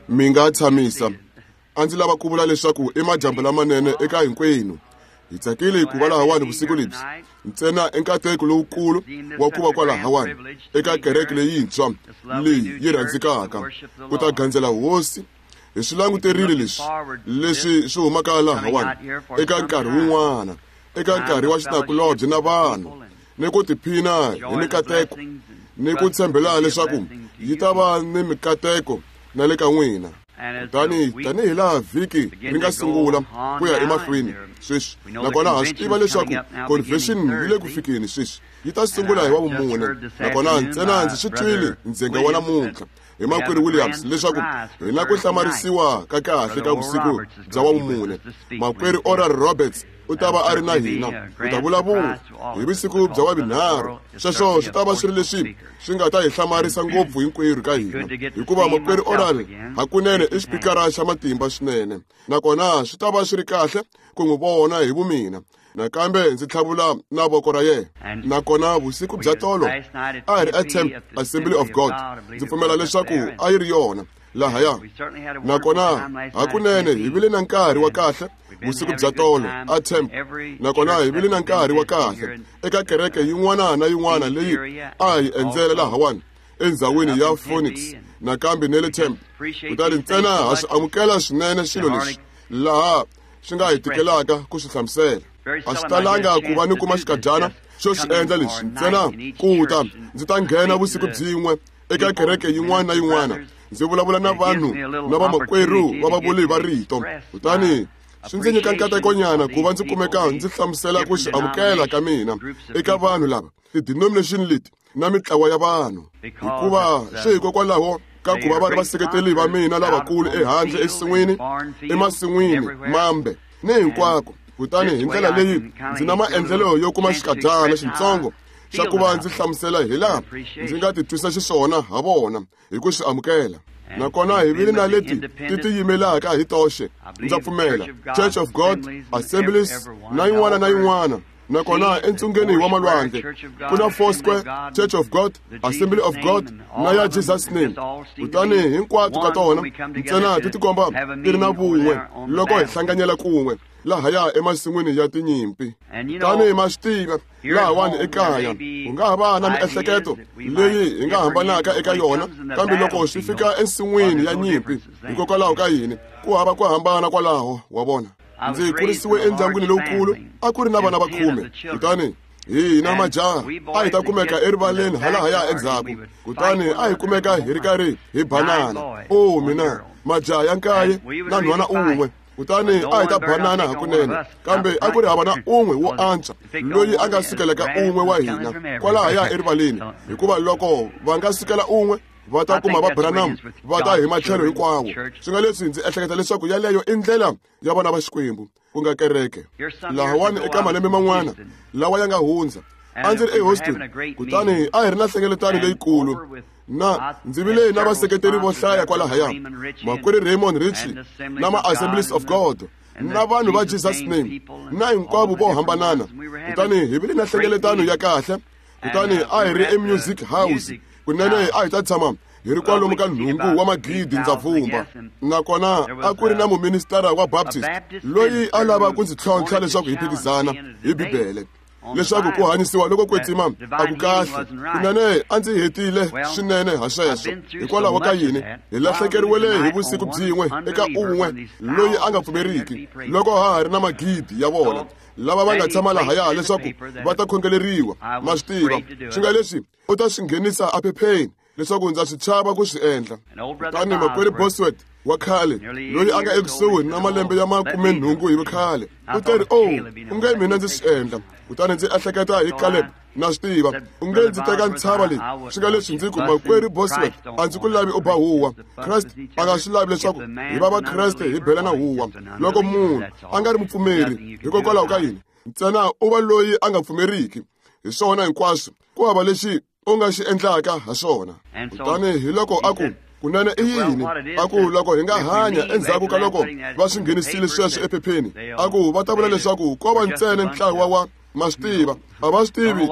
Mi nga tshamisa. A ndzi lava ku vula leswaku i madyambu lamanene eka hinkwenu. Hi tsakile ku va lahawani vusiku lebyi. Ntsena i nkateko lowukulu wa ku va kwalahawani eka kereke leyintshwa leyi yi rhandzekaka ku ta gandzela hosi. Hi swi languterile leswi leswi swi humaka lahawani eka nkarhi wun'wana, eka nkarhi wa xinakulobye na vanhu, ni ku tiphina hi mikateko ni ku tshembela leswaku yi ta va ni mikateko na le ka n'wina. Kutani tanihi laha vhiki ri nga sungula ku ya emahlweni sweswi, nakona ha swi tiva leswaku convention yi le ku fikeni sweswi, yi ta sungula hi Wavumune. Nakona ntsena ndzi swi twile ndzhenga wa namuntlha hi makwerhu Williams leswaku hi na ku hlamarisiwa ka kahle ka vusiku bya Wavumune. Makwerhu Oral Roberts u ta va a ri na hina, u ta vulavula hi vusiku bya Wavunharhu. Sweswo swi ta va swi ri leswi swi nga ta hi hlamarisa ngopfu hinkwerhu ka hina, hikuva makwerhu Oral hakunene i xipikara xa matimba swinene, nakona swi ta va swi ri kahle ku n'wi vona hi vumina. Nakambe ndzi tlhavula na voko ra yena. Nakona vusiku bya tolo a hi ri eTempe Assembly of God, ndzi pfumela leswaku a yi ri yona lahaya. Nakona hakunene hi vile na nkarhi wa kahle vusiku bya tolo aTempe, nakona hi vile na nkarhi wa kahle eka kereke yin'wana na yin'wana leyi a hi endzela lahawani endzhawini ya Phoenix nakambe ne le Tempe. Kutani ntsena ha swi amukela swinene swilo leswi laha swi nga hi tikelaka ku swi hlamusela. A swi talanga ku va ni kuma xikadyana xo swi endla leswi, ntsena ku ta ndzi ta nghena vusiku byin'we eka kereke yin'wana na yin'wana ndzi vulavula na vanhu na vamakwerhu va vavuli va rito. Kutani swi ndzi nyika nkatekonyana ku va ndzi kumeka ndzi hlamusela ku swi amukela ka mina eka vanhu lava ti-denomination leti na mitlawa ya vanhu, hikuva swi hikokwalaho ka ku va va ri vaseketeli va mina lavakulu ehandle ensin'wini, emasin'wini mambe ni hinkwako. Kutani hi ndlela leyi ndzi na maendlelo yo kuma xikadyana xitsongo xa ku va ndzi hlamusela hi laha ndzi nga titwisa xiswona ha vona hi ku swi amukela. Nakona hi vile na leti ti tiyimelaka hi toxe, ndza pfumela, Church of God, Assemblies na yin'wana na yin'wana. Nakona entsungeni wa malwandle ku na Foursquare, Church of God, Assembly of God na ya Jesus Name. Kutani hinkwato ka tona ntsena ti tikomba ti ri na vun'we loko hi hlanganyela kun'we lahaya emasin'wini ya tinyimpi. Tani ma swi tiva, lahawani ekaya ku nga ha va na miehleketo leyi hi nga hambanaka eka yona, kambe loko swi fika ensin'wini ya nyimpi, hikokwalaho ka yini ku hava ku hambana kwalaho, wa vona. Ndzi kurisiwe endyangwini lowukulu, a ku ri na vana va 10, kutani hina majaha a hi ta kumeka erivaleni halahaya endzhaku, kutani a hi kumeka hi ri karhi hi banana. O mina, majaha ya 9 na nhwana un'we, kutani a hi ta banana hakunene, kambe a ku ri hava na un'we wo antswa loyi a nga sukelaka un'we wa hina kwalahaya erivaleni, hikuva loko va nga sukela un'we va ta kuma va Branham va ta hi matlhelo hinkwawo. Swi nga leswi ndzi ehleketa leswaku yaleyo i ndlela ya vana va Xikwembu, ku nga kereke. Lahawani eka malembe man'wana lawa ya nga hundza, a ndzi ri eHouston, kutani a hi ri na nhlengeletano leyikulu, na ndzi vile na vaseketeri vo hlaya kwalahaya, makwerhu Raymond Richey na ma-Assemblies of God na vanhu va Jesus Name na hinkwavo vo hambanana. Kutani hi vile na nhlengeletano ya kahle, kutani a hi ri eMusic House. Kunene a hi ta tshama hi ri kwalomu ka 8 wa magidi, ndza pfumba. Nakona a ku ri na muministara wa Baptist loyi a lava ku ndzi tlhontlha leswaku hi phikizana hi Bibele, leswaku ku hanyisiwa loko kwetsima a ku kahle. Kunene a ndzi hetile swinene ha sweswo. Hikwalaho ka yini hi lahlekeriwele hi vusiku byin'we eka un'we loyi a nga pfumeriki, loko ha ha ri na magidi ya vona lava va nga tshama lahaya leswaku va ta khongeleriwa. Ma swi tiva, swi nga leswi u ta swi nghenisa ephepheni leswaku ndza swi chava ku swi endla. Kutani makwerhu Bosworth wa khale, loyi a nga ekusuhi na malembe ya 80 hi vukhale, u teri, "Oh, u nge mina ndzi swi endla." Kutani ndzi ehleketa hi Caleb, na swi tiva, u nge ndzi teka ntshava leyi. Swi nga leswi ndzi ku, makwerhu Bosworth, a ndzi ku lavi u ba huwa. Kreste a nga swi lavi leswaku hi va Vakreste hi belana huwa. Loko munhu a nga ri mupfumeri, hikokwalaho ka yini ntsena u va loyi a nga pfumeriki? Hi swona hinkwaswo, ku hava lexi u nga xi endlaka ha swona. Kutani hi loko a ku, kunene i yini? A ku, loko hi nga hanya endzhaku ka loko va swi nghenisile sweswo ephepheni, a ku va ta vula leswaku ko va ntsena ntlawa wa Ma swi tiva, a va swi tivi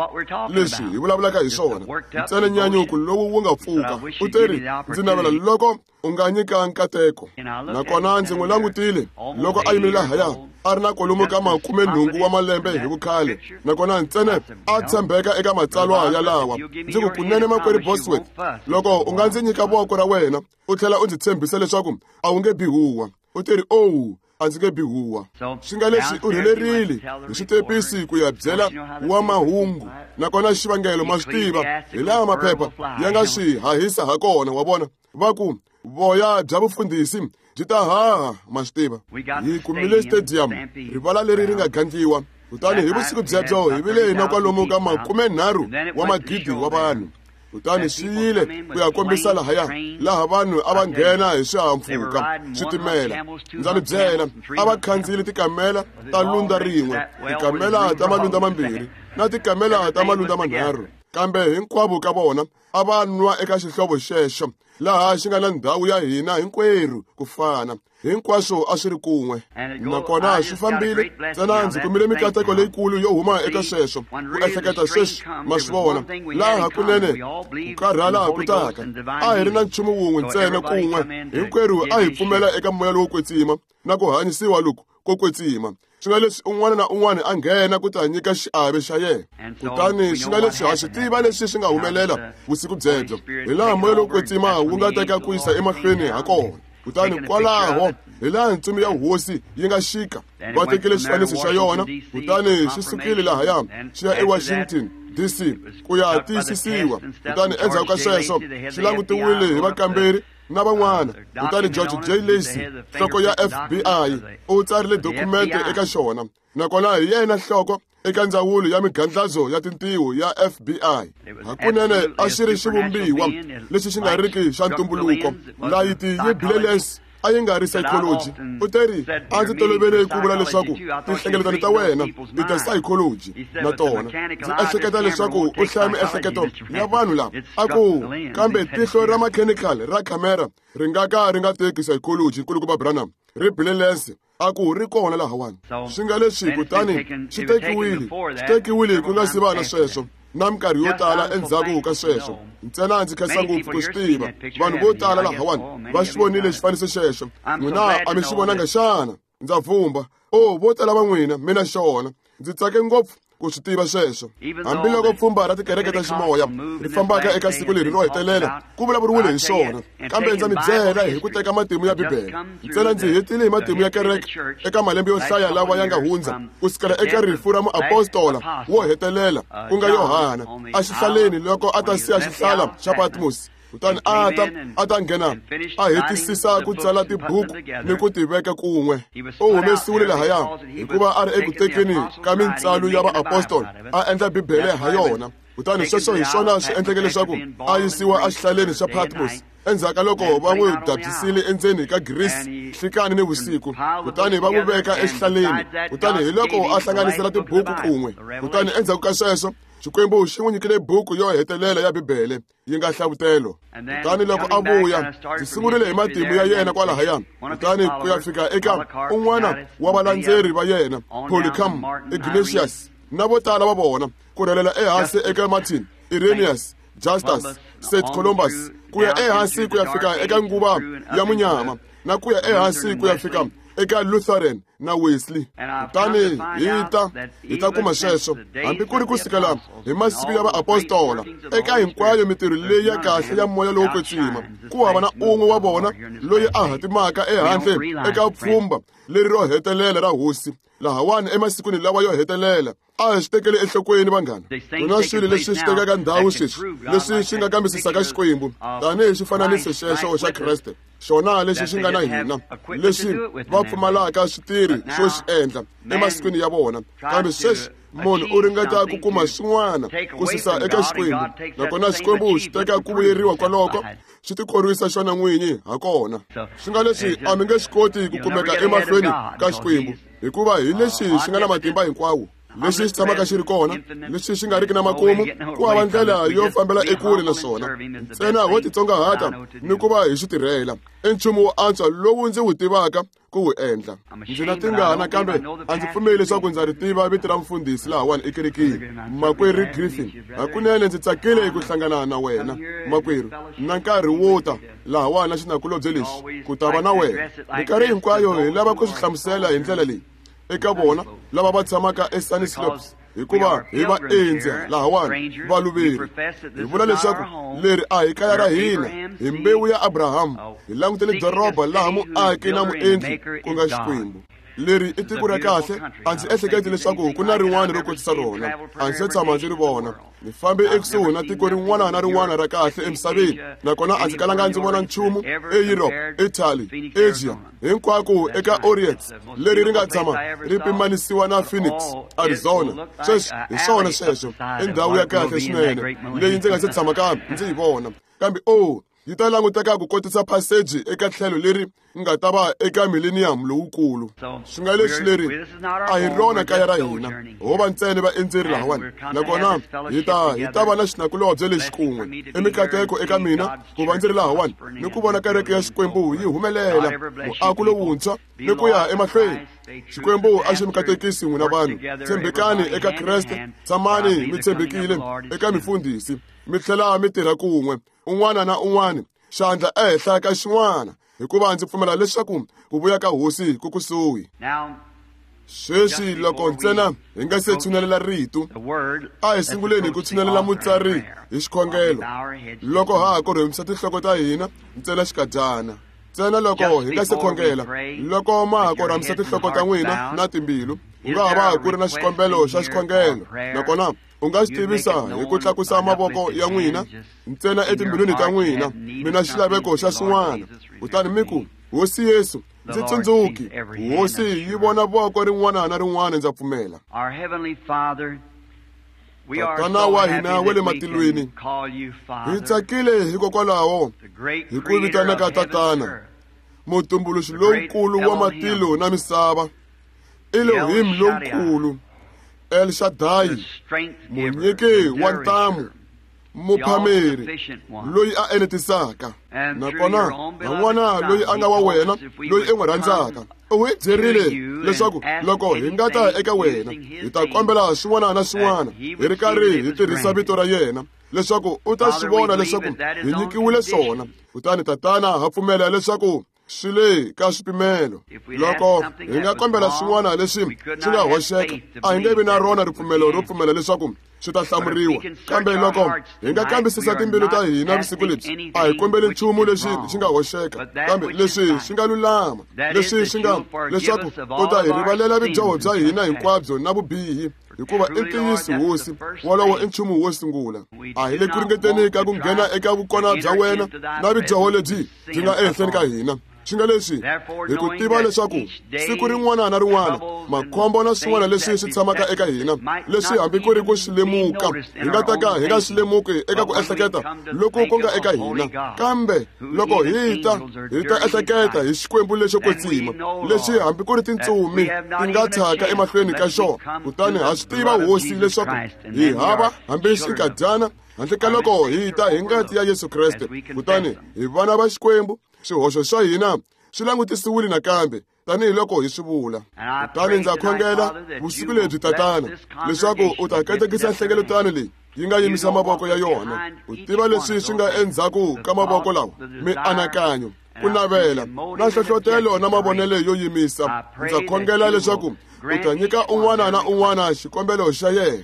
leswi hi vulavulaka hi swona. Ntsena nyanyuko lowu wu nga pfuka. U teri, ndzi navela loko u nga nyika nkateko. Nakona ndzi n'wi langutile loko a yimile lahaya, a ri na kwalomu ka 80 wa malembe hi vukhale, nakona ntsena a tshembeka eka matsalwa yalawa. Ndzi ku, kunene makwerhu Bosworth, loko u nga ndzi nyika voko ra wena u tlhela u ndzi tshembisa leswaku a wu nge bi huwa. U teri, owu, a ndzi nge bi huwa. Swi nga leswi u rhelerile hi switepisi ku ya byela wa mahungu, nakona xivangelo ma swi tiva hi laha maphepha ya nga swi hahisa ha kona. Wa vona, va ku voya bya vufundhisi byi ta haha. Ma swi tiva, hi kumile stadium, rivala leri ri nga gandliwa. Kutani hi vusiku byebyo hi vile na kwalomu ka 30 wa magidi wa vanhu. Kutani swi yile ku ya kombisa lahaya, laha vanhu a va nghena hi swihahampfhuka, switimela. Ndza mi byela, a va khandziyile tikamela ta lundza rin'we, tikamela ta malundza mambirhi, na tikamela ta malundza manharhu. Kambe hinkwavo ka vona a va nwa eka xihlovo xexo, laha xi nga na ndhawu ya hina hinkwerhu ku fana. Hinkwaswo a swi ri kun'we, nakona swi fambile. Ntsena ndzi kumile mikateko leyikulu yo huma eka sweswo. Ku ehleketa sweswi, ma swi vona laha hakunene ku karhala ku taka. A hi ri na nchumu wun'we ntsena kun'we, hinkwerhu a hi pfumela eka moya lowo kwetsima na ku hanyisiwa loku ko kwetsima. Swi nga leswi un'wana na un'wana a nghena ku ta nyika xiave xa yena. Kutani swi nga leswi ha swi tiva leswi swi nga humelela vusiku byebyo, hi laha moya lowo kwetsima wu nga teka ku yisa emahlweni ha kona. Kutani kwalaho hi laha ntsumi ya hosi yi nga xika, va tekile xifaniso xa yona, kutani xi sukile lahaya xi ya eWashington DC ku ya tiyisisiwa. Kutani endzhaku ka sweswo xi langutiwile hi vakamberi na van'wana. Kutani George J. Lacy, nhloko ya FBI, u tsarile dokumente eka xona, nakona hi yena nhloko eka ndzawulo ya migandlazo ya tintiho ya FBI. Hakunene a xi ri xivumbiwa lexi xi nga riki xa ntumbuluko. Layiti yi bile lens a yi nga ri psychology. U teri, a ndzi tolovele ku vula leswaku tinhlengeletano ta wena i ta psychology na tona. Ndzi ehleketa leswaku u hlaya miehleketo ya vanhu lava. A ku, kambe tihlo ra mechanical ra khamera ri nga ka ri nga teki psychology, nkulukumba Branham. Ri bile lens, a ku ri kona lahawani. Swi nga leswi kutani swi tekiwile ku nga si va na sweswo, na minkarhi yo tala endzhaku ka sweswo. Ntsena ndzi khensa ngopfu ku swi tiva. Vanhu vo tala lahawani va xi vonile xifaniso xexo. N'wina a mi xi vonanga xana? Ndza vumba, o vo tala va n'wina, mina xona. Ndzi tsake ngopfu ku swi tiva sweswo. Hambiloko pfhumba ra tikereke ta ximoya ri fambaka eka siku leri ro hetelela, ku vulavuriwile hi swona. Kambe ndza mi byela hi ku teka matimu ya Bibele. Ntsena ndzi hetile hi matimu ya kereke eka malembe yo hlaya lawa ya nga hundza, ku sukela eka rifu ra muapostola wo hetelela, ku nga Yohana, exihlaleni loko a ta siya xihlala xa Patmos. Kutani a ta nghena a hetisisa ku tsala tibuku ni ku ti veka kun'we. U humesiwile lahaya hikuva a ri eku tekeni ka mintsalo ya vaapostola, a endla Bibele ha yona. Kutani sweswo hi swona swi endleke leswaku a yisiwa exihlaleni xa Patmos endzhaku ka loko va n'wi dabyisile endzeni ka Greece nhlikani ni vusiku. Kutani va n'wi veka exihlaleni. Kutani hi loko a hlanganisela tibuku kun'we. Kutani endzhaku ka sweswo Xikwembu xi n'wi nyikile buku yo hetelela ya Bibele, yi nga hlavutelo. Kutani loko a vuya, ndzi sungurile hi matimu ya yena kwalahaya, kutani ku ya fika eka un'wana wa valandzeri va yena, Polycarp, Ignatius, na vo tala va vona, ku rhelela ehansi eka Martin, Irenaeus, Justus, St. Columbus, ku ya ehansi ku ya fika eka nguva ya munyama, na ku ya ehansi ku ya fika eka Lutheran na Wesley. Kutani hi ta kuma sweswo hambi ku ri ku sukela hi masiku ya vaapostola, eka hinkwayo mintirho leyi ya kahle ya moya lowo kwetsima, ku hava na un'we wa vona loyi a hatimaka ehandle eka pfhumba leri ro hetelela ra hosi lahawani emasikwini lawa yo hetelela. A hi swi tekeli enhlokweni vanghana. Ku na swilo leswi swi tekaka ndhawu sweswi leswi swi nga kambisisaka Xikwembu tanihi xifananiso xexo xa Kreste, xona lexi xi nga na hina, leswi va pfumalaka switirhi swo xi endla emasikwini ya vona. Kambe sweswi munhu u ringeta ku kuma swin'wana ku susa eka Xikwembu, nakona Xikwembu xi teka ku vuyeriwa kwaloko, xi tikhorwisa xona n'winyi ha kona. Swi nga leswi a mi nge swi koti ku kumeka emahlweni ka Xikwembu, hikuva hi lexi xi nga na matimba hinkwawo, lexi xi tshamaka xi ri kona, lexi xi nga riki na makumu. Ku hava ndlela yo fambela ekule na swona. Ntsena ho titsongahata ni ku va hi xi tirhela. I nchumu wo antswa lowu ndzi wu tivaka. ku wu endla. Ndzi na tingana kambe a ndzi pfumeli leswaku ndza ri tiva vito ra mfundhisi lahawani ekerekeni, Makwerhu Griffin. Hakunene ndzi tsakile ku hlangana na wena, makwerhu, na nkarhi wo ta lahawani na xinakulobye lexi ku ta va na wena. Minkarhi hinkwayo hi lava ku swi hlamusela hi ndlela leyi eka vona lava va tshamaka eSunny Slopes, hikuva hi vaendzi lahawani, valuveri. Hi vula leswaku leri a hi kaya ra hina, hi mbewu ya Abraham. Hi langutele doroba laha muaki na muendli ku nga Xikwembu. Leri i tiko ra kahle, a ndzi ehleketi leswaku ku na rin'wana ro kotisa rona. A ndzi se tshama ndzi ri vona. Ni fambe ekusuhi na tiko rin'wana na rin'wana ra kahle emisaveni, nakona a ndzi kalanga ndzi vona nchumu eEurope, Italy, Asia, hinkwako eka Orient leri ri nga tshama ri pimanisiwa na Phoenix, Arizona. Sweswi hi swona sweswo, i ndhawu ya kahle swinene leyi ndzi nga se tshamaka ndzi yi vona. Kambe o yi ta languteka ku kotisa phaseji eka tlhelo leri nga ta va eka millennium lowukulu. Swi nga leswi leri a hi rona kaya ra hina, ho va ntsena vaendzeri lahawani, nakona hi ta va na xinakulobye lexi kun'we. I mikateko eka mina ku va ndzi ri lahawani ni ku vona kereke ya Xikwembu yi humelela, muako lowuntshwa ni ku ya emahlweni. Xikwembu a xi mi katekisi n'wina vanhu. Tshembekani eka Kreste, tshamani mi tshembekile eka mifundhisi, mi tlhela mi tirha kun'we, un'wana na un'wana xandla ehenhla ka xin'wana, hikuva ndzi pfumela leswaku ku vuya ka Hosi ku kusuhi. Sweswi loko ntsena hi nga se tshunelela rito, a hi sunguleni ku tshunelela mutsari hi xikhongelo, loko ha ha korhomisa tinhloko ta hina ntsena xikadyana. Ntsena loko hi nga se khongela, loko ma ha korhamisa tinhloko ta n'wina na timbilu, ku nga ha va ku ri na xikombelo xa xikhongelo, nakona u nga swi tivisa hi ku tlakusa mavoko ya n'wina ntsena etimbilwini ta n'wina, mi na xilaveko xa swin'wana, kutani mi ku, Hosi Yesu, ndzi tsundzuki. Hosi yi vona voko rin'wana na rin'wana, ndza pfumela. Tatana wa hina wa le matilweni, hi tsakile hikokwalaho hi ku vitanaka Tatana, mutumbuluxi lowukulu wa matilo na misava, Elohim lowukulu, El Shaddai, munyiki wa ntamu, muphameri loyi a enetisaka, nakona van'wana loyi a nga wa wena, loyi i n'wi rhandzaka. U hi byerile leswaku loko hi nga ta eka wena, hi ta kombela swin'wana na swin'wana hi ri karhi hi tirhisa vito ra yena, leswaku u ta swi vona leswaku hi nyikiwile swona. Kutani Tatana, ha pfumela leswaku swi le ka swipimelo. Loko hi nga kombela swin'wana leswi swi nga hoxeka, a hi nge vi na rona ripfumelo ro pfumela leswaku swi ta hlamuriwa. Kambe loko hi nga kambisisa timbilu ta hina vusiku lebyi, a hi kombeli nchumu lexi xi nga hoxeka, kambe leswi swi nga lulama, leswi swi nga leswaku u ta hi rivalela vudyoho bya hina hinkwabyo na vubihi, hikuva i ntiyiso Hosi, wolowo i nchumu wo sungula. A hi le ku ringeteni ka ku nghena eka vukona bya wena na vudyoho lebyi byi nga ehenhleni ka hina. Swi nga leswi hi ku tiva leswaku siku rin'wana na rin'wana makhombo na swin'wana leswi swi tshamaka eka hina, leswi hambi ku ri ku swi lemuka hi nga ta ka hi nga swi lemuki eka ku ehleketa loku ku nga eka hina, kambe loko hi ta ehleketa hi Xikwembu lexo kwetsima, lexi hambi ku ri tintsumi ti nga tshaka emahlweni ka xona. Kutani ha swi tiva Hosi leswaku hi hava hambi xinkadyana handle ka loko hi ta hi ngati ya Yesu Kreste, kutani hi vana va Xikwembu. Swihoxo swa hina swi langutisiwile nakambe tanihiloko hi swi vula. Kutani ndza khongela vusiku lebyi, Tatana, leswaku u ta katekisa nhlengeletano leyi yi nga yimisa mavoko ya yona. U tiva leswi swi nga endzhaku ka mavoko lawa, mianakanyo, ku navela, na nhlohlotelo na mavonelo yo yimisa. Ndza khongela leswaku u ta nyika un'wana na un'wana xikombelo xa yena.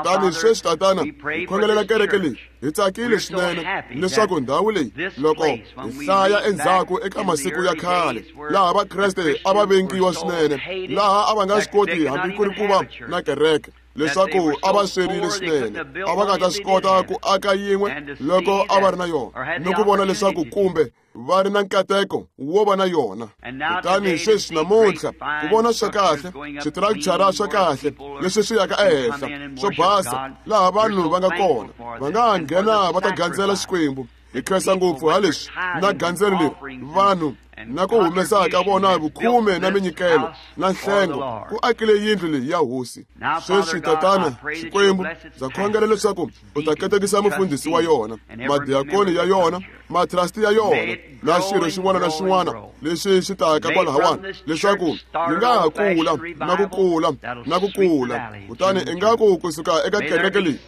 Kutani sweswi, Tatana, hi khongelela kereke leyi. Hi tsakile swinene leswaku ndhawu leyi, loko hi hlaya endzhaku eka masiku ya khale, laha Vakreste a va vengiwa swinene, laha a va nga swi koti hambi ku ri ku va na kereke, leswaku a va swerile swinene, a va nga ta swi kota ku aka yin'we loko a va ri na yona, ni ku vona leswaku kumbe va ri na nkateko wo va na yona. Kutani sweswi namuntlha ku vona swa kahle, switirakichara swa kahle leswi swi yaka ehenhla, swo basa, laha vanhu va nga kona, va nga nghena va ta gandzela Xikwembu. Hi khensa ngopfu ha leswi na gandzelo leri vanhu Na ku humesa ka vona vukhume na minyikelo na nhlengo ku akile yindlu leyi ya hosi. Sweswi Tatana Xikwembu, ndza khongela leswaku u ta katekisa mufundhisi wa yona, madiakoni ya yona, matrasti ya yona, na xirho xin'wana na xin'wana lexi xi taka kwalahawani, leswaku yi nga ha kula na ku kula na ku kula. Kutani ingaku kusuka eka kereke leyi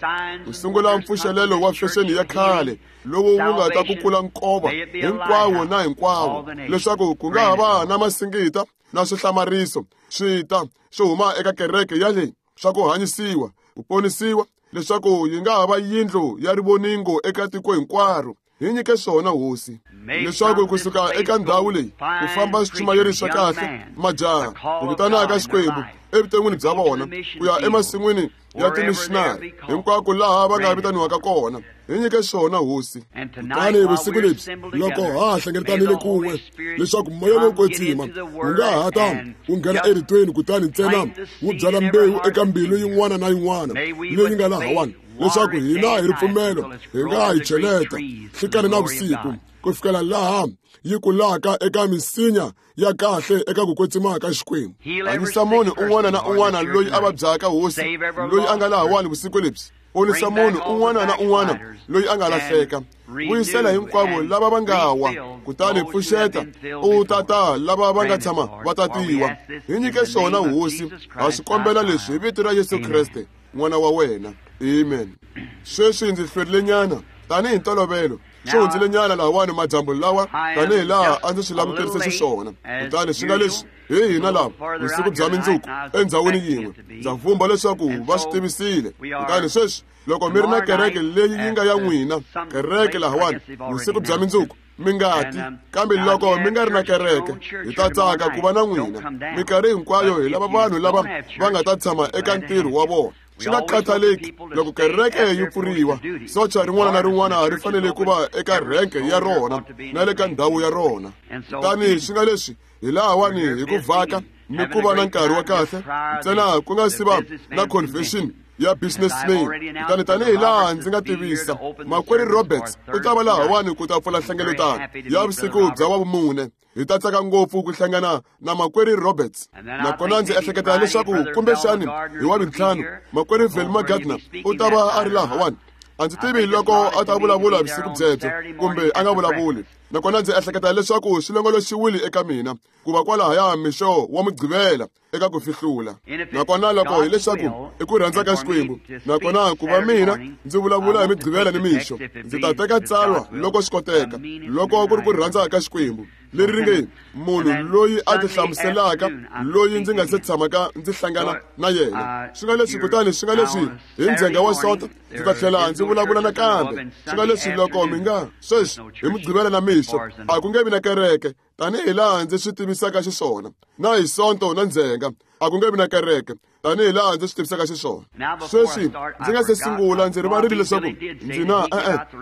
ku sungula mpfuxelelo wa fexeni ya khale lowu wu nga ta kukula nkova hinkwawo na hinkwawo, leswaku ku nga ha va na masingita na swihlamariso swi ta swi huma eka kereke ya leyi swa ku hanyisiwa, ku ponisiwa, leswaku yi nga ha va yindlu ya rivoningo eka tiko hinkwaro. Hi nyike swona hosi, leswaku kusuka eka ndhawu leyi ku famba swichumayeri swa kahle, majaha, ku vitanaka Xikwembu evuton'wini bya vona, ku ya emasin'wini ya timishinari hinkwako laha va nga vitaniwaka kona. Hi nyike swona hosi. Kutani vusiku lebyi loko ha ha hlengeletanile kun'we, leswaku moya lowo kwetsima wu nga ha ta wu nghena eritweni, kutani ntsena wu byala mbewu eka mbilu yin'wana na yin'wana leyi nga lahawani, leswaku hina hi ripfumelo hi nga hi cheleta nhlikani na vusiku ku fikela laha yi kulaka eka misinya ya kahle eka ku kwetsima ka Xikwembu. Hanyisa munhu un'wana na un'wana loyi a vabyaka hosi, loyi a nga lahawani vusiku lebyi. Ponisa munhu un'wana na un'wana loyi a nga lahleka. Vuyisela hinkwavo lava va nga wa, kutani pfuxeta u tata lava va nga tshama va tatiwa. Hi nyike swona hosi, ha swi kombela leswi hi vito ra Yesu Kreste, n'wana wa wena. Amen. Sweswi ndzi hlwerile nyana tanihi ntolovelo, swi hundzile nyana lahawani madyambu lawa tanihi laha a ndzi swi languterise xiswona. Kutani swi nga leswi hi hina lava vusiku bya mindzuku endhawini yin'we, ndza vumba leswaku va swi tivisile. Kutani sweswi loko mi ri na kereke leyi yi nga ya n'wina, kereke lahawani vusiku bya mindzuku, mi nga ti. Kambe loko mi nga ri na kereke, hi ta tsaka ku va na n'wina. Minkarhi hinkwayo hi lava vanhu lava va nga ta tshama eka ntirho wa vona, swi nga khathaleki loko kereke yi pfuriwa. Socha rin'wana na rin'wana ri fanele ku va eka renke ya rona na le ka ndhawu ya rona. Kutani swi nga leswi hi lahawani hi ku vhaka ni ku va na nkarhi wa kahle ntsena ku nga si va na convention ya businessman. Kutani tanihi laha ndzi nga tivisa, makwerhu Roberts u ta va lahawani ku ta pfula nhlengeletano ya vusiku bya wavumune. Hi ta tsaka ngopfu ku hlangana na makwerhu Roberts. Nakona ndzi ehleketa leswaku kumbexani hi wa vintlhanu makwerhu Velma Gardner u ta va a ri lahawani. A ndzi tivi loko a ta vulavula vusiku byebyo kumbe a nga vulavuli. Nakona ndzi ehleketa leswaku swi longoloxiwile eka mina ku va kwalahaya mixo wa Mugqivela eka ku fihlula. Nakona loko hileswaku i ku rhandza ka Xikwembu, nakona ku va mina ndzi vulavula hi Mugqivela ni mixo, ndzi ta teka tsalwa loko swi koteka, loko ku ri ku rhandza ka Xikwembu, leri ri nge munhu loyi a tihlamuselaka loyi ndzi nga se tshamaka ndzi hlangana na yena. Swi nga leswi kutani swi nga leswi hi ndzhenga wa Sonto ndzi ta tlhela ndzi vulavula nakambe. Swi nga leswi loko mi nga sweswi hi Mugqivela na mixo a ku nge vi na kereke tanihi laha ndzi swi tivisaka xiswona, na hi Sonto na ndzhenga a ku nge vi na kereke tanihi laha ndzi swi tivisaka xiswona. Sweswi ndzi nga se sungula, ndzi rivarile leswaku ndzi na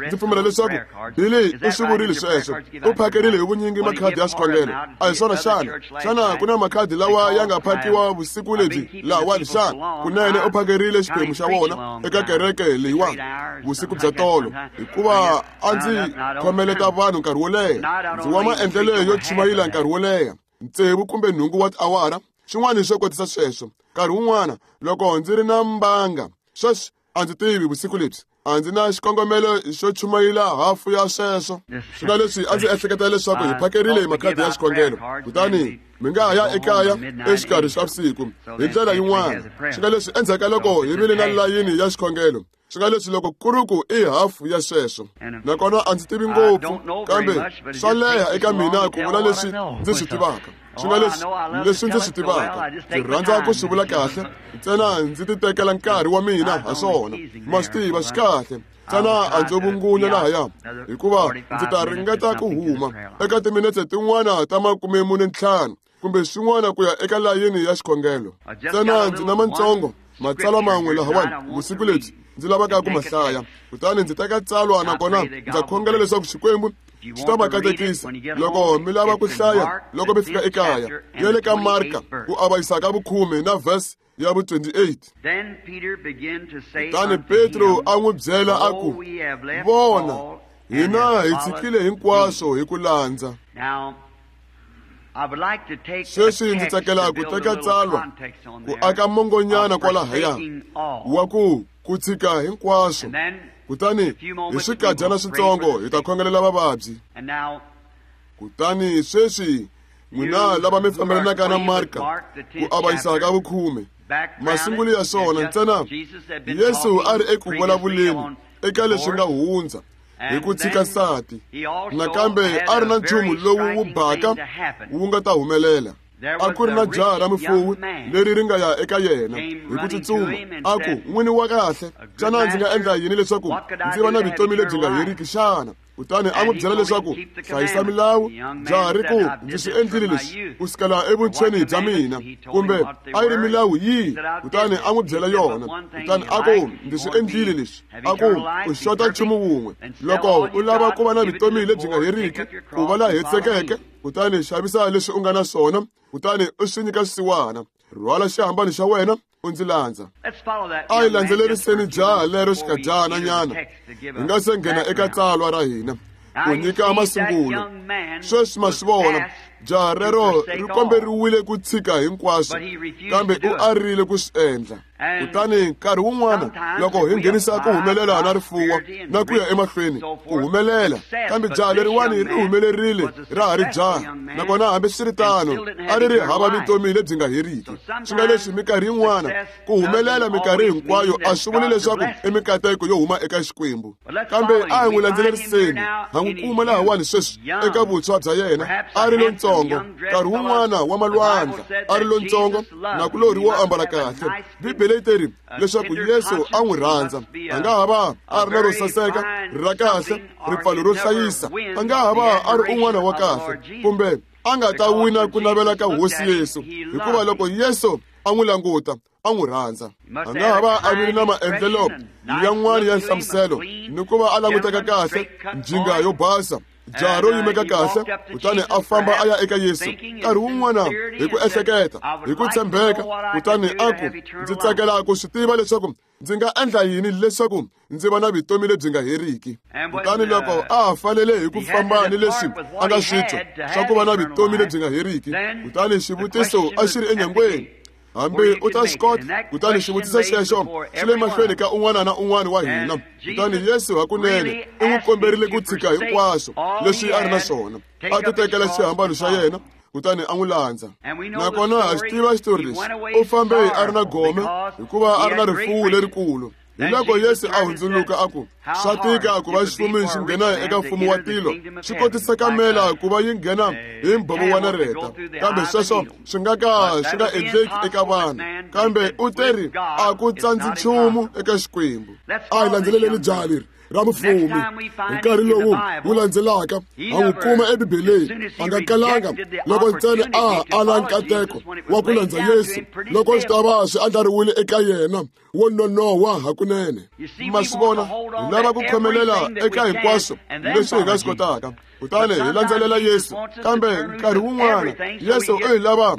ndzi pfumela leswaku Billy u swi vurile sweswo, u phakerile hi vunyingi makhadi ya swikhongelo. A hi swona xana? Xana ku na makhadi lawa ya nga phakiwa vusiku lebyi lahawani xana? Kunene u phakerile xiphemu xa wona eka kereke leyiwani vusiku bya tolo, hikuva a ndzi khomeleta vanhu nkarhi wo leha. Ndzi wa maendlelo yo chumayela nkarhi wo leha, 6 kumbe 8 wa tiawara, xin'wana xo kotisa sweswo. Nkarhi wun'wana loko ndzi ri na mbanga, sweswi a ndzi tivi vusiku lebyi a ndzi na xikongomelo xo chumayela hafu ya sweswo. Swi nga leswi a ndzi ehleketa leswaku hi phakerile hi makhadi ya xikhongelo, kutani mi nga ha ya ekaya exikarhi xa vusiku hi ndlela yin'wana. Swi nga leswi endzhaku ka loko hi vile na layini ya xikhongelo, swi nga leswi loko ku ri ku i hafu ya sweswo. Nakona a ndzi tivi ngopfu, kambe swa leha eka mina ku vula leswi ndzi swi tivaka. Swi nga leswi leswi ndzi swi tivaka, ndzi rhandza ku swi vula kahle, ntsena ndzi ti tekela nkarhi wa mina ha swona. Ma swi tiva swi kahle, ntsena a ndzo vungunya lahaya, hikuva ndzi ta ringeta ku huma eka timinetse tin'wana ta 45 kumbe swin'wana ku ya eka layini ya xikhongelo. Ntsena ndzi na mantsongo matsalwa man'we lahawani vusiku lebyi ndzi lavaka ku ma hlaya, kutani ndzi teka tsalwa, nakona ndza khongela leswaku Xikwembu xi ta va katekisa loko mi lava ku hlaya loko mi fika ekaya. Ya le ka Marka ku avanyisa ka vukhume na verse ya vu 28. Kutani Petro a n'wi byela a ku, vona, hina hi tshikile hinkwaswo hi ku landza. Sweswi ndzi tsakela ku teka tsalwa ku aka mongonyana kwalahaya wa ku tshika hinkwaswo, kutani hi swikadyana switsongo hi ta khongelela vavabyi. Kutani sweswi n'wina lava mi fambelanaka na Marka ku avanyisa ka vukhume, masungulo ya swona ntsena Yesu a ri eku vulavuleni eka leswi nga hundza hi ku tshika nsati, nakambe a ri na nchumu lowu wu baka wu nga ta humelela. A ku ri na jaha ra mufuwi leri ri nga ya eka yena hi ku tsutsuma, a ku, "N'wini wa kahle, xana ndzi nga endla yini leswaku ndzi va na vutomi lebyi nga heriki xana?" Kutani a n'wi byela leswaku, "Hlayisa milawu." Jaha ri ku, "Ndzi swi endlile leswi ku sukela evuntshweni bya mina." Kumbe a yi ri milawu yihi? Kutani a n'wi byela yona. Kutani a ku, "Ndzi swi endlile leswi." A ku, "U xota nchumu wun'we. Loko u lava ku va na vutomi lebyi nga heriki, ku va la hetisekeke, kutani xavisa leswi u nga na swona, kutani u swi nyika swisiwana. Rhwala xihambano xa wena u ndzi landza." A hi landzeleriseni jaha lero xikadyana nyana hi nga se nghena eka tsalwa ra hina ku nyika masungulo. Sweswi ma swi vona, jaha rero ri komberiwile ku tshika hinkwaswo, kambe u arile ku swi endla. Kutani nkarhi wun'wana loko hi nghenisa ku humelela na rifuwo na ku ya emahlweni ku humelela, kambe jaha leriwani ri humelerile ra ha ri jaha, nakona hambiswiritano a ri ri hava vutomi lebyi nga heriki. Swi nga leswi minkarhi yin'wana ku humelela minkarhi hinkwayo a swi vuli leswaku i mikateko yo huma eka Xikwembu. Kambe a hi n'wi landzeleriseni, ha n'wi kuma lahawani sweswi eka vuntshwa bya yena a ri lontsongo, nkarhi wun'wana wa malwandla a ri lontsongo, nakulorhi wo ambala kahle. Bibele yi teri leswaku Yesu a n'wi rhandza. A nga ha va a ri na ro saseka, ra kahle, ripfalo ro hlayisa, a nga ha va a ri un'wana wa kahle, kumbe a nga ta wina ku navela ka Hosi Yesu, hikuva loko Yesu a n'wi languta, a n'wi rhandza. A nga ha va a vile na maendlelo yan'wana ya nhlamuselo ni ku va a languteka kahle, njinga yo basa, jaha ro yimeka kahle, kutani a famba a ya eka Yesu nkarhi wun'wana hi ku ehleketa, hi ku tshembeka, kutani a ku, "Ndzi tsakela ku swi tiva leswaku ndzi nga endla yini leswaku ndzi va na vutomi lebyi nga heriki." Kutani loko a ha fanele hi ku famba ni leswi a nga swi twa swa ku va na vutomi lebyi nga heriki, kutani xivutiso a xi ri enyangweni, hambi u ta swi kota. Kutani xivutiso xexo xi le mahlweni ka un'wana na un'wana wa hina. Kutani Yesu hakunene u n'wi komberile ku tshika hinkwaswo leswi a ri na swona, a ti tekela xihambano xa yena, kutani a n'wi landza. Nakona ha xi tiva xitori lexi, u fambe a ri na gome hikuva a ri na rifuwo lerikulu. Hi loko Yesu a hundzuluka a ku, "Swa tika ku va xifumi xi nghena eka mfumo wa tilo, swi kotisa kamela ku va yi nghena hi mbhovo wa nareta, kambe sweswo swi nga ka swi nga endleki eka vanhu." Kambe u teri, "A ku tsandzi nchumu eka Xikwembu." A hi landzeleleni jaha leri ra mufumi. Hi nkarhi lowu wu landzelaka ha n'wi kuma eBibeleni, a nga kalanga loko ntsena a ala nkateko wa ku landza Yesu loko swi ta va swi andlariwile eka yena wo nonoha hakunene. Ma swi vona, hi lava ku khomelela eka hinkwaswo leswi hi nga swi kotaka, kutani hi landzelela Yesu. Kambe nkarhi wun'wana Yesu u hi lava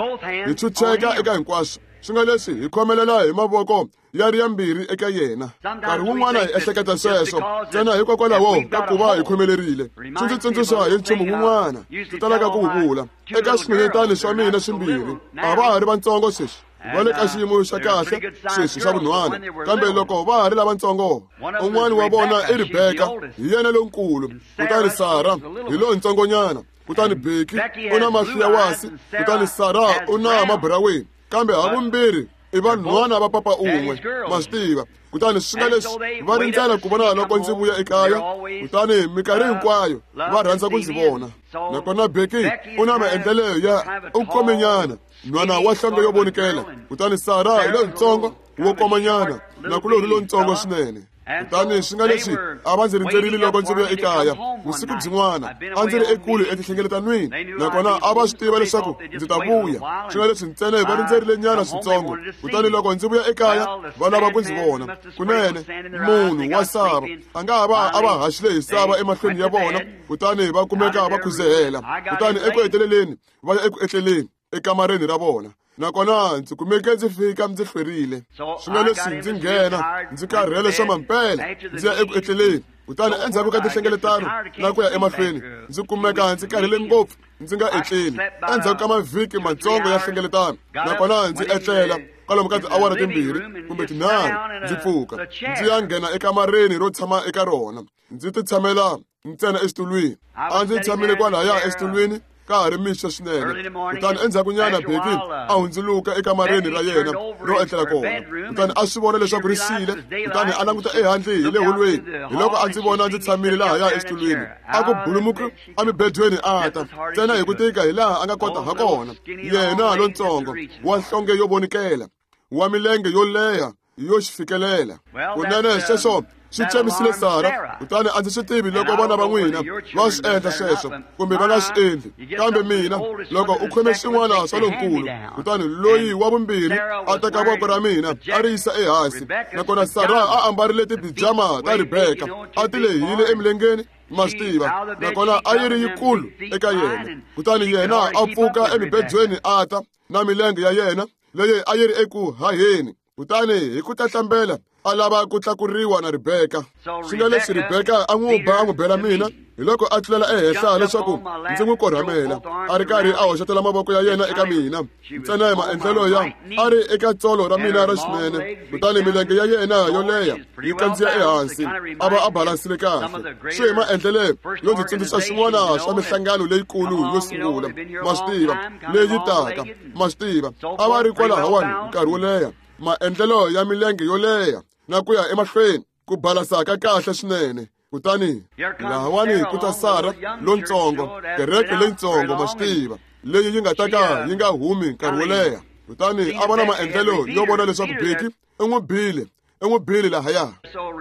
hi chucheka eka hinkwaswo, swi nga leswi hi khomelela hi mavoko ya ri yambirhi eka yena. Nkarhi wun'wana hi ehleketa sweswo ntsena hikokwalaho ka ku va hi khomelerile. Swi ndzi tsundzuxa hi nchumu wun'wana ndzi talaka ku wu vula eka swinhwanyetani swa mina swimbirhi. A va ha ri vatsongo sweswi, va le ka xiyimo xa kahle sweswi xa vunhwana, kambe loko va ha ri lavatsongo, un'wana wa vona i Rebeka, hi yena lonkulu, kutani Sara hi lontsongonyana. Kutani Beki u na mahlo ya wasi, kutani Sara u na maburaweni, kambe havumbirhi i vanhwana va papa un'we, ma swi tiva. Kutani swi nga leswi va rindzela ku vona loko ndzi vuya ekaya, kutani minkarhi hinkwayo va rhandza ku ndzi vona. Nakona Beki u na maendlelo ya u komenyana, nhwana wa nhlonge yo vonikela, kutani Sara hi lontsongo wo komanyana, nakulorhi lontsongo swinene. Kutani swi nga leswi a va ndzi rindzerile loko ndzi vuya ekaya vusiku byin'wana. A ndzi ri ekule etinhlengeletanweni, nakona a va swi tiva leswaku ndzi ta vuya. Swi nga leswi ntsena va rindzerile nyana switsongo, kutani loko ndzi vuya ekaya va lava ku ndzi vona. Kunene munhu wa sava a nga ha va a va haxile hi sava emahlweni ya vona, kutani va kumeka va khuzehela. Kutani eku heteleleni va ya eku etleleni ekamareni ra vona, nakona ndzi kumeke ndzi fika ndzi hlwerile. Swi nga leswi ndzi nghena ndzi karhele swa mampela, ndzi ya eku etleleni. Kutani endzhaku ka tinhlengeletano na ku ya emahlweni, ndzi kumeka ndzi karhele ngopfu ndzi nga etleli endzhaku ka mavhiki matsongo ya hlengeletano, nakona ndzi etlela kwalomu ka tiawara 2 kumbe 3, ndzi pfuka ndzi ya nghena ekamareni ro tshama eka rona, ndzi ti tshamela ntsena exitulwini. A ndzi tshamile kwalaya exitulwini ka ha ri mixo swinene. Kutani endzhakunyana Becky a hundzuluka ekamareni ra yena ro etlela kona, kutani a swi vona leswaku ri xile. Kutani a languta ehandle hi le holweni, hi loko a ndzi vona ndzi tshamile lahaya exitulwini. A ku bulumuku emibedweni a ta ntsena hi ku tika hi laha a nga kota ha kona. Yena lontsongo wa nhlonge yo vonikela, wa milenge yo leha yo xi fikelela. Kunene sweswo swi chamisile Sara. Kutani a ndzi swi tivi loko vana va n'wina va swi endla sweswo kumbe va nga swi endli, kambe mina loko u khome swin'wana swa lonkulu, kutani loyi wa vumbirhi a teka voko ra mina a ri yisa ehansi, nakona Sara a ambarile tibijama ta Rebeka, a ti lehile emilengeni, ma swi tiva, nakona a yi ri yikulu eka yena. Kutani yena a pfuka emibedweni a ta na milenge ya yena leyi a yi ri eku haheni, kutani hi ku tlatlambela a lava ku tlakuriwa na Rebeka. Swi nga leswi Rebeka a n'wi ba a n'wi bela mina, hi loko a tlulela ehenhla leswaku ndzi n'wi korhamela, a ri karhi a hoxetela mavoko ya yena eka mina ntsena hi maendlelo ya a ri eka tsolo ra mina ra xinene. Kutani milenge ya yena yo leha yi kandziya ehansi, a va a balansile kahle. Swi hi maendlelo yo ndzi tsundzuxa swin'wana swa mihlangano leyikulu yo sungula, ma swi tiva, leyi taka, ma swi tiva, a va ri kwalahawani nkarhi wo leha, maendlelo ya milenge yo leha na ku ya emahlweni, ku balasaka kahle swinene. Kutani lahawani ku ta Sara lontsongo, kereke leyitsongo, ma swi tiva, leyi yi nga ta ka yi nga humi nkarhi wo leha. Kutani a vona maendlelo yo vona leswaku Becky i n'wi bile lahaya.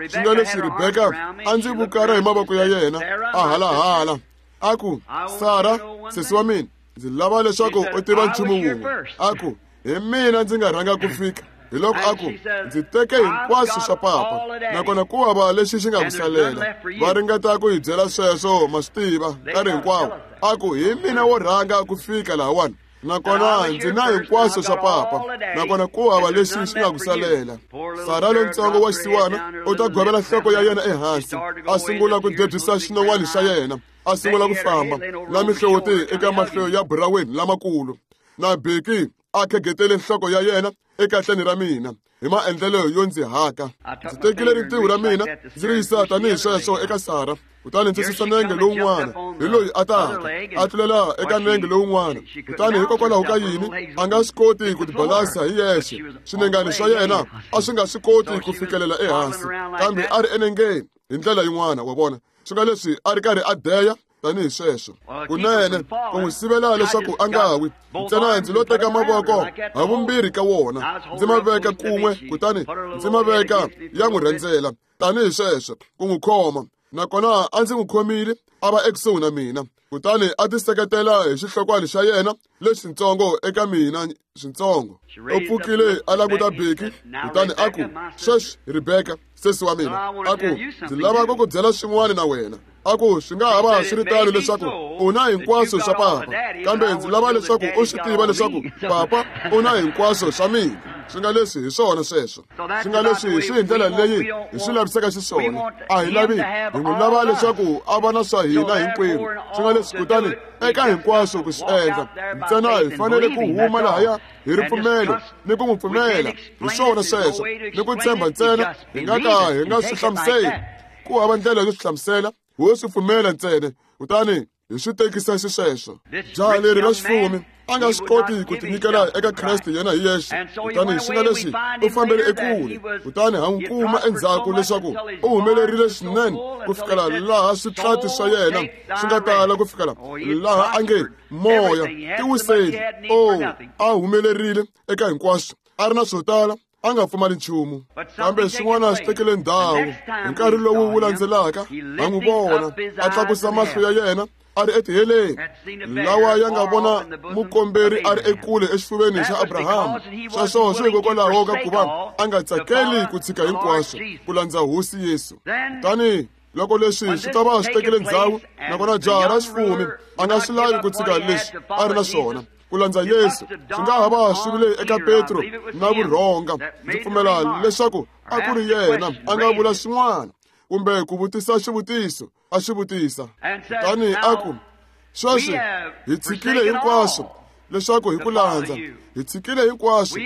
Swi nga leswi Rebeka a ndzi vukara hi mavoko ya yena a halahala, a ku, Sara, sesi wa mina, ndzi lava leswaku u tiva nchumu wun'we. A ku, hi mina ndzi nga rhanga ku fika. Hi loko a ku, ndzi teke hinkwaswo swa papa, nakona ku hava lexi xi nga ku salela. Va ringeta ku hi byela sweswo, ma swi tiva, nkarhi hinkwawo. A ku, hi mina wo rhanga ku fika lahawani, nakona ndzi na hinkwaswo swa papa, nakona ku hava lexi xi nga ku salela. Sara lontsongo wa xisiwana u ta govela nhloko ya yena ehansi, a sungula ku debyisa xinon'wana xa yena, a sungula ku famba na mihloti eka mahlo ya buraweni lamakulu, na Becky a khegetele nhloko ya yena ekahleni ra mina hi maendlelo yo ndzi haka. Ndzi tekile rintiho ra mina ndzi ri yisa tanihi sweswo eka Sara, kutani ndzi susa nenge lowun'wana hi loyi a taka a tlulela eka nenge lowun'wana. Kutani hikokwalaho ka yini a nga swi koti ku tibalasa hi yexe, swinengani swa yena a swi nga swi koti ku fikelela ehansi, kambe a ri enengeni hi ndlela yin'wana, wa vona. Swi nga leswi a ri karhi a deya tanihi sweswo, kunene ku n'wi sivela leswaku a nga wi. Ntsena ndzi lo teka mavoko havumbirhi ka wona ndzi ma veka kun'we, kutani ndzi ma veka ya n'wi rhendzela tanihi sweswo ku n'wi khoma. Nakona a ndzi n'wi khomile a va ekusuhi na mina, kutani a tiseketela hi xihlokwani xa yena lexitsongo eka mina switsongo. U pfukile a languta Becky, kutani a ku, sweswi Rebeka, sesi wa mina, a ku, ndzi lava ku ku byela swin'wana na wena. A ku, swi nga ha va swi ri tano leswaku u na hinkwaswo swa papa, kambe ndzi lava leswaku u swi tiva leswaku papa u na hinkwaswo swa mina. Swi nga leswi hi swona sweswo. Swi nga leswi swi hi ndlela leyi hi swi lavisaka xiswona. A hi lavi hi n'wi lava leswaku a va na swa hina hinkwerhu. Swi nga leswi kutani eka hinkwaswo ku swi endla, ntsena hi fanele ku huma lahaya hi ripfumelo ni ku n'wi pfumela. Hi swona sweswo, ni ku tshemba ntsena, hi nga ka hi nga swi hlamuseli. Ku hava ndlela yo swi hlamusela, ho swi pfumela ntsena, kutani hi swi tekisa xisweswo. Jaha leri ra xifumi a nga swi koti ku tinyikela eka Kreste yena hi yexe, kutani swi nga leswi u fambele ekule. Kutani ha n'wi kuma endzhaku leswaku u humelerile swinene ku fikela laha switlati swa yena swi nga tala, ku fikela laha a nge moya tiwiseli. O a humelerile eka hinkwaswo, a ri na swo tala, a nga pfumali nchumu. Kambe swin'wana swi tekele ndhawu. Hi nkarhi lowu wu landzelaka ha n'wi vona a tlakusa mahlo ya yena a ri etiheleni, lawa ya nga vona mukomberi a ri ekule exifuveni xa Abrahama. Sweswo swi hikokwalaho ka ku va a nga tsakeli ku tshika hinkwaswo ku landza Hosi Yesu. Kutani loko leswi swi ta va swi tekele ndzhawu, nakona jaha ra xifumi a nga swi lavi ku tshika leswi a ri na swona ku landza Yesu, swi nga ha va swi vile eka Petro na vurhonga. Ndzi pfumela leswaku a ku ri yena a nga vula swin'wana kumbe ku vutisa xivutiso, a xi vutisa. Kutani a ku, Sweswi hi tshikile hinkwaswo leswaku hi ku landza. Hi tshikile hinkwaswo.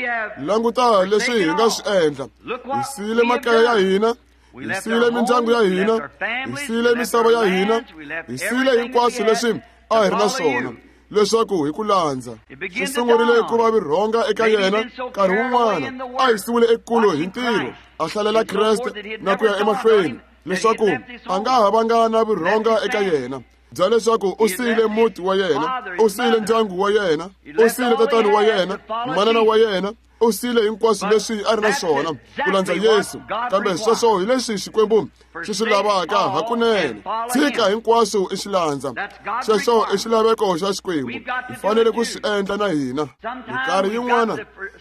Languta leswi hi nga swi endla. Hi siyile makaya ya hina, hi siyile mindyangu ya hina, hi siyile misava ya hina, hi siyile hinkwaswo leswi a hi ri na swona leswaku hi ku landza. Swi sungurile ku va virhonga eka yena nkarhi wun'wana a hisiwile ekule hi ntirho, a hlalela Kreste na ku ya emahlweni, leswaku a nga ha vanga na virhonga eka yena bya leswaku u siyile muti wa yena, u siyile ndyangu wa yena, u siyile tatani wa yena, manana wa yena, u siyile hinkwaswo leswi a ri na swona ku landza Yesu. Kambe sweswo hi leswi Xikwembu xi swi lavaka hakunene. Tshika hinkwaswo i xi landza. Sweswo i xilaveko xa Xikwembu. Hi fanele ku swi endla na hina. Minkarhi yin'wana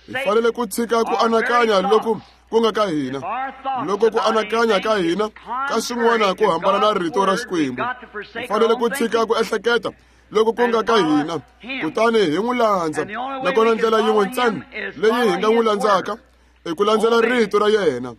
hi fanele ku tshika ku anakanya loku ku nga ka hina, loko ku anakanya ka hina ka swin'wana ku hambana na rito ra Xikwembu. Hi fanele ku tshika ku ehleketa loko ku nga ka hina, kutani hi n'wi landza. Nakona ndlela yin'we ntsena leyi hi nga n'wi landzaka i ku landzela rito ra yena,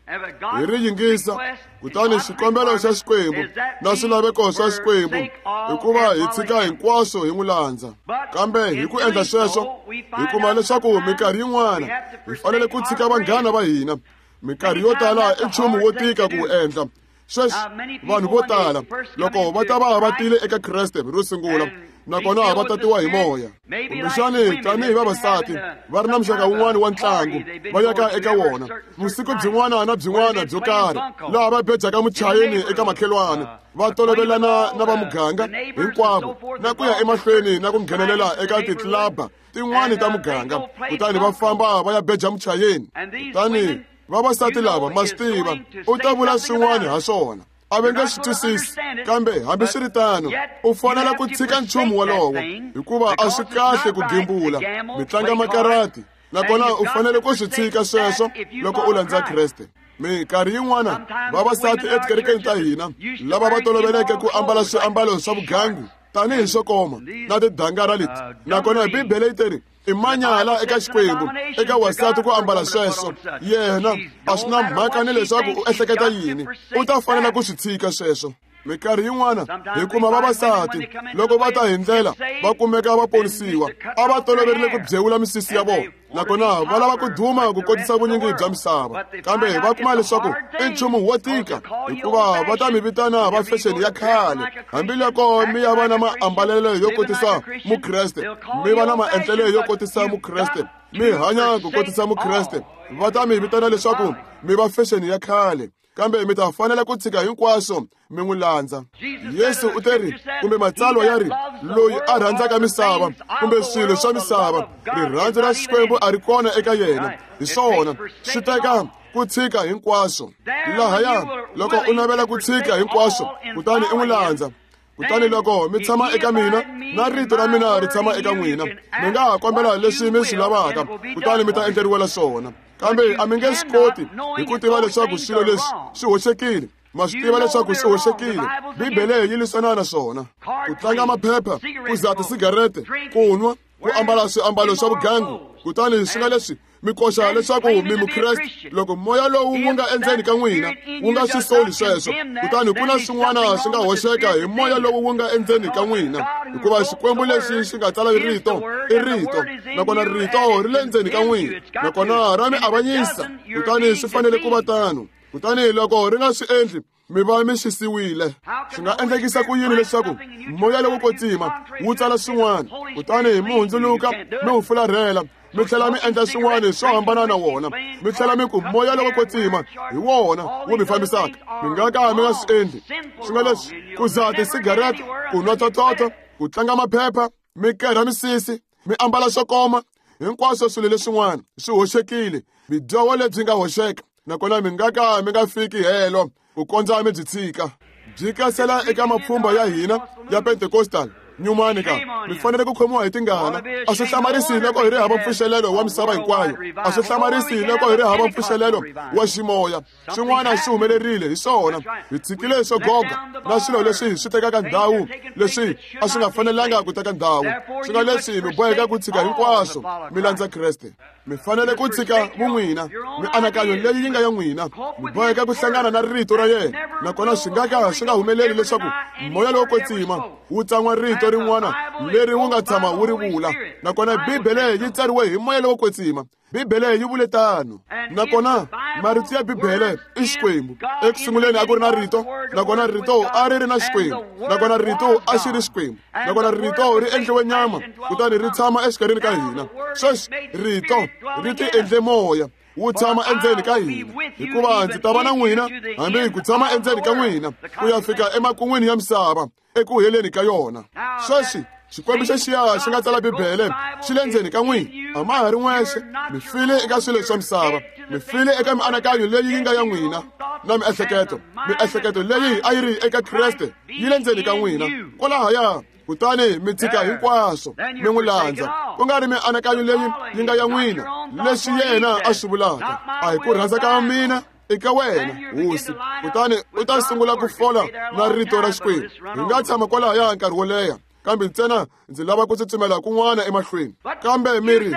hi ri yingisa. Kutani xikombelo xa Xikwembu na swilaveko swa Xikwembu i ku va hi tshika hinkwaswo hi n'wi landza. Kambe hi ku endla sweswo hi kuma leswaku minkarhi yin'wana hi fanele ku tshika vanghana va hina. Minkarhi yo tala i nchumu wo tika ku wu endla. Sweswi vanhu vo tala loko va ta va va tile eka Kreste ro sungula, nakona va tatiwa hi moya, kumbexani tanihi vavasati va ri na muxaka wun'wana wa ntlangu va yaka eka wona vusiku byin'wana na byin'wana byo karhi, laha va bejaka muchayeni eka makhelwani, va tolovelana na va muganga hinkwavo na ku ya emahlweni na ku nghenelela eka titlilaba tin'wani ta muganga, kutani va famba va ya beja muchayeni. Kutani vavasati lava ma swi tiva u ta vula swin'wana ha swona, a va nge swi twisisi. Kambe hambiswiritano u fanele ku tshika nchumu wolowo, hikuva a swi kahle ku gembula, mi tlanga makarati, nakona u fanele ku swi tshika sweswo loko u landza Kreste. Minkarhi yin'wana vavasati etikerekeni ta hina lava va toloveleke ku ambala swiambalo swa vugangu tanihi swo koma na tidangara leti, nakona Bibele yi teri i manyala eka Xikwembu eka wasati ku ambala sweswo. Yena a swi na mhaka ni leswaku u ehleketa yini, u ta fanela ku swi tshika sweswo. Minkarhi yin'wana hi kuma vavasati loko va ta hi ndlela va kumeka va ponisiwa, a va toloverile ku byewula misisi ya vona, nakona va lava ku duma ku kotisa vunyingi bya misava. Kambe va kuma leswaku i nchumu wo tika, hikuva va ta mi vitana va fexeni ya khale. Hambiloko mi ya va na maambalelo yo kotisa Mukreste, mi va na maendlelo yo kotisa Mukreste, mi hanya ku kotisa Mukreste, va ta mi vitana leswaku mi va fexeni ya khale. Kambe mi ta fanela ku tshika hinkwaswo mi n'wi landza. Yesu u teri, kumbe matsalwa ya ri, loyi a rhandzaka misava kumbe swilo swa misava, rirhandzu ra Xikwembu a ri kona eka yena. Hi swona, swi teka ku tshika hinkwaswo. Lahaya loko u navela ku tshika hinkwaswo kutani i n'wi landza, kutani loko mi tshama eka mina na rito ra mina ri tshama eka n'wina, mi nga ha kombela leswi mi swi lavaka, kutani mi ta endleriwela swona. Kambe a mi nge swi koti hi ku tiva leswaku swilo leswi swi hoxekile. Ma swi tiva leswaku swi hoxekile. Bibele yi lwisana na swona. Ku tlanga maphepha, ku dzaha tisigarete, ku nwa, ku ambala swiambalo swa vugangu, kutani swi nga leswi mi koxa leswaku mi Mukreste. Loko moya lowu wu nga endzeni ka n'wina wu nga swi soli sweswo, kutani ku na swin'wana swi nga hoxeka hi moya lowu wu nga endzeni ka n'wina, hikuva Xikwembu lexi xi nga tsala rito i rito, nakona rito ri le ndzeni ka n'wina, nakona ra mi avanyisa. Kutani swi fanele ku va tano. Kutani loko ri nga swi endli, mi va mi xisiwile. Swi nga endlekisa ku yini leswaku moya lowo kwetsima wu tsala swin'wana, kutani mi hundzuluka mi wu fularhela, mi tlhela mi endla swin'wana swo hambana na wona, mi tlhela mi ku moya lowo kwetsima hi wona wu mi fambisaka? Mi nga ka mi nga swi endli. Swi nga leswi ku dzaha tisigarete, ku nwa tototo, ku tlanga maphepha, mi kerha misisi, mi ambala swo koma, hinkwaswo swilo leswin'wana swi hoxekile, bidyoho lebyi nga hoxeka, nakona mi nga ka mi nga fiki helo ku kondza mi byi tshika. Byi kasela eka mapfhumba ya hina ya Pentecostal nyumani ka mi fanele ku khomiwa hi tingana. A swi hlamarisi loko hi ri hava mpfuxelelo wa misava hinkwayo, a swi hlamarisi loko hi ri hava mpfuxelelo wa ximoya. Swin'wana swi humelerile hi swona. Hi tshikile swo goga na swilo leswi swi tekaka ndhawu leswi a swi nga fanelanga ku teka ndhawu. Swi nga leswi mi boheka ku tshika hinkwaswo mi landza Kreste. Mi fanele ku tshika vun'wina, mianakanyo leyi yi nga ya n'wina, mi boheka ku hlangana na rito ra yena. Nakona swi nga ka swi nga humeleli leswaku moya lowo kwetsima wu tsan'wa rito rin'wana leri wu nga tshama wu ri vula. Nakona Bibele yi tsariwe hi moya lowo kwetsima. Bibele yi vule tano. Nakona marito ya Bibele i Xikwembu. Eku sunguleni a ku ri na rito, nakona rito a ri ri na Xikwembu, nakona rito a xi ri Xikwembu, nakona rito ri endliwe nyama kutani ri tshama exikarhini ka hina. Sweswi rito ri ti endle moya wu tshama endzeni ka hina, hikuva ndzi ta va na n'wina hambi ku tshama endzeni ka n'wina ku ya fika emakun'wini ya misava, eku heleni ka yona. Sweswi Xikwembu xexiya xi nga tsala Bibele xi le ndzeni ka n'wina, a ma ha ri n'wexe. Mi file eka swilo swa misava, mi file eka mianakanyo leyi yi nga ya n'wina na miehleketo. Miehleketo leyi a yi ri eka Kreste yi le ndzeni ka n'wina kwalahaya, kutani mi tshika hinkwaswo mi n'wi landza, ku nga ri mianakanyo leyi yi nga ya n'wina, leswi yena a swi vulaka. A hi ku rhandza ka mina eka wena, Hosi. Kutani u ta sungula ku fola na rito ra Xikwembu. Hi nga tshama kwalahaya nkarhi wo leha, kambe ntsena ndzi lava ku tsutsumela kun'wana emahlweni. Kambe mi ri,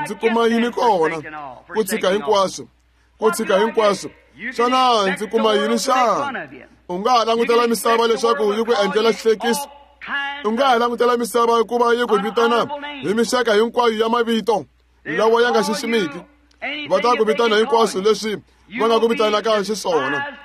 ndzi kuma yini kona ku tshika hinkwaswo? Ku tshika hinkwaswo, xana ndzi kuma yini xana? U nga ha langutela misava leswaku yi ku endlela xihlekiso. U nga ha langutela misava ku va yi ku vitana hi mixaka hinkwayo ya mavito lawa ya nga xiximiki. Va ta ku vitana hinkwaswo leswi va nga ku vitanaka xiswona.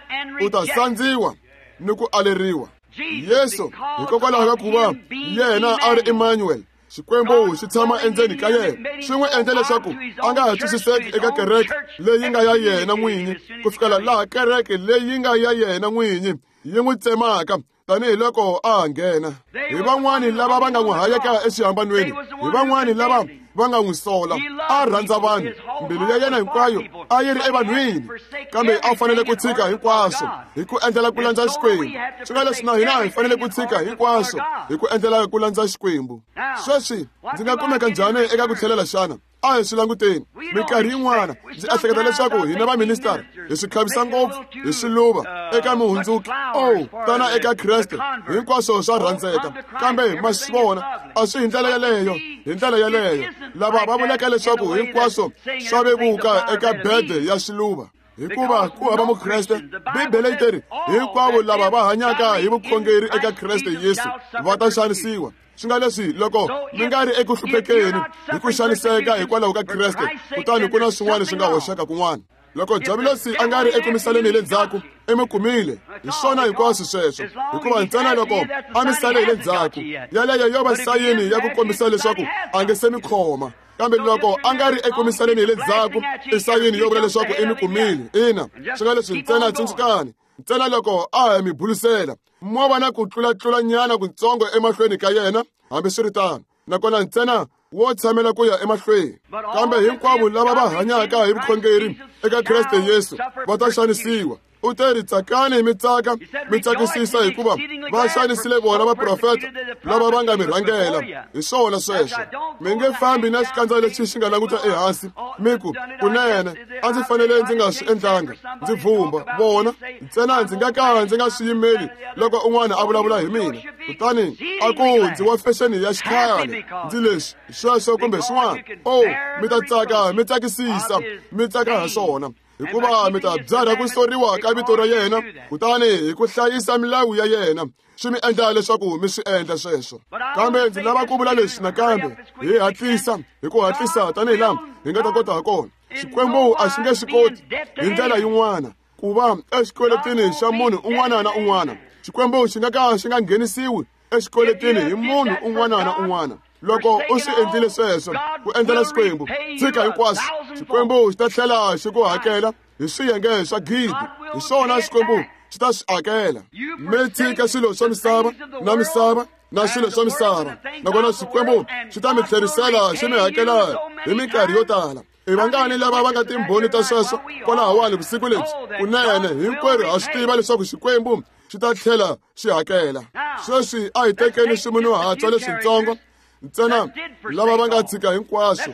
U ta sandziwa ni ku aleriwa. Yesu, hikokwalaho ka ku va yena a ri Emmanuel, Xikwembu xi tshama endzeni ka yena, swi n'wi endle leswaku a nga ha twisiseki eka kereke leyi nga ya yena n'winyi, ku fikela laha kereke leyi nga ya yena n'winyi yi n'wi tsemaka tanihiloko a ha nghena. Hi van'wani lava va nga n'wi hayeka exihambanweni, hi van'wani lava va nga n'wi sola. A rhandza vanhu, mbilu ya yena hinkwayo a yi ri evanhwini, kambe a fanele ku tshika hinkwaswo hi ku endlela ku landza Xikwembu. Swi nga leswi na hina hi fanele ku tshika hinkwaswo hi ku endlela ku landza Xikwembu. Sweswi ndzi nga kumeka njhani eka ku tlhelela xana? A hi swi languteni. Minkarhi yin'wana ndzi ehleketa leswaku hina vaministara hi swi khavisa ngopfu hi swiluva eka muhundzuki. Oh, tana eka Kreste, hinkwaswo swa rhandzeka, kambe ma swi vona a swi hi ndlela yeleyo. Hi ndlela yeleyo lava va vulaka leswaku hinkwaswo swa vevuka eka bede ya swiluva, hikuva ku hava Mukreste. Bibele yi teri hinkwavo lava va hanyaka hi vukhongeri eka Kreste Yesu va ta xanisiwa. Swi nga leswi loko mi nga ri eku hluphekeni hi ku xaniseka hikwalaho ka Kreste, kutani ku na swin'wana swi nga hoxeka kun'wana. Loko Diabulosi a nga ri eku misaleni hi le ndzhaku, i mi kumile. Hi swona hinkwaswo sweswo, hikuva ntsena loko a mi sale hi le ndzhaku, yaleyo yo va sayini ya ku kombisa leswaku a nge se mi khoma. Kambe loko a nga ri eku misaleni hi le ndzhaku, i sayini yo vula leswaku i mi kumile. Ina, swi nga leswi ntsena tsundzukani, ntsena loko a ha mi bulisela, mo va na ku tlulatlulanyana kutsongo emahlweni ka yena, hambiswiritano, nakona ntsena wo tshamela ku ya emahlweni. Kambe hinkwavo lava va hanyaka hi vukhongeri eka Kreste Yesu va ta xanisiwa. U te ri, tsakani mi tsaka, mi tsakisisa, hikuva va xanisile vona vaprofeta lava va nga mi rhangela. Hi swona sweswo. Mi nge fambi na xikandza lexi xi nga languta ehansi mi ku, kunene a ndzi fanele ndzi nga swi endlanga, ndzi vhumba vona ntsena, ndzi nga ka ndzi nga swi yimeli loko un'wana a vulavula hi mina, kutani a ku ndzi wa fexeni ya xikhale, ndzi leswi sweswo kumbe swin'wana. Oh, mi ta tsaka, mi tsakisisa, mi tsaka ha swona, hikuva mi ta byarha ku soriwa ka vito ra yena, kutani hi ku hlayisa milawu ya yena swi mi endla leswaku mi swi endla sweswo. Kambe ndzi lava ku vula leswi nakambe, hi hatlisa, hi ku hatlisa tanihi laha hi nga ta kota ha kona. Xikwembu a xi nge swi koti hi ndlela yin'wana ku va exikweletini xa munhu un'wana na un'wana. Xikwembu xi nga ka xi nga nghenisiwi exikweletini hi munhu un'wana na un'wana. Loko u swi endlile sweswo ku endlela Xikwembu, tshika hinkwaswo, Xikwembu xi ta tlhela xi ku hakela hi swiyenge swa gidi. Hi swona Xikwembu xi ta swi hakela. Mi tshika swilo swa misava na misava na swilo swa misava, nakona Xikwembu xi ta mi tlherisela xi mi hakela hi minkarhi yo tala. I vangani lava va nga timbhoni ta sweswo kwalahawani vusiku lebyi? Kunene hinkwerhu ha swi tiva leswaku Xikwembu xi ta tlhela xi hakela. Sweswi a hi tekeni swimunhuhatswa leswitsongo ntsena lava va nga tshika hinkwaswo.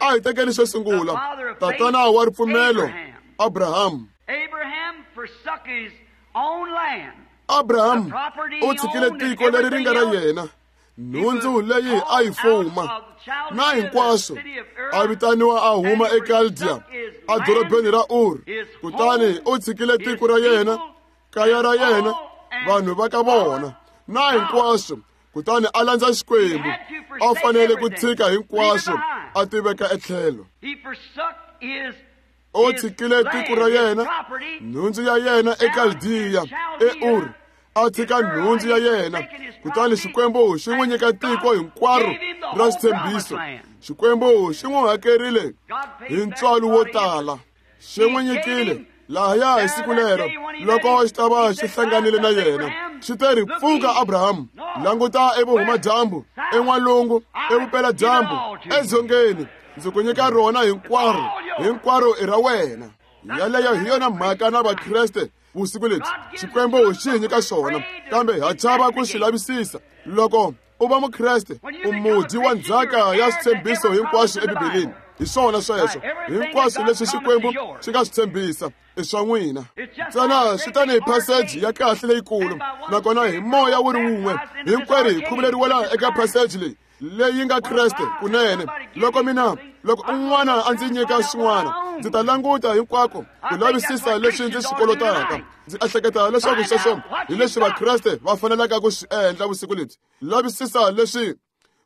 A hi tekeni xo sungula, tatana wa ripfumelo Abraham. Abraham u tshikile tiko leri ri nga ra yena, Nhundzu leyi a yi fuma na hinkwaswo, a vitaniwa a huma eKaldiya edorobeni ra Ur. Kutani u tshikile tiko ra yena, kaya ra yena, vanhu va ka vona na hinkwaswo, kutani a landza Xikwembu. A fanele ku tshika hinkwaswo a tiveka etlhelo. U tshikile tiko ra yena, nhundzu ya yena eKaldiya eUr, a tshika nhundzu ya yena, kutani Xikwembu xi n'wi nyika tiko hinkwaro ra xitshembiso. Xikwembu xi n'wi hakerile hi ntswalo wo tala, xi n'wi nyikile lahaya hi siku lero loko xi ta va xi hlanganile na yena. Xi te ri, pfuka Abrahamu, languta evuhumadyambu, en'walungu, evupeladyambu, edzongeni, ndzi ku nyika rona hinkwaro, hinkwaro i ra wena. Yaleyo hi yona mhaka na Vakreste vusiku lebyi. Xikwembu xi hi nyika xona, kambe ha chava ku xi lavisisa. Loko u va Mukreste, u mudyi wa ndzhaka ya switshembiso hinkwaswo eBibeleni. Hi swona sweswo, hinkwaswo leswi Xikwembu xi nga swi tshembisa i swa n'wina. Ntsena swi tani hi phaseji ya kahle leyikulu, nakona hi moya wu ri wun'we hinkwerhu hi khuvuleriwela eka phaseji leyi leyi nga Kreste kunene. Loko mina, loko un'wana a ndzi nyika xin'wana, ndzi ta languta hinkwako ku lavisisa leswi ndzi swi kolotaka. Ndzi ehleketa leswaku sweswo hi leswi Vakreste va fanelaka ku swi endla vusiku lebyi. Lavisisa leswi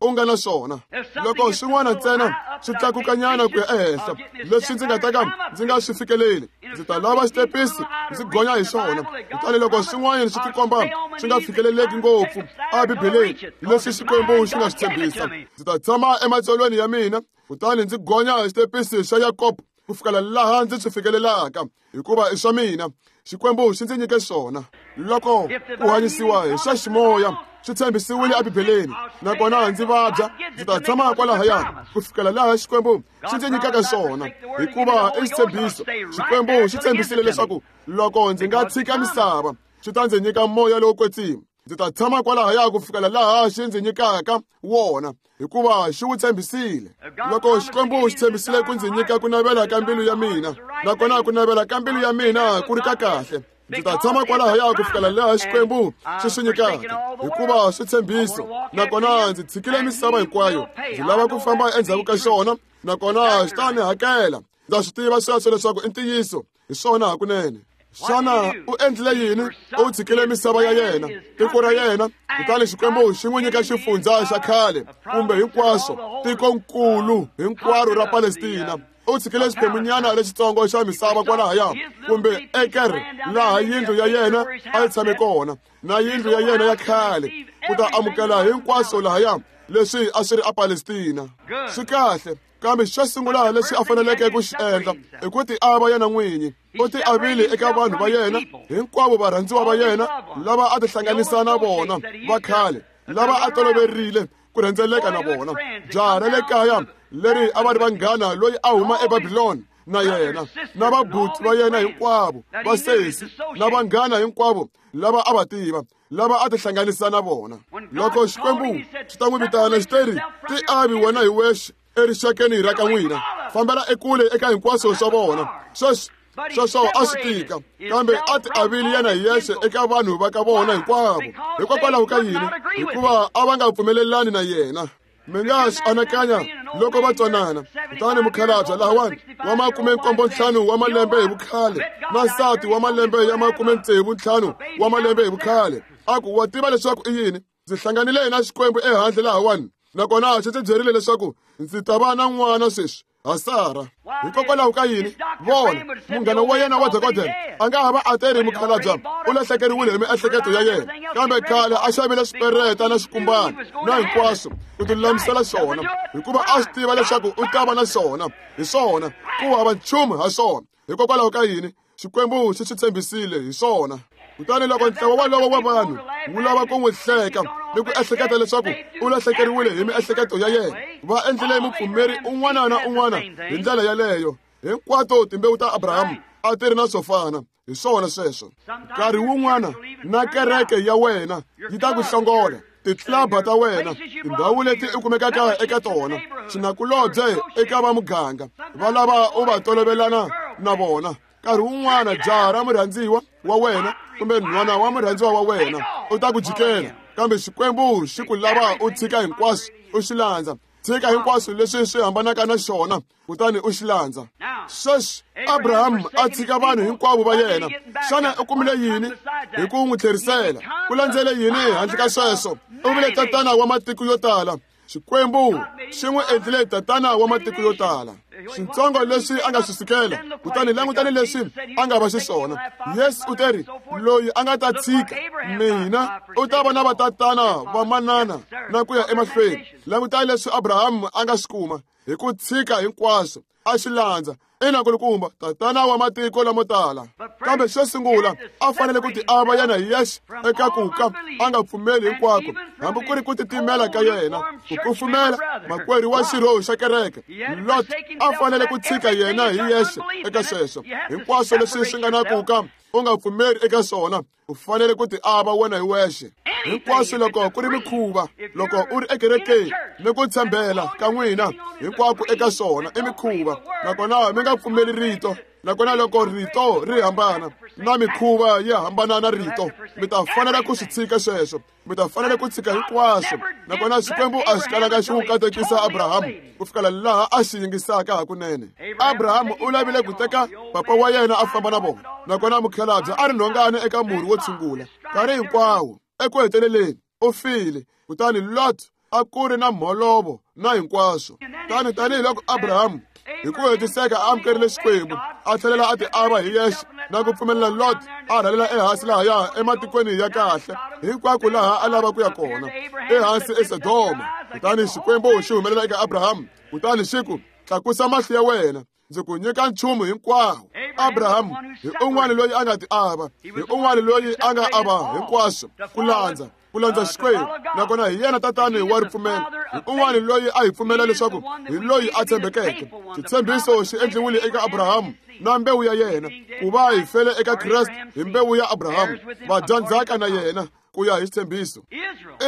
u nga na swona. Loko swin'wana ntsena swi tlakukanyana ku ya ehenhla, leswi ndzi nga ta ka ndzi nga swi fikeleli, ndzi ta lava xitepisi ndzi gonya hi swona. Kutani loko swin'wana swi tikomba swi nga fikeleleki ngopfu eBibeleni leswi Xikwembu xi nga swi tshembisa, ndzi ta tshama ematsolweni ya mina kutani ndzi gonya hi xitepisi xa Yakobo ku fikela laha ndzi swi fikelelaka, hikuva i swa mina. Xikwembu xi ndzi nyike swona. Loko ku hanyisiwa hi swa ximoya swi tshembisiwile eBibeleni, nakona ndzi vabya, ndzi ta tshama kwalahaya ku fikela laha Xikwembu xi ndzi nyikaka swona, hikuva i xitshembiso. Xikwembu xi tshembisile leswaku loko ndzi nga tshika misava, xi ta ndzi nyika moya lowo kwetsima. Ndzi ta tshama kwalahaya ku fikela laha xi ndzi nyikaka wona, hikuva xi wu tshembisile. Loko Xikwembu xi tshembisile ku ndzi nyika ku navela ka mbilu ya mina, nakona ku navela ka mbilu ya mina ku ri ka kahle, ndzi ta tshama kwalahaya ku fikela laha Xikwembu xi swi nyikaka, hikuva swi tshembiso. Nakona ndzi tshikile misava hinkwayo, ndzi lava ku famba endzhaku ka xona, nakona xi ta ni hakela. Ndza swi tiva sweswo leswaku i ntiyiso, hi swona hakunene. Xana u endlile yini? U tshikile misava ya yena, tiko ra yena, kutani Xikwembu xi n'wi nyika xifundzha xa khale kumbe hinkwaswo, tikonkulu hinkwaro ra Palestina. U tshikile xiphemunyana lexitsongo xa misava kwalahaya, kumbe eker, laha yindlu ya yena a yi tshame kona, na yindlu ya yena ya khale, ku ta amukela hinkwaswo lahaya leswi a swi ri aPalestina. Swi kahle, kambe xo sungula lexi a faneleke ku xi endla i ku tiava yena n'winyi. U tiavile eka vanhu va yena hinkwavo, varhandziwa va yena lava a tihlanganisa na vona va khale, lava a toloverile ku rhendzeleka na vona. Jaha ra le kaya leri a va ri vanghana loyi a huma eBabiloni na yena, na vabuti va yena hinkwavo, vasesi na vanghana hinkwavo lava a va tiva, lava a tihlanganisa na vona. Loko Xikwembu xi ta n'wi vitana, xi te ri, tiavi wena hi wexe erixakeni ra ka n'wina, fambela ekule eka hinkwaswo swa vona. Sweswo sweswo a swi tika, kambe a tiavile yena hi yexe eka vanhu va ka vona hinkwavo. Hikokwalaho ka yini? Hikuva a va nga pfumelelani na yena. Mi nga swi anakanya loko va twanana. Kutani mukhalabye lahawani wa 75 wa malembe hi vukhale na nsati wa malembe ya 65 wa malembe hi vukhale, a ku, wa tiva leswaku i yini? Ndzi hlanganile na Xikwembu ehandle lahawani, nakona xi ndzi byerile leswaku ndzi ta va na n'wana sweswi ha Sara. Hikokwalaho ka yini? Vona, munghana wa yena wa dokodela a nga ha va a teri mukhalabye u lahlekeriwile hi miehleketo ya yena, kambe khale a xavile swipereta na swikumbana na hinkwaswo ku tilulamisela swona, hikuva a swi tiva leswaku u ta va na swona. Hi swona, ku hava nchumu ha swona. Hikokwalaho ka yini? Xikwembu xi swi tshembisile hi swona. Kutani loko ntlawa walowo wa vanhu wu lava ku n'wi hleka ni ku ehleketa leswaku u lahlekeriwile hi miehleketo ya yena, va endlile mupfumeri un'wana na un'wana hi ndlela yaleyo. Hinkwato timbewu ta Abrahamu a ti ri na swo fana. Hi swona sweswo. Nkarhi wun'wana na kereke ya wena yi ta ku hlongola, titlaba ta wena, tindhawu leti u kumekaka eka tona, xinakulobye eka va muganga va lava u va tolovelana na vona. Nkarhi wun'wana jaha ra murhandziwa wa wena kumbe nhwana wa murhandziwa wa wena u ta ku jikela. Kambe Xikwembu xi ku lava u tshika hinkwaswo u xi landza. Tshika hinkwaswo leswi swi hambanaka na xona kutani u xi landza. Sweswi Abrahamu a tshika vanhu hinkwavo va yena. Xana u kumile yini hi ku n'wi tlherisela? Ku landzele yini handle ka sweswo? U vile tatana wa matiko yo tala. Xikwembu xi n'wi endlile tatana wa matiko yo tala. Switsongo leswi a nga swi sukela, kutani langutani leswi a nga va xiswona. Yesu u teri, loyi a nga ta tshika mina u ta va na vatatana va manana na ku ya emahlweni. Langutani leswi Abrahamu a nga swi kuma hi ku tshika hinkwaswo a xi landza. Ina kulukumba, tatana wa matiko lamo tala. Kambe xo sungula a fanele ku tiava yena hi yexe eka ku ka a nga pfumeli hinkwako, hambi ku ri ku titimela ka yena, ku kufumela makwerhu wa xirho xa kereke. Lot a fanele ku tshika yena hi yexe eka sweswo hinkwaswo leswi swi nga na ku ka u nga pfumeli eka swona. U fanele ku tiava wena hi wexe hinkwaswo loko ku ri mikhuva, loko u ri ekerekeni ni ku tshembela ka n'wina hinkwako eka swona i mikhuva, nakona mi nga pfumeli rito. Nakona loko rito ri hambana na mikhuva yi hambana na rito, mi ta fanela ku swi tshika sweswo. Mi ta fanela ku tshika hinkwaswo. Nakona Xikwembu a xi kalanga xi n'wi katekisa Abrahamu ku fikela laha a xi yingisaka hakunene. Abrahamu u lavile ku teka papa wa yena a famba na vona, nakona mukhalabye a ri nhongani eka murhi wo tshungula nkarhi hinkwawo. Eku heteleleni u file, kutani Lot a ku ri na mholovo na hinkwaswo. Tani tanihiloko Abrahamu hi ku hetiseka a amukerile Xikwembu, a tlhelela a tiava hi yexe na ku pfumelela Lot a rhalela ehansi lahaya ematikweni ya kahle hinkwako laha a lava ku ya kona, ehansi eSodoma. Kutani Xikwembu xi humelela eka Abrahamu kutani xi ku, tlakusa mahlo ya wena, ndzi ku nyika nchumu hinkwawo. Abrahamu hi un'wana loyi a nga tiava, hi un'wana loyi a nga ava hinkwaswo ku landza ku landza Xikwembu, nakona hi yena tatani wa ripfumelo. Hi un'wana loyi a hi pfumela leswaku hi loyi a tshembekeke. Xitshembiso xi endliwile eka Abrahamu na mbewu ya yena, ku va hi fele eka Kreste hi mbewu ya Abrahamu, vadyandzhaka na yena ku ya hi xitshembiso.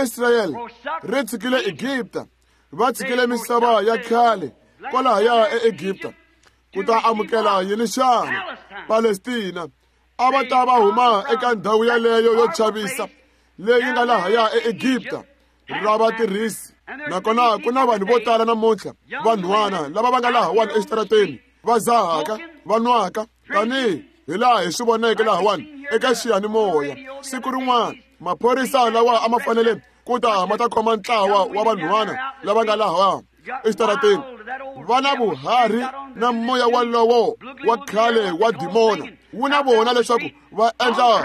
Israyele ri tshikile Egipta, va tshikile misava ya khale kwalahaya eEgipta ku ta amukela yini xana? Palestina. A va ta va huma eka ndhawu yaleyo yo chavisa leyi nga lahaya eEgipta ra vatirhisi. Nakona ku na vanhu vo tala namuntlha, vanhwana lava va nga lahawani exitarateni, va zahaka, va nwaka, tanihi hi laha hi swi voneke lahawani eka xiyanimoya siku rin'wana. Maphorisa lawa a ma fanele ku ta ma ta khoma ntlawa wa vanhwana lava nga laha exitarateni, va na vuharhi na moya walowo wa khale wa dimona wu na vona leswaku va endla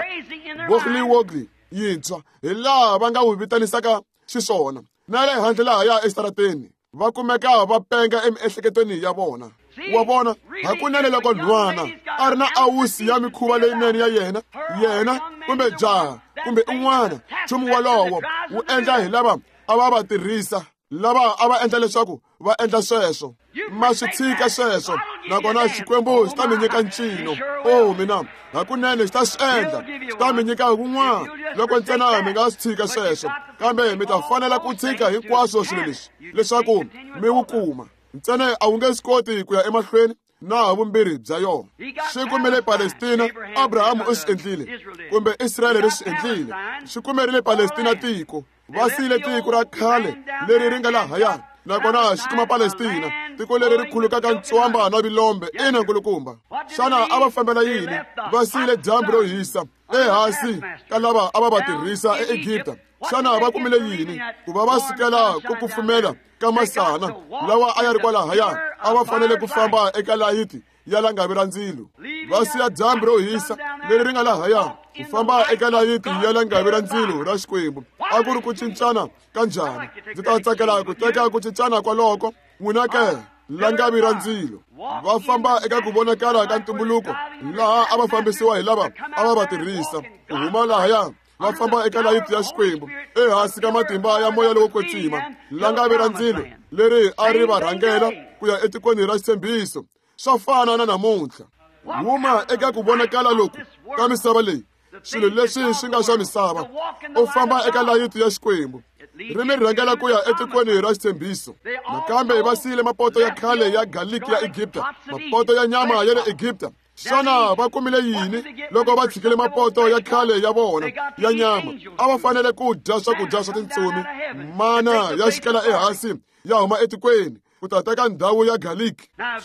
wogli-wogli yintshwa hi laha va nga wu vitanisaka xiswona, na le handle lahaya exitarateni va kumeka va penga emiehleketweni ya vona. Wa vona, hakunene loko nhwana a ri na awusi ya mikhuva leyinene ya yena, yena kumbe jaha kumbe un'wana, nchumu wolowo wu endla hi lava a va va tirhisa, lava a va endla leswaku va endla sweswo. Ma swi tshika sweswo, nakona Xikwembu xi ta mi nyika ncino. O mina, hakunene xi ta swi endla, xi ta mi nyika wun'wana loko ntsena mi nga swi tshika sweswo. Kambe mi ta fanela ku tshika hinkwaswo swilo leswi leswaku mi wu kuma. Ntsena a wu nge swi koti ku ya emahlweni na ha vumbirhi bya yona. Xi kumile Palestina, Abrahamu u swi endlile, kumbe Israyele ri swi endlile. Xi kumerile Palestina tiko, va siyile tiko ra khale leri ri nga lahaya, nakona xi kuma Palestina, tiko leri ri khulukaka ntswamba na vilombe. Ina nkulukumba. Xana a va fambela yini? Va siyile dyambu ro hisa ehansi ka lava a va va tirhisa eEgipta. Xana va kumile yini ku va va sukela ku kufumela ka masana lawa a ya ri kwalahaya? A va fanele ku famba eka layiti ya langavi ra ndzilo, va siya dyambu ro hisa leri ri nga lahaya ku famba eka layiti ya langavi ra ndzilo ra Xikwembu. A ku ri ku cincana ka njhani? Ndzi ta tsakela ku teka ku cincana kwaloko. N'wina ke, langavi ra ndzilo, va famba eka ku vonakala ka ntumbuluko laha a va fambisiwa hi lava a va va tirhisa ku huma lahaya, va famba eka layiti ya Xikwembu ehansi ka matimba ya moya lowo kwetsima. Langavi ra ndzilo leri a ri va rhangela ku ya etikweni ra xitshembiso. Swa fana na namuntlha. Huma eka ku vonakala loku ka misava leyi, swilo leswi swi nga swa misava, u famba eka layiti ya Xikwembu, ri mi rhangela ku ya etikweni ra xitshembiso. Nakambe va siyile mapoto ya khale ya galiki ya Egipta, mapoto ya nyama ya le Egipta. Xana va kumile yini loko va tshikile mapoto ya khale ya vona ya nyama? A va fanele ku dya swakudya swa tintsumi, mana ya xikela ehansi ya huma etikweni ku ta teka ndhawu ya garlic.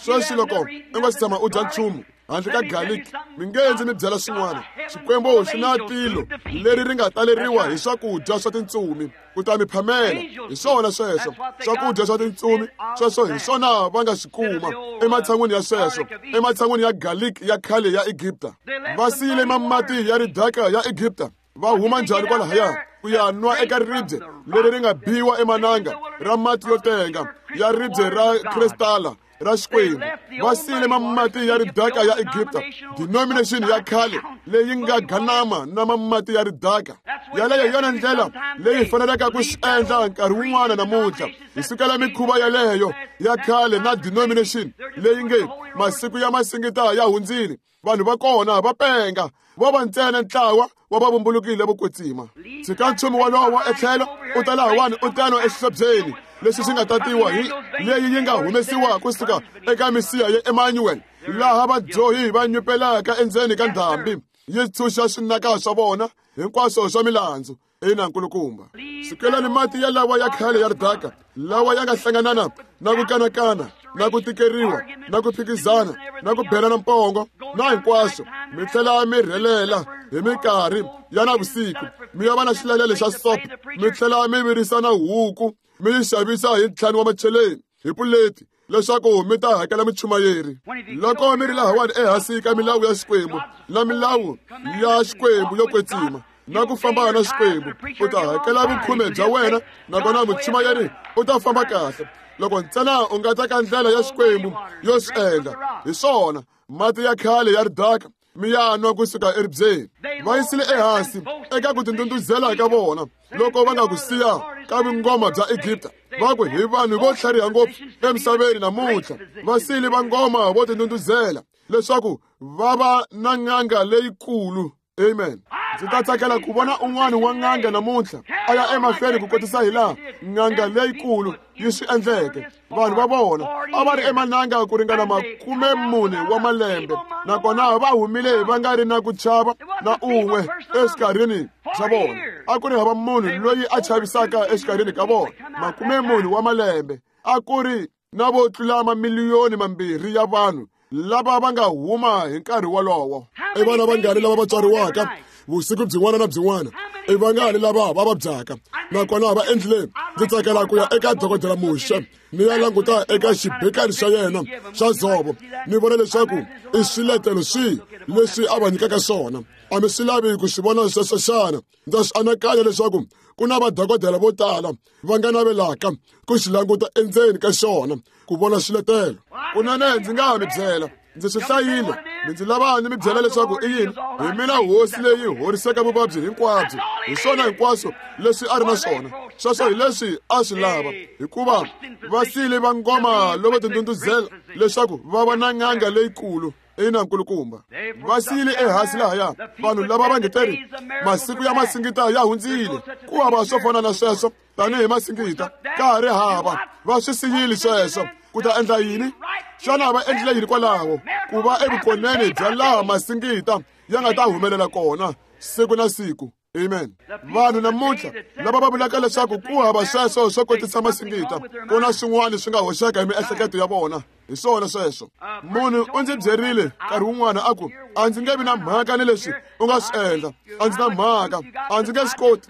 Sweswi loko u nga si tshama u dya nchumu handle ka garlic, mi nge ndzi mi byela swin'wana. Xikwembu xi na tilo leri ri nga taleriwa hi swakudya swa tintsumi ku ta mi phamela. Hi swona sweswo swakudya swa tintsumi, sweswo hi swona va nga swi kuma ematshan'wini ya sweswo, ematshan'wini ya garlic ya khale ya Egipta. Va siyile mamati ya ridaka ya Egipta, va huma njhani kwalahaya ku ya nwa eka ribye leri ri nga biwa emananga ra mati yo tenga ya ribye ra kristala ra Xikwembu. Va siyile mamati ya ridaka ya Egipta, denomination ya khale leyi nga ganama na mamati ya ridaka. Yaleyo hi yona ndlela leyi faneleke ku swi endla nkarhi wun'wana namuntlha. Hi sukela mikhuva yaleyo ya khale na denomination leyi nge masiku ya masingita ya hundzile. Vanhu va kona va penga, vo va ntsena ntlawa wa va vumbulukile vo kwetsima. Tshika nchumu wolowo etlhelo, u ta lahawani u ta nwa exihlobyeni lexi xi nga tatiwa hi leyi yi nga humesiwa kusuka eka misiha ya Emmanuel, laha vadyohi va nyupelaka endzeni ka ndhambi yi tshunxa swinaka swa vona hinkwaswo swa milandzu. Ina nkulukumba, sukelani mati ya lawa ya khale ya ridaka, lawa ya nga hlanganana na ku kanakana na ku tikeriwa na ku phikizana na ku belana mpongo na hinkwaswo, mi tlhela mi rhelela hi minkarhi ya navusiku, mi ya va na xilalelo xa sop, mi tlhela mi virisana huku mi yi xavisa hi 5 wa macheleni hi puleti leswaku mi ta hakela muchumayeri. Loko mi ri lahawani ehansi ka milawu ya Xikwembu na milawu ya Xikwembu yo kwetsima na ku famba na Xikwembu, u ta hakela vukhume bya wena, nakona muchumayeri u ta famba kahle loko ntsena u nga teka ndlela ya Xikwembu yo swi endla. Hi swona mati ya khale ya ridaka mi ya nwa kusuka eribyeni. Va yisile ehansi eka ku tindunduzela ka vona loko va nga ku siya ka vungoma bya Egipta. Va ku hi vanhu vo tlhariha ngopfu emisaveni namuntlha, va siyile vangoma vo tindunduzela leswaku va va na n'anga leyikulu. Amen. Ndzi ta tsakela ku vona un'wana wa n'anga namuntlha a ya emahlweni ku kotisa hi laha n'anga leyikulu yi swi endleke. Vanhu va vona a va ri emananga ku ringana 40 wa malembe, nakona va humile va nga ri na ku chava na un'we exikarhini xa vona. A ku ri hava munhu loyi a chavisaka exikarhini ka vona. 40 wa malembe a ku ri na vo tlula mamiliyoni 2 ya vanhu lava va nga huma hi nkarhi wolowo. I vana vangani lava va tswariwaka vusiku byin'wana na byin'wana? I vangani lava va vabyaka nakona va endlile? Ndzi tsakela ku ya eka dokodela Muxe ni ya languta eka xibekani xa yena xa dzovo, ni vona leswaku i swiletelo swihi leswi a va nyikaka swona. A mi swi lavi ku swi vona sweswo xana? Ndza swi anakanya leswaku ku na vadokodela vo tala va nga navelaka ku xi languta endzeni ka xona ku vona swiletelo. Kunene ndzi nga ha mi byela, ndzi swi hlayile, mi ndzi lava ni mi byela leswaku i yini. Hi mina hosi leyi horisaka vuvabyi hinkwabyo. Hi swona hinkwaswo leswi a ri na swona. Sweswo hi leswi a swi lava, hikuva va siyile vangoma lovo tindunduzela leswaku va va na n'anga leyikulu. Ina nkulukumba, va siyile ehansi lahaya vanhu lava va nge teri masiku ya masingita ya hundzile. Ku hava swo fana na sweswo tanihi masingita, ka ha ri hava. Va swi siyile sweswo. Ku ta endla yini? Xana va endlile yini kwalaho? Ku va evukoneni bya laha masingita ya nga ta humelela kona siku na siku. Amen. Vanhu namuntlha lava va vulaka leswaku ku hava sweswo swo kotisa masingita, ku na swin'wana swi nga hoxeka hi miehleketo ya vona. Hi swona sweswo. Munhu u ndzi byerile nkarhi wun'wana a ku, a ndzi nge vi na mhaka ni leswi u nga swi endla, a ndzi na mhaka, a ndzi nge swi koti.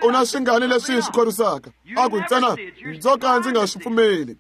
U na swingani leswi swi khorwisaka? A ku ntsena ndzo ka ndzi nga swi pfumeli.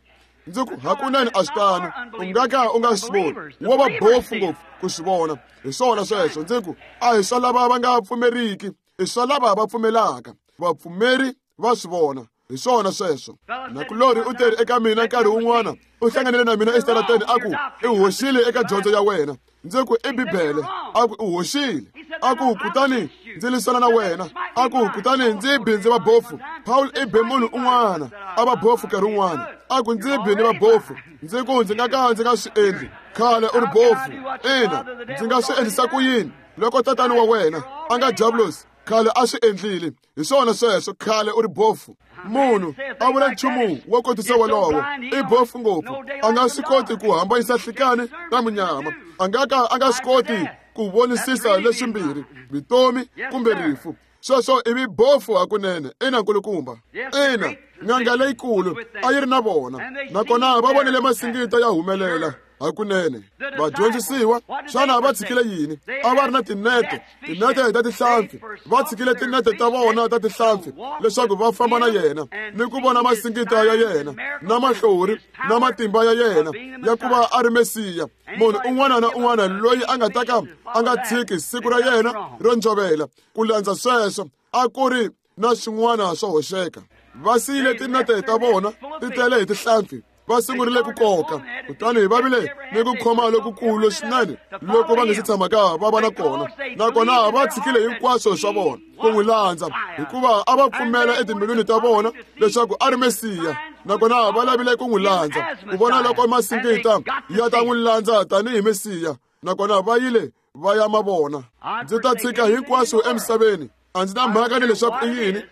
Ndzi ku hakunene a swi tano, u nga ka u nga swi voni, wo va bofu ngopfu ku swi vona. Hi swona sweswo. Ndzi ku a hi swa lava va nga pfumeriki, i swa lava va pfumelaka. Vapfumeri va swi vona. Hi swona sweswo. Nakulorhi u teri eka mina nkarhi wun'wana, u hlanganile na mina exitarateni, a ku i hoxile eka dyondzo ya wena. Ndzi ku i Bibele. A ku u hoxile. A ku kutani ndzi lwisana na wena. A ku kutani ndzi bi ndzi va bofu. Paul i be munhu un'wana a va bofu nkarhi wun'wana. A ku ndzi bi ni va bofu. Ndzi ku ndzi nga ka ndzi nga swi endli. Khale u ri bofu. Ina, ndzi nga swi endlisa ku yini loko tatani wa wena a nga diabulosi khale a swi endlile? Hi swona sweswo, khale u ri bofu. Munhu a vula nchumu wo kotisa wolowo i bofu ngopfu, a nga swi koti ku hambanyisa nhlikani na munyama, a nga ka a nga swi koti ku vonisisa leswimbirhi, vutomi kumbe rifu. Sweswo i vibofu hakunene. Ina, nkulukumba. Ina, n'anga leyikulu a yi ri na vona, nakona va vonile masingita ya humelela hakunene. Vadyondzisiwa xana va tshikile yini? A va ri na tinete, tinete ta tihlampfi. Va tshikile tinete ta vona ta tihlampfi leswaku va famba na yena ni ku vona masingita ya yena na mahlori na matimba ya yena ya ku va a ri Mesiya. Munhu un'wana na un'wana loyi a nga ta ka a nga tshiki siku ra yena ro njovela ku landza sweswo, a ku ri na swin'wana swo hoxeka. Va siyile tinete ta vona ti tele hi tihlampfi, va sungurile ku koka, kutani va vile ni ku khoma lokukulu swinene loko va nga si tshamaka va va na kona. Nakona va tshikile hinkwaswo swa vona ku n'wi landza, hikuva a va pfumela etimbilwini ta vona leswaku a ri Mesiya. Nakona va lavile ku n'wi landza ku vona loko masingita ya ta n'wi landza tanihi Mesiya. Nakona va yile va ya ma vona. Ndzi ta tshika hinkwaswo emisaveni, a ndzi na mhaka ni leswaku i yini,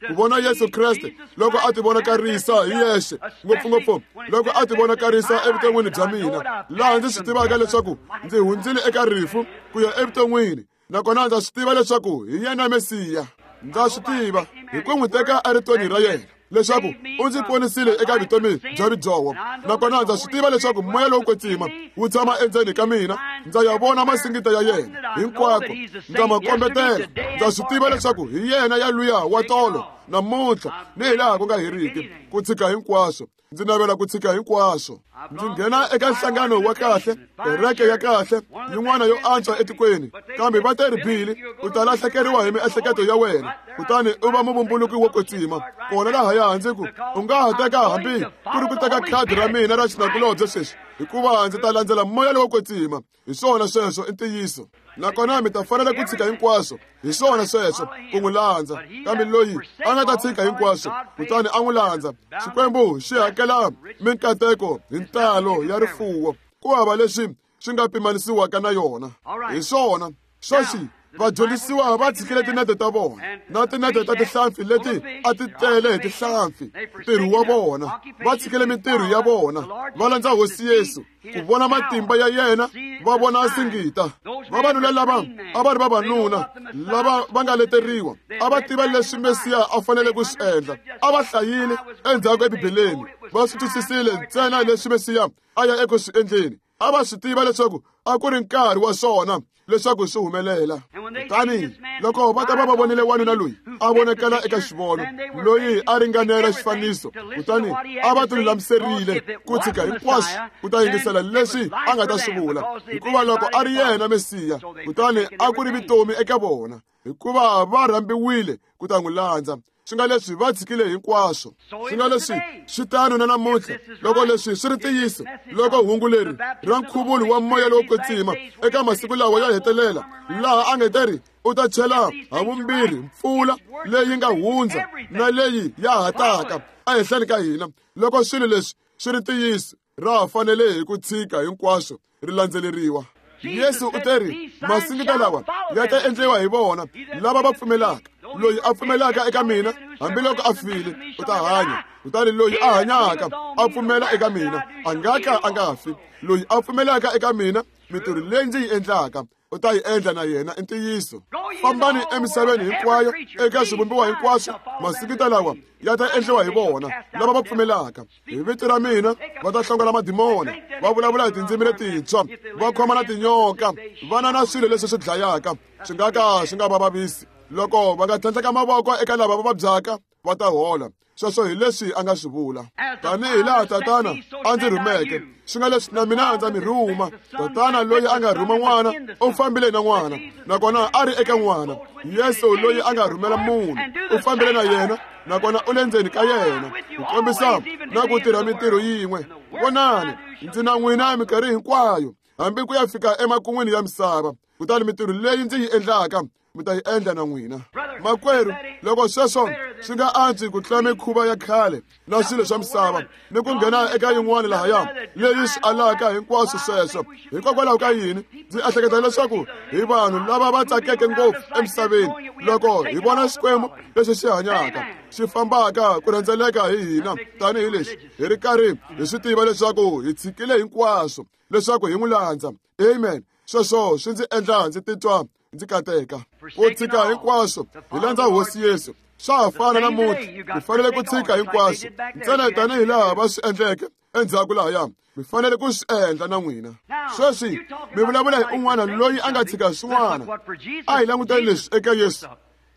ku vona Yesu Kreste loko a tivonakarisa hi yexe, ngopfungopfu loko a tivonakarisa evuton'wini bya mina, laha ndzi swi tivaka leswaku ndzi hundzile eka rifu ku ya evuton'wini. Nakona ndza swi tiva leswaku hi yena Mesiya. Ndza swi tiva hi ku n'wi teka eritweni ra yena leswaku u ndzi ponisile eka vutomi bya ridyoho. Nakona ndza swi tiva leswaku moya lowo kwetsima wu tshama endzeni ka mina. Ndza ya vona masingita ya yena hinkwako, ndza ma kombetela. Ndza swi tiva leswaku hi yena ya luya wa tolo, namuntlha ni hi laha ku nga heriki. Ku tshika hinkwaswo, ndzi navela ku tshika hinkwaswo. Ndzi nghena eka nhlangano wa kahle, kereke ya kahle, yin'wana yo antswa etikweni, kambe va te ri, Billy, u ta lahlekeriwa hi miehleketo ya wena, kutani u va muvumbuluki wo kwetsima. Kona lahaya ndzi ku, u nga ha teka hambi ku ri ku teka khadi ra mina ra xinakulobye sweswi, hikuva ndzi ta landzela moya lowo kwetsima. Hi swona sweswo, i ntiyiso. Nakona mi ta fanela ku tshika hinkwaswo, hi swona sweswo, ku n'wi landza. Kambe loyi a nga ta tshika hinkwaswo kutani a n'wi landza, Xikwembu xi hakela minkateko hi ntalo ya rifuwo, ku hava leswi swi nga pimanisiwaka na yona. Hi swona sweswi vadyondzisiwa va tshikile tinete ta vona na tinete ta tihlampfi leti a ti tele hi tihlampfi, ntirho wa vona. Va tshikile mintirho ya vona, va landza Hosi Yesu ku vona matimba ya yena, va vona singita. Vavanuna lava a va ri vavanuna lava va nga leteriwa, a va tiva leswi Mesiya a fanele ku swi endla. A va hlayile endzhaku eBibeleni, va swi twisisile ntsena leswi Mesiya a ya eku swi endleni. A va swi tiva leswaku a ku ri nkarhi wa swona leswaku swi humelela. Kutani loko va ta va va vonile wanuna loyi a vonakala eka xivono, loyi a ringanela xifaniso, kutani a va tilulamiserile ku tshika hinkwaswo ku ta yingisela leswi a nga ta swi vula, hikuva loko a ri yena Mesiya, kutani a ku ri vutomi eka vona, hikuva va rhambiwile ku ta n'wi landza. Swi nga leswi va tshikile hinkwaswo. Swi nga leswi swi tano na namuntlha. Loko leswi swi ri ntiyiso, loko hungu leri ra nkhuvulo wa moya lowo kwetsima eka masiku lawa ya hetelela, laha a nge te ri u ta chela ha vumbirhi mpfula leyi nga hundza na leyi ya ha taka ehenhleni ka hina, loko swilo leswi swi ri ntiyiso, ra ha fanele hi ku tshika hinkwaswo ri landzeleriwa. Yesu u te ri, masingita lawa ya ta endliwa hi vona lava va pfumelaka. Loyi a pfumelaka eka mina, hambiloko a file, u ta hanya. Kutani loyi a hanyaka a pfumela eka mina, a nga ka a nga fi. Loyi a pfumelaka eka mina, mintirho leyi ndzi yi endlaka u ta yi endla na yena. I ntiyiso. Fambani emisaveni hinkwayo eka swivumbiwa hinkwaswo, masingita lawa ya ta endliwa hi vona lava va pfumelaka. Hi vito ra mina va ta hlongola madimona, va vulavula hi tindzimi letintshwa, va khoma na tinyoka, va na na swilo leswi swi dlayaka, swi nga ka swi nga va vavisi. Loko va nga tlhandleka mavoko eka lava va vabyaka, va ta hola. Sweswo hi leswi a nga swi vula. Tanihi laha Tatana a ndzi rhumeke, swi nga leswi na mina ndza mi rhuma. Tatana loyi a nga rhuma n'wana u fambile na n'wana, nakona a ri eka n'wana. Yesu loyi a nga rhumela munhu u fambile na yena, nakona u le ndzeni ka yena, ku kombisa na ku tirha mintirho yin'we. Vonani, ndzi na n'wina minkarhi hinkwayo, hambi ku ya fika emakun'wini ya misava. Kutani mintirho leyi ndzi yi endlaka mi ta yi endla na n'wina. Makwerhu, loko sweswo Swi nga antswi ku tlula mikhuva ya khale na swilo swa misava ni ku nghena eka yin'wana lahaya leyi swi alaka hinkwaswo sweswo. Hikokwalaho ka yini ndzi ehleketa leswaku hi vanhu lava va tsakeke ngopfu emisaveni loko hi vona Xikwembu lexi xi hanyaka xi fambaka ku rhendzeleka hi hina tanihilexi hi ri karhi hi swi tiva leswaku hi tshikile hinkwaswo leswaku hi n'wi landza. Amen. Sweswo swi ndzi endla ndzi titwa ndzi kateka. Ku tshika hinkwaswo hi landza Hosi Yesu swa ha fana namuntlha. Mi fanele ku tshika hinkwaswo ntsena tanihi laha va swi endleke endzhaku lahaya, mi fanele ku swi endla na n'wina. Sweswi mi vulavula hi un'wana loyi a nga tshika swin'wana. A hi languteni leswi eka Yesu.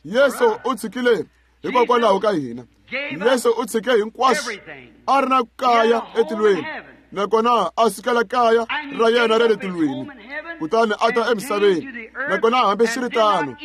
Yesu u tshikile hikokwalaho ka hina. Yesu u tshike hinkwaswo, a ri na kaya etilweni, nakona a sukela kaya ra yena ra le tilweni, kutani a ta emisaveni, nakona hambiswiritano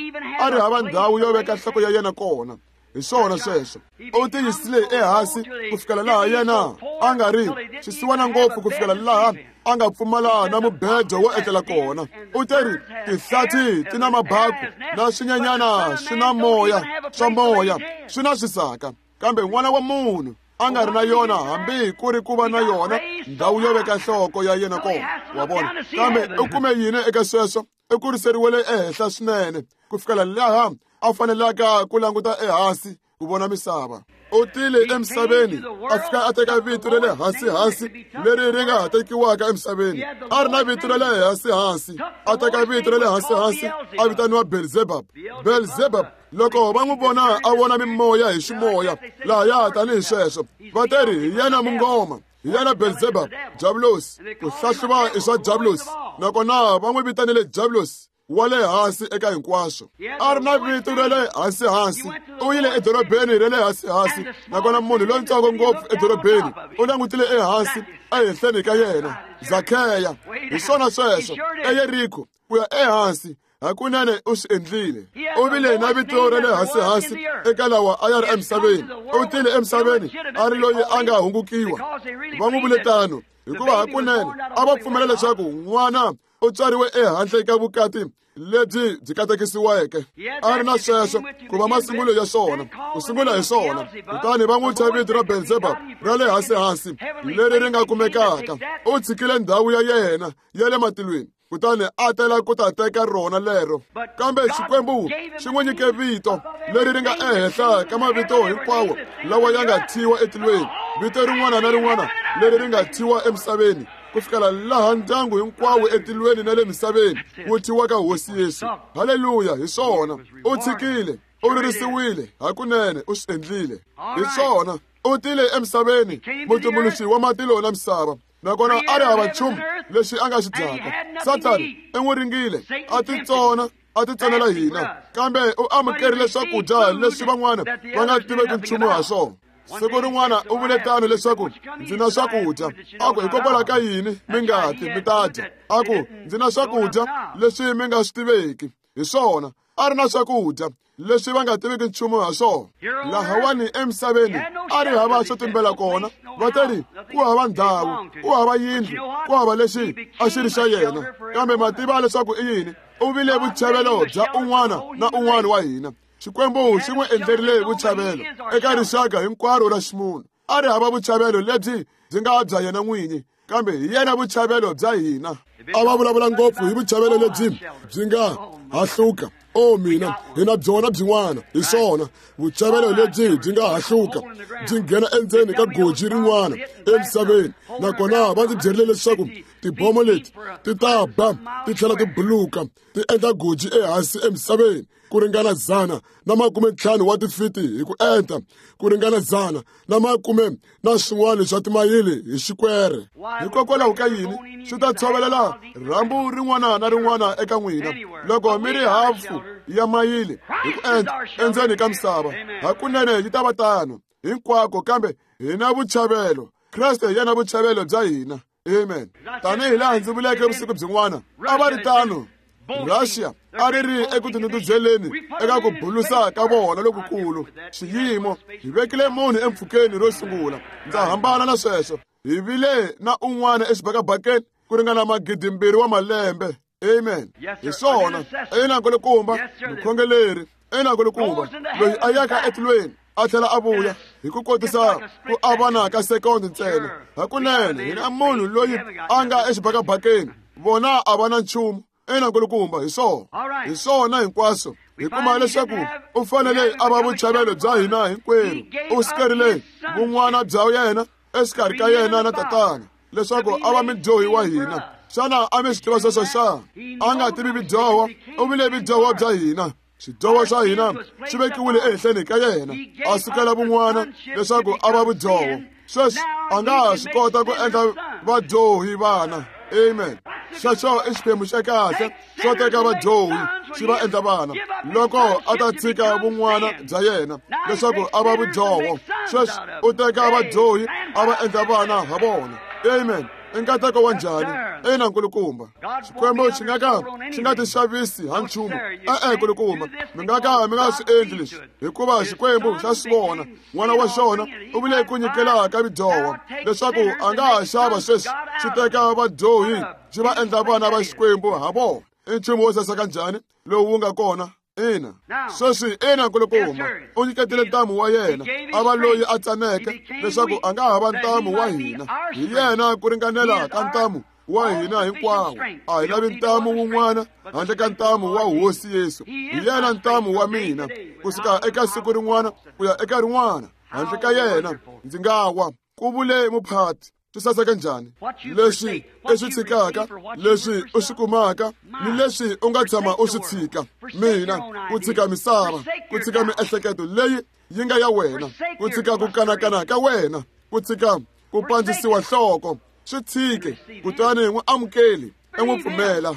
a ri hava ndhawu yo veka nhloko ya yena kona. Hi swona sweswo. U tiyisile ehansi ku fikela laha yena a nga ri xisiwana ngopfu ku fikela laha a nga pfumala na mubedo wo etlela kona. U teri tihlathi ti na mabaku na swinyenyana swi na moya swa moya swi na swisaka, kambe n'wana wa munhu a nga ri na yona hambi ku ri ku va na yona ndhawu yo veka nhloko ya yena kona. Wa vona? Kambe u kume yini eka sweswo? U kuriseriwele ehenhla swinene ku fikela laha a fanelaka ku languta ehansi ku vona misava. U tile emisaveni a fika a teka vito ra le hansi-hansi leri ri nga ha tekiwaka emisaveni. A ri na vito ra le hansi-hansi, a teka vito ra le hansi-hansi a vitaniwa Belzebub. Belzebub, loko va n'wi vona a vona mimoya hi ximoya lahaya tanihi sweswo, va te ri hi yena mungoma, hi yena Belzebub, Diabulosi. Ku hlahluva i swa Diabulosi, nakona va n'wi vitanile Diabulosi wa le hansi eka hinkwaswo. A ri na vito ra le hansi-hansi. U yile edorobeni ra le hansi-hansi, nakona munhu lontsongo ngopfu edorobeni u langutile ehansi ehenhleni ka yena, Zakheya. Hi swona sweswo, eYeriko ku ya ehansi. Hakunene u swi endlile. U vile na vito ra le hansi-hansi eka lawa a ya ri emisaveni. U tile emisaveni a ri loyi a nga hungukiwa. Va n'wi vule tano hikuva hakunene a va pfumela leswaku n'wana u tswariwe ehandle ka vukati lebyi byi katekisiweke. A ri na sweswo ku va masungulo ya swona, ku sungula hi swona. Kutani va n'wi thya vito ra Belzebub ra le hansi-hansi leri ri nga kumekaka. U tshikile ndhawu ya yena ya le matilweni kutani a tela ku ta teka rona lero. Kambe Xikwembu xi n'wi nyike vito leri ri nga ehenhla ka mavito hinkwawo lawa ya nga thyiwa etilweni, vito rin'wana na rin'wana leri ri nga thyiwa emisaveni, ku fikela laha ndyangu hinkwawo etilweni na le misaveni wu thyiwaka Hosi Yesu. Haleluya! Hi swona. U tshikile, u ririsiwile, hakunene u swi endlile. Hi swona. U tile emisaveni, mutumbuluxi wa matilo na misava, nakona a ri hava nchumu lexi a nga xi dyaka. Sathani i n'wi ringile, a titsona, a titsonela hina, kambe u amukerile swakudya leswi van'wana va nga tiveki nchumu ha swona. Siku rin'wana u vule tano leswaku ndzi na swakudya. A ku hikokwalaho ka yini mi nga ti mi ta dya? A ku ndzi na swakudya leswi mi nga swi tiveki. Hi swona, a ri na swakudya leswi va nga tiviki nchumu ha swona. Lahawani emisaveni a ri hava xo tumbela kona. Va te ri ku hava ndhawu, ku hava yindlu, ku hava lexi a xi ri xa yena. Kambe ma tiva leswaku i yini? U vile vuchavelo bya un'wana na un'wana wa hina. Xikwembu xi n'wi endlerile vuchavelo eka rixaka hinkwaro ra ximunhu. A ri hava vuchavelo lebyi byi nga bya yena n'winyi, kambe hi yena vuchavelo bya hina. A va vulavula ngopfu hi vuchavelo lebyi byi nga hahluka. O mina, hi na byona byin'wana. Hi swona, vuchavelo lebyi byi nga hahluka byi nghena endzeni ka goji rin'wana emisaveni. Nakona va ndzi byerile leswaku tibomo leti ti ta ba ti tlhela ti buluka ti endla goji ehansi emisaveni ku ringana 150 wa tifiti hi ku enta, ku ringana 110 na swin'wana swa timayili hi xikwere. Hikokwalaho ka yini swi ta tshovelela rhambu rin'wana na rin'wana eka n'wina loko mi ri hafu ya mayili hi ku enta endzeni ka misava? Hakunene yi ta va tano hinkwako, kambe hi na vuchavelo. Kreste hi yena vuchavelo bya hina. Amen. Tanihi laha ndzi vuleke vusiku byin'wana, a va ri tano. Russia a ri ri eku tinundzuzeleni eka ku bulusa ka vona lokukulu xiyimo. Hi vekile munhu empfhukeni ro sungula. Ndza hambana na sweswo. Hi vile na un'wana exibakabakeni ku ringana 2,000 wa malembe. Amen. Hi swona. Ina nkulukumba, mukhongeleri. Ina nkulukumba, loyi a yaka etilweni. a tlhela a vuya hi ku kotisa ku avana ka sekondi ntsena. Hakunene hi na munhu loyi a nga exibakabakeni, vona a va na nchumu. Ina nkulukumba, hi swona, hi swona hinkwaswo. Hi kuma leswaku u fanele a va vuchavelo bya hina hinkwenu. U sikerile vun'wana bya yena exikarhi ka yena na tatana leswaku a va mudyohi wa hina. Xana a mi swi tiva sweswo xana? A nga tivi vidyoho, u vile vidyoho bya hina. Xidyoho xa hina xi vekiwile ehenhleni ka yena, a sukela vun'wana leswaku a va vudyoho. Sweswi a nga ha swi kota ku endla vadyohi vana. Amen. Xexo i xiphemu xa kahle xo teka vadyohi xi va endla vana, loko a ta tshika vun'wana bya yena leswaku a va vudyoho. Sweswi u teka vadyohi a va endla vana ha vona. Amen. I nkateko wa njhani? Ina nkulukumba. Xikwembu xi nga ka xi nga tixavisi ha nchumu. E-e nkulukumba, mi nga ka mi nga swi endli leswi, hikuva Xikwembu xa swi vona. N'wana wa xona u vile ku nyikela ka vidyoho leswaku a nga ha xava sweswi xi teka vadyohi xi va endla vana va Xikwembu ha vona. I nchumu wo saseka njhani lowu wu nga kona? Ina. Sweswi ina nkulukumba, u nyiketile ntamu wa yena a va loyi a tsaneke leswaku a nga ha va ntamu wa hina. Hi yena ku ringanela ka ntamu wa hina hinkwawo. A hi lavi ntamu wun'wana handle ka ntamu wa Hosi Yesu. Hi yena ntamu wa mina kusuka eka siku rin'wana ku ya eka rin'wana. Handle ka yena ndzi nga wa, ku vule muphati. Swi saseka njhani leswi i swi tshikaka, leswi u swi kumaka, ni leswi u nga tshama u swi tshika. Mina ku tshika misava, ku tshika miehleketo leyi yi nga ya wena, ku tshika ku kanakana ka wena, ku tshika ku pandzisiwa nhloko, swi tshike kutani n'wi amukeli, i n'wi pfumela.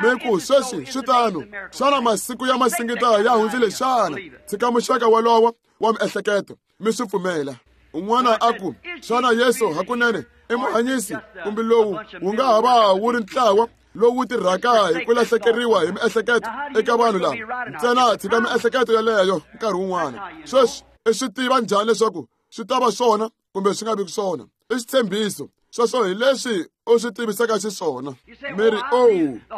Mi ku sweswi swi tano, xana masiku ya masingita ya hundzile xana? Tshika muxaka wolowo wa miehleketo, mi swi pfumela. Un'wana a ku, xana Yesu hakunene i muhanyisi, kumbe lowu wu nga ha va wu ri ntlawa lowu tirhaka hi ku lahlekeriwa hi miehleketo eka vanhu lava? Ntsena tshika miehleketo yeleyo nkarhi wun'wana. Sweswi i swi tiva njhani leswaku swi ta va swona kumbe swi nga vi swona? I xitshembiso. Sweswo hi leswi u swi tivisaka xiswona. Mi ri, oh,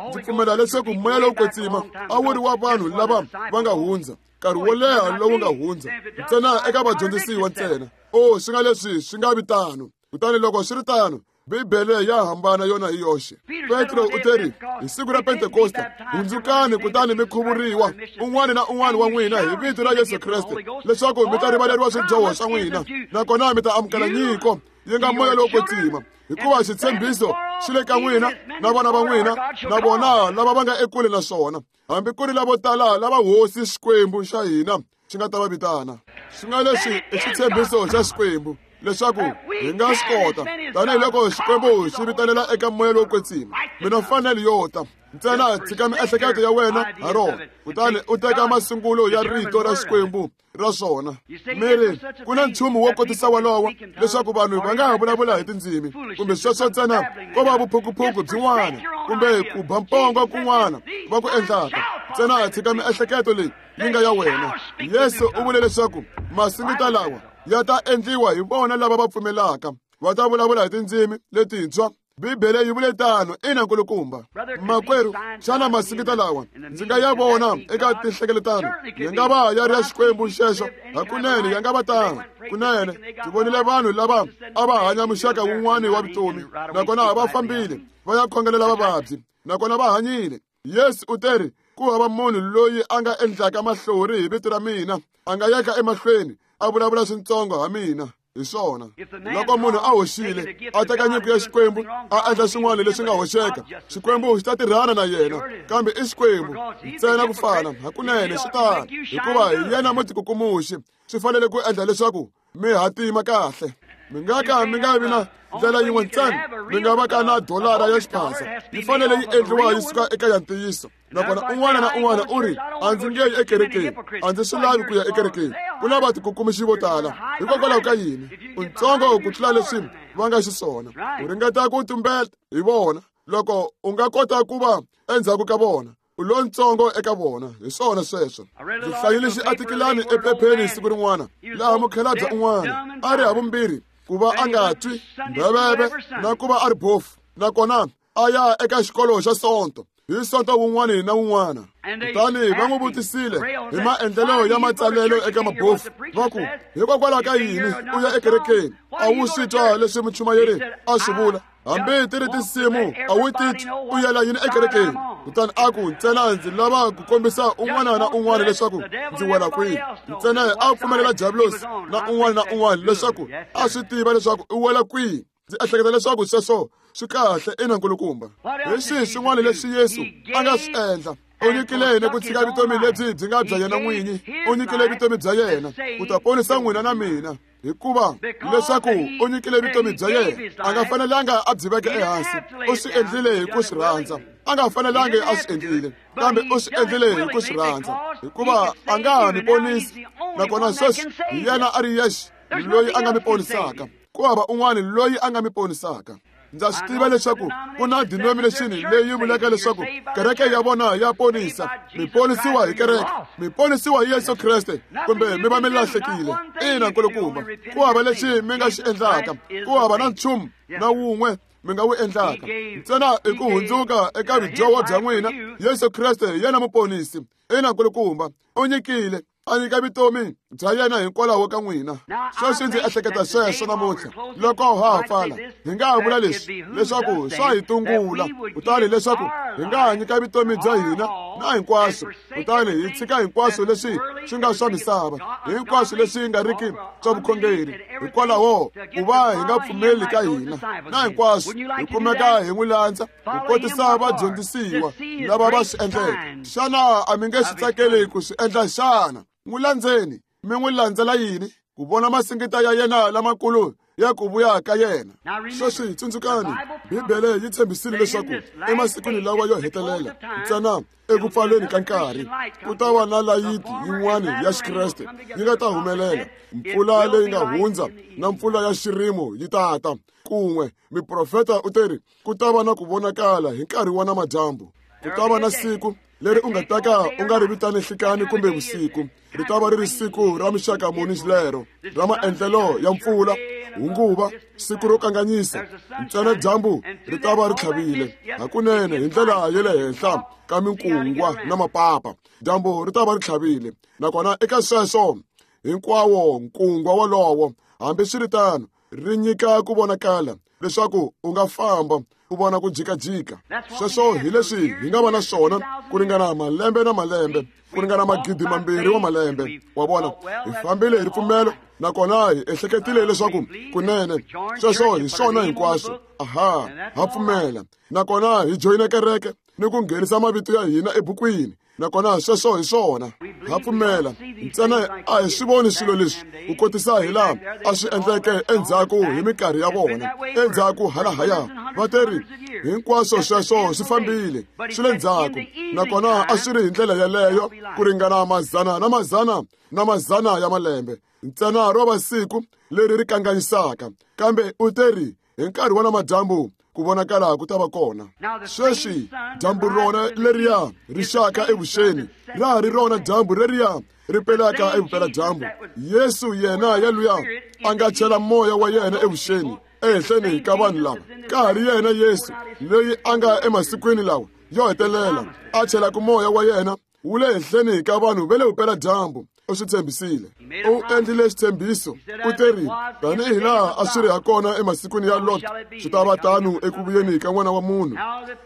ndzi pfumela leswaku moya lowo kwetsima a wu ri wa vanhu lava va nga hundza nkarhi wo leha lowu nga hundza, ntsena eka vadyondzisiwa ntsena. Oh, swi nga leswi swi nga vi tano. Kutani loko swi ri tano, Bibele ya hambana yona hi yoxe. Petro u teri hi siku ra Pentekosta, hundzukani kutani mi khuvuriwa un'wana na un'wana wa n'wina hi vito ra Yesu Kreste, leswaku mi ta rivaleriwa swidyoho swa n'wina, nakona mi ta amukela nyiko yi nga moya lowo kwetsima, hikuva xitshembiso xi le ka n'wina na vana va n'wina na vona lava va nga ekule na swona, hambi ku ri lavo tala lava Hosi Xikwembu xa hina xi nga ta va vitana. Swi nga leswi i xitshembiso xa Xikwembu leswaku hi nga swi kota, tanihiloko Xikwembu xi vitalela eka moya lowo kwetsima. Mina fanele yo ta ntsena, tshika miehleketo ya wena ha rona, kutani u teka masungulo ya rito ra Xikwembu ra swona. Mi ri, ku na nchumu wo kotisa wolowo leswaku vanhu va nga ha vulavula hi tindzimi, kumbe sweswo ntsena ko va vuphukuphuku byin'wana kumbe ku ba mpongo kun'wana va ku endlaka. Ntsena tshika miehleketo leyi yi nga ya wena. Yesu u vule leswaku masingita lawa ya ta endliwa hi vona lava va pfumelaka, va ta vulavula hi tindzimi letintshwa. Bibele yi vule tano. Ina nkulukumba. Makwerhu, xana masingita lawa ndzi nga ya vona eka tinhlengeletano ya nga va ya ri ya Xikwembu xexo? Hakunene ya nga va tano. Kunene ndzi vonile vanhu lava a va hanya muxaka wun'wana wa vutomi, nakona va fambile va ya khongelela vavabyi, nakona va hanyile. Yesu u teri, ku hava munhu loyi a nga endlaka mahlori hi vito ra mina a nga yaka emahlweni a vulavula swintsongo ha mina. Hi swona, loko munhu a hoxile a teka nyiko ya Xikwembu a endla swin'wana leswi nga hoxeka, Xikwembu xi ta tirhana na yena. Kambe i Xikwembu ntsena ku fana. Hakunene swi tano, hikuva hi yena mutikukumuxi. Swi fanele ku endla leswaku mi hatima kahle. Mi nga ka mi nga vi na ndlela yin'we ntsena mi nga va ka na dolara ya xiphasa, yi fanele yi endliwa yi suka eka ya ntiyiso. Nakona un'wana na un'wana u ri, a ndzi nge yi ekerekeni, a ndzi swi lavi ku ya ekerekeni. Ku na vatikukumuxi vo tala. Hikokwalaho ka yini? U ntsongo ku tlula leswi va nga xiswona. U ringeta ku tumbeta hi vona. Loko u nga kota ku va endzhaku ka vona, u lontsongo eka vona. Hi swona sweswo. Ndzi hlayile xiatikilani ephepheni siku rin'wana, laha mukhalabye un'wana a ri havumbirhi ku va a nga twi mbheveve na ku va a ri bofu, nakona a ya eka xikolo xa Sonto. Hi Sonto wun'wana na wun'wana. Kutani va n'wi vutisile hi maendlelo ya matsalelo eka mabofu, va ku, hikokwalaho ka yini u ya ekerekeni? A wu swi twa leswi muchumayeri a swi vula? Hambi ti ri tinsimu a wu titwi, u yela yini ekerekeni? Kutani a ku, ntsena ndzi lava ku kombisa un'wana na un'wana leswaku ndzi wela kwihi. Ntsena a pfumelela Diablosi na un'wana na un'wana leswaku a swi tiva leswaku u wela kwihi. Ndzi ehleketa leswaku sweswo swi kahle ina nkulukumba. Hi swihi swin'wana leswi Yesu a nga swi endla? U nyikile yena ku tshika vutomi lebyi byi nga bya yena n'winyi. U nyikile vutomi bya yena ku ta ponisa n'wina na mina. Hikuva leswaku u nyikile vutomi bya yena, a nga fanelanga a byi veka ehansi. U swi endlile hi ku swi rhandza. A nga fanelangi a swi endlile, kambe u swi endlile hi ku swi rhandza, hikuva a nga ha mi ponisi. Nakona sweswi hi yena a ri yexe loyi a nga mi ponisaka. Ku hava un'wana loyi a nga mi ponisaka. Ndza swi tiva leswaku ku na denomination leyi vulaka leswaku kereke ya vona ya ponisa. Mi ponisiwa hi kereke, mi ponisiwa hi Yesu Kreste, kumbe mi va mi lahlekile. Ina nkulukumba, ku hava lexi mi nga xi endlaka, ku hava na nchumu na wun'we mi nga wu endlaka. Ntsena i ku hundzuka eka vudyoho bya n'wina. Yesu Kreste hi yena muponisi. Ina nkulukumba, u nyikile a nyika vutomi bya yena hikwalaho ka n'wina. Sweswi ndzi ehleketa sweswo namuntlha loko ha ha pfala, hi nga ha vula leswi leswaku swa hi tungula, kutani leswaku hi nga ha nyika vutomi bya hina na hinkwaswo, kutani hi tshika hinkwaswo leswi swi nga swa misava, hinkwaswo leswi nga riki swa vukhongeri, hikwalaho ku va hi nga pfumeli ka hina na hinkwaswo, hi kumeka hi n'wi landza ku kotisa vadyondzisiwa lava va swi endleke. Xana a mi nge swi tsakeli ku swi endla xana? N'wi landzeni. Mi n'wi landzela yini? Ku vona masingita ya yena lamakulu ya ku vuya ka yena. Sweswi tsundzukani, Bibele yi tshembisile leswaku emasikwini lawa yo hetelela, ntsena eku pfaleni ka nkarhi, ku ta va na layiti yin'wana ya Xikreste yi nga ta humelela. Mpfula leyi nga hundza na mpfula ya xirimo yi ta ta kun'we. Miprofeta u teri ku ta va na ku vonakala hi nkarhi wa namadyambu. Ku ta va na siku leri u nga ta ka u nga ri vitani nhlikani kumbe vusiku. Ri ta va ri ri siku ra mixaka muni lero, ra maendlelo ya mpfula, hunguva, siku ro kanganyisa. Ntsena dyambu ri ta va ri tlhavile hakunene hi ndlela ya le henhla ka minkungwa na mapapa. Dyambu ri ta va ri tlhavile, nakona eka sweswo hinkwawo nkungwa wolowo, hambiswiritano, ri nyika ku vonakala leswaku u nga famba u vona ku jikajika. Sweswo hi leswi hi nga va na swona ku ringana malembe na malembe, ku ringana magidi mambirhi wa malembe. Wa vona, hi fambile hi ripfumelo, nakona hi ehleketile leswaku kunene sweswo hi swona hinkwaswo. Aha, ha pfumela, nakona hi joyina kereke ni ku nghenisa mavito ya hina ebukwini, nakona sweswo hi swona. Ha pfumela, ntsena a hi swi voni swilo leswi ku kotisa hi laha a swi endleke endzhaku hi minkarhi ya vona. Endzhaku halahaya va teri hinkwaswo sweswo swi fambile swi le ndzhaku, nakona a swi ri hi ndlela yeleyo ku ringana mazana na mazana na mazana ya malembe. Ntsena ro va siku leri ri kanganyisaka, kambe u teri hi nkarhi wa namadyambu ku vonakala ku ta va kona. Sweswi dyambu rona leriya ri xaka evuxeni, ra ha ri rona dyambu leriya ri pelaka evupeladyambu. Yesu yena yaluya a nga chela moya wa yena evuxeni ehenhleni ka vanhu lava, ka ha ri yena Yesu loyi a nga emasikwini lawa yo hetelela a chelaka moya wa yena wu le henhleni ka vanhu va le vupeladyambu. U swi tshembisile, u endlile xitshembiso. U teri tanihi laha a swi ri ha kona emasikwini ya Lot, swi ta va tano eku vuyeni ka N'wana wa Munhu.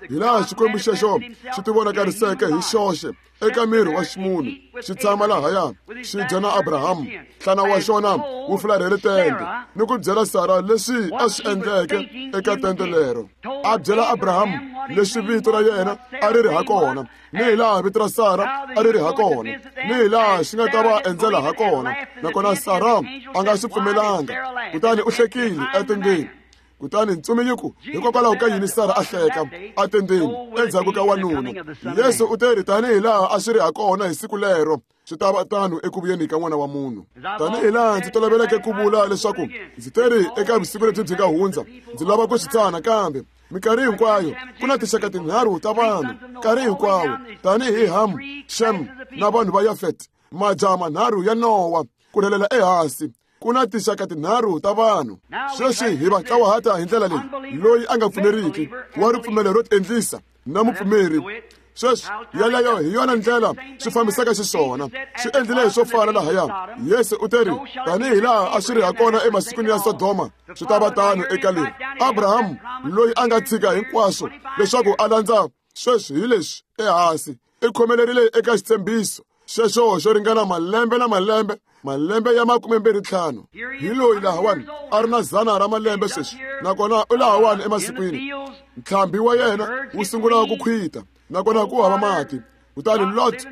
Hi laha Xikwembu xexo xi tivonakariseke hi xoxe eka miri wa ximunhu, xi tshama lahaya xi dya na Abrahamu, nhlana wa xona wu fularhele tende, ni ku byela Sara leswi a swi endleke eka tende lero. A byela Abrahamu leswi vito ra yena a ri ri ha kona, ni hi laha vito ra Sara a ri ri ha kona, ni hi laha xi nga ta va endzela ha kona. Nakona Sara a nga swi pfumelanga, kutani u hlekile etendeni. Kutani ntsumi yi ku, hikokwalaho ka yini Sara a hleka etendeni endzhaku ka wanuna? Yesu u teri tanihi laha a swi ri ha kona hi siku lero, swi ta va tano eku vuyeni ka N'wana wa Munhu. Tanihi laha ndzi toloveleke ku vula leswaku ndzi teri eka vusiku lebyi byi nga hundza, ndzi lava ku swi tsana, kambe minkarhi hinkwayo ku na tinxaka tinharhu ta vanhu nkarhi hinkwawo, tanihi Ham, Shem na vanhu va Yafet, majaha manharhu ya Nowa, ku rhelela ehansi. Ku na tinxaka tinharhu ta vanhu. Sweswi hi va tlawahata hi ndlela leyi: loyi a nga pfumeriki, wa ripfumelo ro tiendlisa, na mupfumeri. Sweswi yaleyo hi yona ndlela swi fambisaka xiswona. Swi endlile swo fana lahaya. Yesu u teri, tanihi laha a swi ri hakona emasikwini ya Sodoma, swi ta va tano eka leri. Abrahamu loyi a nga tshika hinkwaswo leswaku a landza sweswi hi leswi ehansi, i khomelerile eka xitshembiso xexo xo ringana malembe na malembe, malembe ya 25. Hi loyi lahawani a ri na 100 ra malembe sweswi, nakona u lahawani emasikwini. Ntlhambi wa yena wu sungula ku khwita, nakona ku hava mati. Kutani Lot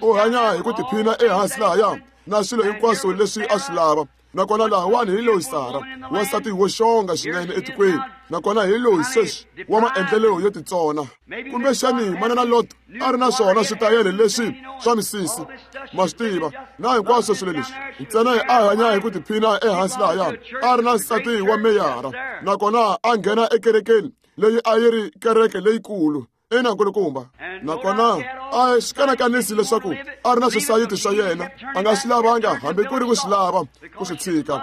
u hanya hi ku tiphina ehansi lahaya na swilo hinkwaswo leswi a swi lava. Nakona lahawani hi loyi Sara, wansati wo xonga swinene etikweni, nakona hi loyi sweswi wa maendlelo yo titsona. Kumbexani manana Lot a ri na swona switayele leswi swa misisi, ma swi tiva, na hinkwaswo swilo leswi. Ntsena a hanya hi ku tiphina ehansi lahaya, a ri na nsati wa meyara, nakona a nghena ekerekeni leyi a yi ri kereke leyikulu. Ina nkulukumba. Nakona a swi kanakanisi leswaku a ri na swisayiti swa yena, a nga swi lavanga hambi ku ri ku swi lava ku swi tshika,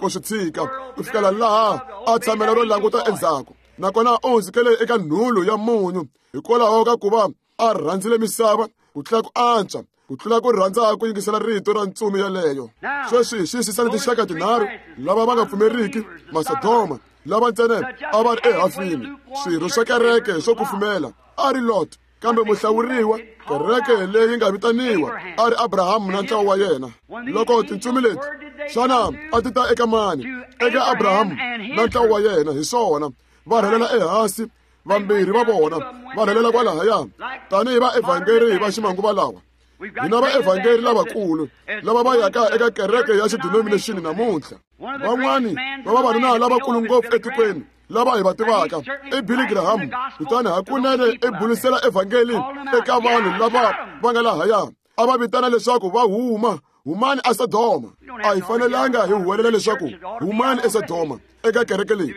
ku swi tshika ku fikela laha a tshamela ro languta endzhaku. Nakona u hundzukele eka nhulu ya munyu hikwalaho ka ku va a rhandzile misava ku tlula ku antswa, ku tlula ku rhandza ku yingisela rito ra ntsumi yaleyo. Sweswi xiyisisani tinxaka tinharhu: lava va nga pfumeriki, Masodoma, lava ntsena a va ri ehafini, swirho swa kereke swo kufumela a ri Lot, kambe muhlawuriwa, kereke leyi nga vitaniwa, a ri Abrahamu na ntlawa wa yena. Loko tintsumi leti, xana a ti ta eka mani? Eka Abrahamu na ntlawa wa yena. Hi swona, va rhelela ehansi, vambirhi va vona va rhelela kwalahaya tanihi vaevhangeri va ximanguva lawa. Hina vaevhangeri lavakulu lava va yaka eka kereke ya xidenomination namuntlha. Van'wani va vavanuna lavakulu ngopfu etikweni lava hi va tivaka i Billy Graham, kutani hakunene i bulisela evhangeli eka vanhu lava va nga lahaya, a va vitana leswaku va huma, humani eSodoma. A hi fanelanga hi huwelela leswaku humani eSodoma eka kereke leyi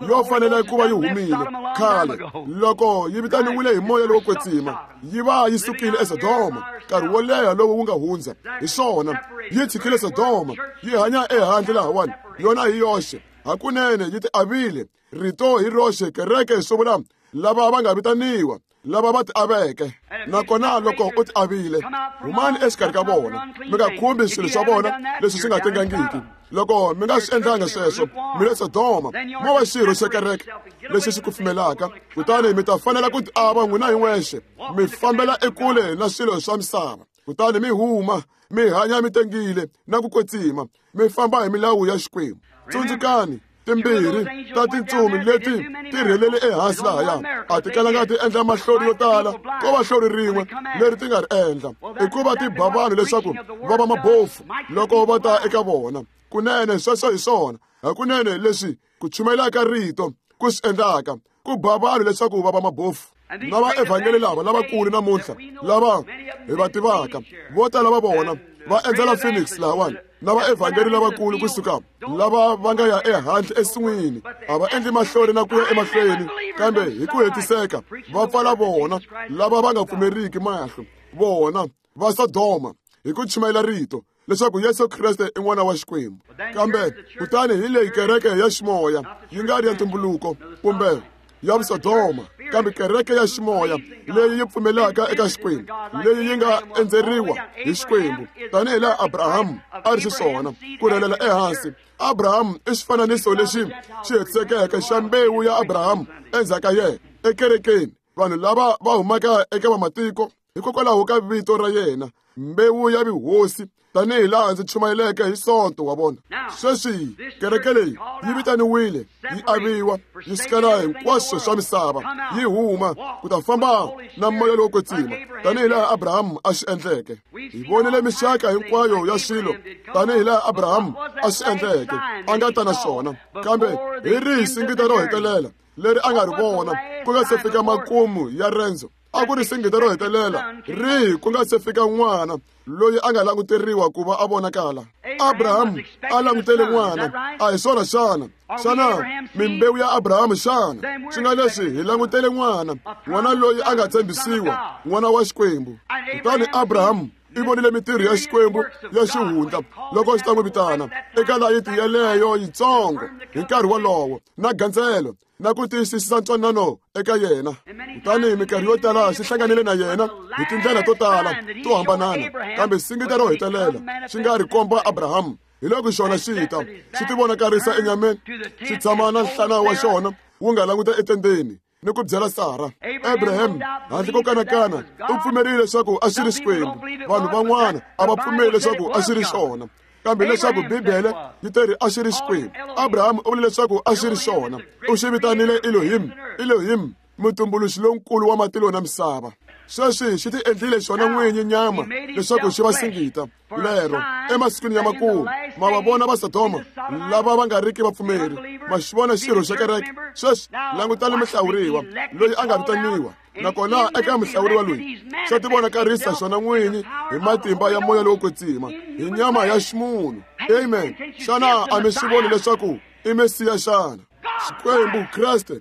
yo fanele ku va yi humile khale. Loko yi vitaniwile hi moya lowo kwetsima, yi va yi sukile eSodoma nkarhi wo leha lowu wu nga hundza. Hi swona, yi tshikile Sodoma, yi hanya ehandle lahawani yona hi yoxe. Hakunene yi ti avile rito hi roxe. Kereke swi vula lava va nga vitaniwa, lava va ti aveke. Nakona loko u ti avile, humani exikarhi ka vona, mi nga khumbi swilo swa vona leswi swi nga tengangiki. Loko mi nga swi endlanga sweswo, mi le Sodoma, mo va xirho xa kereke lexi xi kufumelaka, kutani mi ta fanela ku ti ava n'wina hi n'wexe, mi fambela ekule na swilo swa misava, kutani mi huma, mi hanya mi tengile na ku kwetsima, mi famba hi milawu ya Xikwembu. Tsundzukani, timbirhi ta tintsumi leti ti rhelele ehansi lahaya a ti kalanga ti endla mahlori yo tala, ko va hlori rin'we leri ti nga ri endla, i ku va ti ba vanhu leswaku va va mabofu loko va ta eka vona. Kunene sweswo hi swona hakunene leswi ku chumayela ka rito ku swi endlaka, ku ba vanhu leswaku va va mabofu. Na vaevhangeli lava lavakulu namuntlha lava hi va tivaka, vo tala va vona va endzela Phoenix lahawani, na vaevhangeli lavakulu kusuka lava va nga ya ehandle ensin'wini, a va endli mahlori na ku ya emahlweni, kambe hi ku hetiseka va pfala vona lava va nga pfumeriki mahlo, vona va Sodoma, hi ku chumayela rito leswaku Yesu Kreste i n'wana wa Xikwembu. Kambe kutani hi leyi kereke ya ximoya, yi nga ri ya ntumbuluko kumbe ya Sodoma, kambe kereke ya ximoya leyi yi pfumelaka eka Xikwembu, leyi yi nga endzeriwa hi Xikwembu, tanihi laha Abrahamu a ri xiswona ku rhelela ehansi. Abrahamu i xifananiso lexi xi hetisekeke xa mbewu ya Abrahamu endzhaku ka yena ekerekeni, vanhu lava va humaka eka vamatiko hikokwalaho ka vito ra yena, mbewu ya vuhosi, tanihi laha ndzi chumayeleke hi Sonto wa vona. Sweswi kereke leyi yi vitaniwile, yi aviwa, yi sukela hinkwaswo swa misava, yi huma ku ta famba na moya lowo kwetsima, tanihi laha Abrahamu a swi endleke. Hi vonile mixaka hinkwayo ya swilo, tanihi laha Abrahamu a swi endleke, a nga ta na swona. Kambe hi rihi singita ro hetelela leri a nga ri vona ku nga se fika makumu ya rendzo? A ku ri singita ro hetelela rihi ku nga se fika n'wana loyi a nga languteriwa ku va a vonakala? Abrahamu a langutele n'wana, a hi swona xana? Xana mimbewu ya Abrahamu xana? Swi nga leswi hi langutele n'wana, n'wana loyi a nga tshembisiwa, n'wana wa Xikwembu. Kutani Abrahamu I vonile mintirho ya Xikwembu ya xihundla loko xi ta n'wi vitana eka layiti yeleyo yitsongo hi nkarhi wolowo na gandzelo na ku tiyisisa ntwanano eka yena. Kutani minkarhi yo tala xi hlanganile na yena hi tindlela to tala to hambanana, kambe singita ro hetelela xi nga ri komba Abrahamu. Hi loko xona xi ta xi tivonakarisa enyameni, xi tshama na nhlana wa xona wu nga languta etendeni ni ku byela Sara. Abraham handle ko kanakana u pfumerile leswaku a xi ri Xikwembu. Vanhu van'wana a va pfumeli leswaku a xi ri xona, kambe leswaku Bibele yi teri a xi ri Xikwembu. Abraham u vule leswaku a xi ri xona. U xi vitanile Elohim, Elohim, mutumbuluxi lonkulu wa matilo na misava. Sweswi xi ti endlile xona n'winyi nyama leswaku xi va singita lero emasikwini ya makumu. Ma va vona va Sodoma lava va nga riki vapfumeri, ma xi vona xirho xa kereke. Sweswi langutani muhlawuriwa loyi a nga vitaniwa, nakona eka muhlawuriwa loyi xa tivonakarisa xona n'winyi hi matimba ya moya lowo kwetsima hi nyama ya ximunhu. Amen. Xana a mi swi voni leswaku i Mesiya xana? Xikwembu Kreste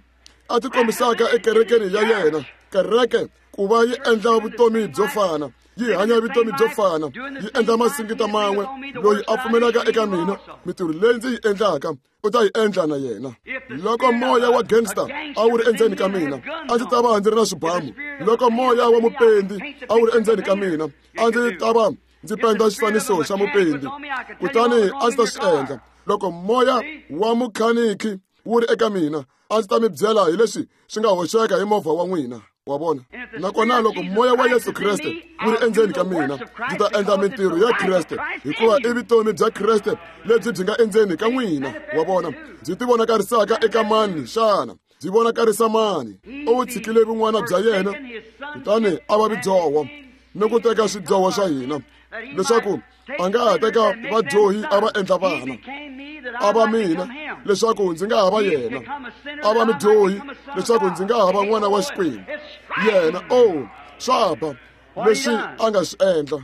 a tikombisaka ekerekeni ya yena, kereke ku va yi endla vutomi byo fana, yi hanya vutomi byo fana, yi endla masingita man'we. Loyi a pfumelaka eka mina, mintirho leyi ndzi yi endlaka u ta yi endla na yena. Loko moya wa gangster a wu ri endzeni ka mina, a ndzi ta va ndzi ri na swibamu. Loko moya wa mupendi a wu ri endzeni ka mina, a ndzi ta va ndzi penda xifaniso xa mupendi, kutani a ndzi ta swi endla. Loko moya wa mukhaniki wu ri eka mina, a ndzi ta mi byela hi leswi swi nga hoxeka hi movha wa n'wina. Wa vona? Nakona loko moya wa Yesu Kreste wu ri endzeni ka mina, ndzi ta endla mintirho ya Kreste, hikuva i vutomi bya Kreste lebyi byi nga endzeni ka n'wina. Wa vona? Byi tivonakarisaka eka mani xana? Byi vonakarisa mani? U wu tshikile vun'wana bya yena, kutani a va vidyoho ni ku teka swidyoho swa hina, leswaku a nga ha teka vadyohi a va endla vana. A va mina, leswaku ndzi nga ha va yena. A va mudyohi, leswaku ndzi nga ha va n'wana wa Xikwembu. Yena, oh, swa ba leswi a nga swi endla.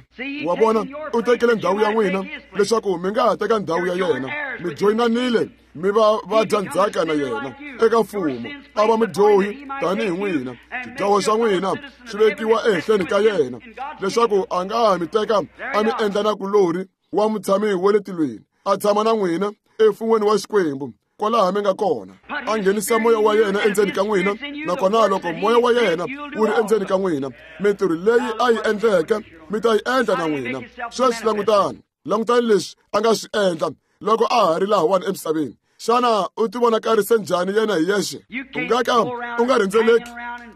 Wa vona, u tekile ndhawu ya n'wina leswaku mi nga ha teka ndhawu ya yena. Mi joyinanile mi va va dya ndzhaka na yena eka mfumo. A va mudyohi tanihi n'wina, xidyoho xa n'wina xi vekiwa ehenhleni ka yena, leswaku a nga ha mi teka a mi endla na kulori wa mutshami wa le tilweni, a tshama na n'wina emfun'weni wa Xikwembu kwalaha mi nga kona. A nghenisa moya wa yena endzeni ka n'wina, nakona loko moya wa yena wu ri endzeni ka n'wina, mintirho leyi a yi endleke mi ta yi endla na n'wina. Sweswi langutani, langutani leswi a nga swi endla loko a ha ri lahawani emisaveni. Xana u tivonakarise njhani yena hi yexe? U nga ka u nga rhendzeleki,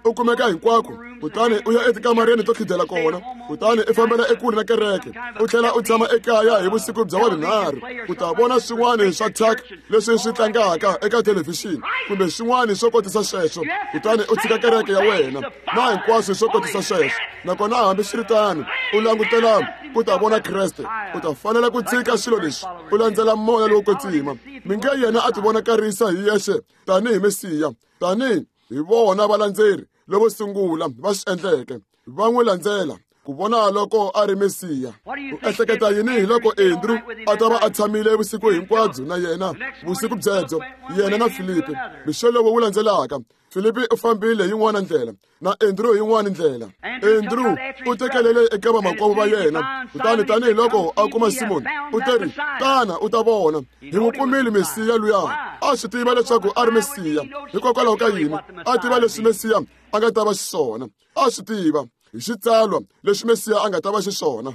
u kumeka hinkwako, kutani u ya etikamareni to khidela kona, kutani u fambela ekule na kereke, u tlhela u tshama ekaya hi vusiku bya wavunharhu ku ta vona swin'wana swa thyaka leswi swi tlangaka eka thelevhixini kumbe swin'wana swo kotisa sweswo, kutani u tshika kereke ya wena na hinkwaswo swo kotisa sweswo. Nakona hambiswiritano u langutela ku ta vona Kreste, u ta fanela ku tshika swilo leswi, u landzela moya lowo kwetsima. Mi nge yena a tivonakarisa hi yexe tanihi Mesiya, tanihi hi vona valandzeri lovo sungula va swi endleke, va n'wi landzela ku vona loko a ri Mesiya. U ehleketa yini hi loko Andrew a ta va a tshamile vusiku hinkwabyo na yena vusiku byebyo, yena na Filipi? Mixo lowu wu landzelaka, Filipi u fambile yin'wana ndlela na Andrew yin'wana ndlela. Andrew u tekelele eka vamakwavo va yena, kutani tanihiloko a kuma Simoni, u teri, "Tana u ta vona, hi n'wi kumile Mesiya luya." A swi tiva leswaku a ri Mesiya. Hikokwalaho ka yini? A tiva leswi Mesiya a nga ta va xiswona. A swi tiva hi xitsalwa leswi Mesiya a nga ta va xiswona.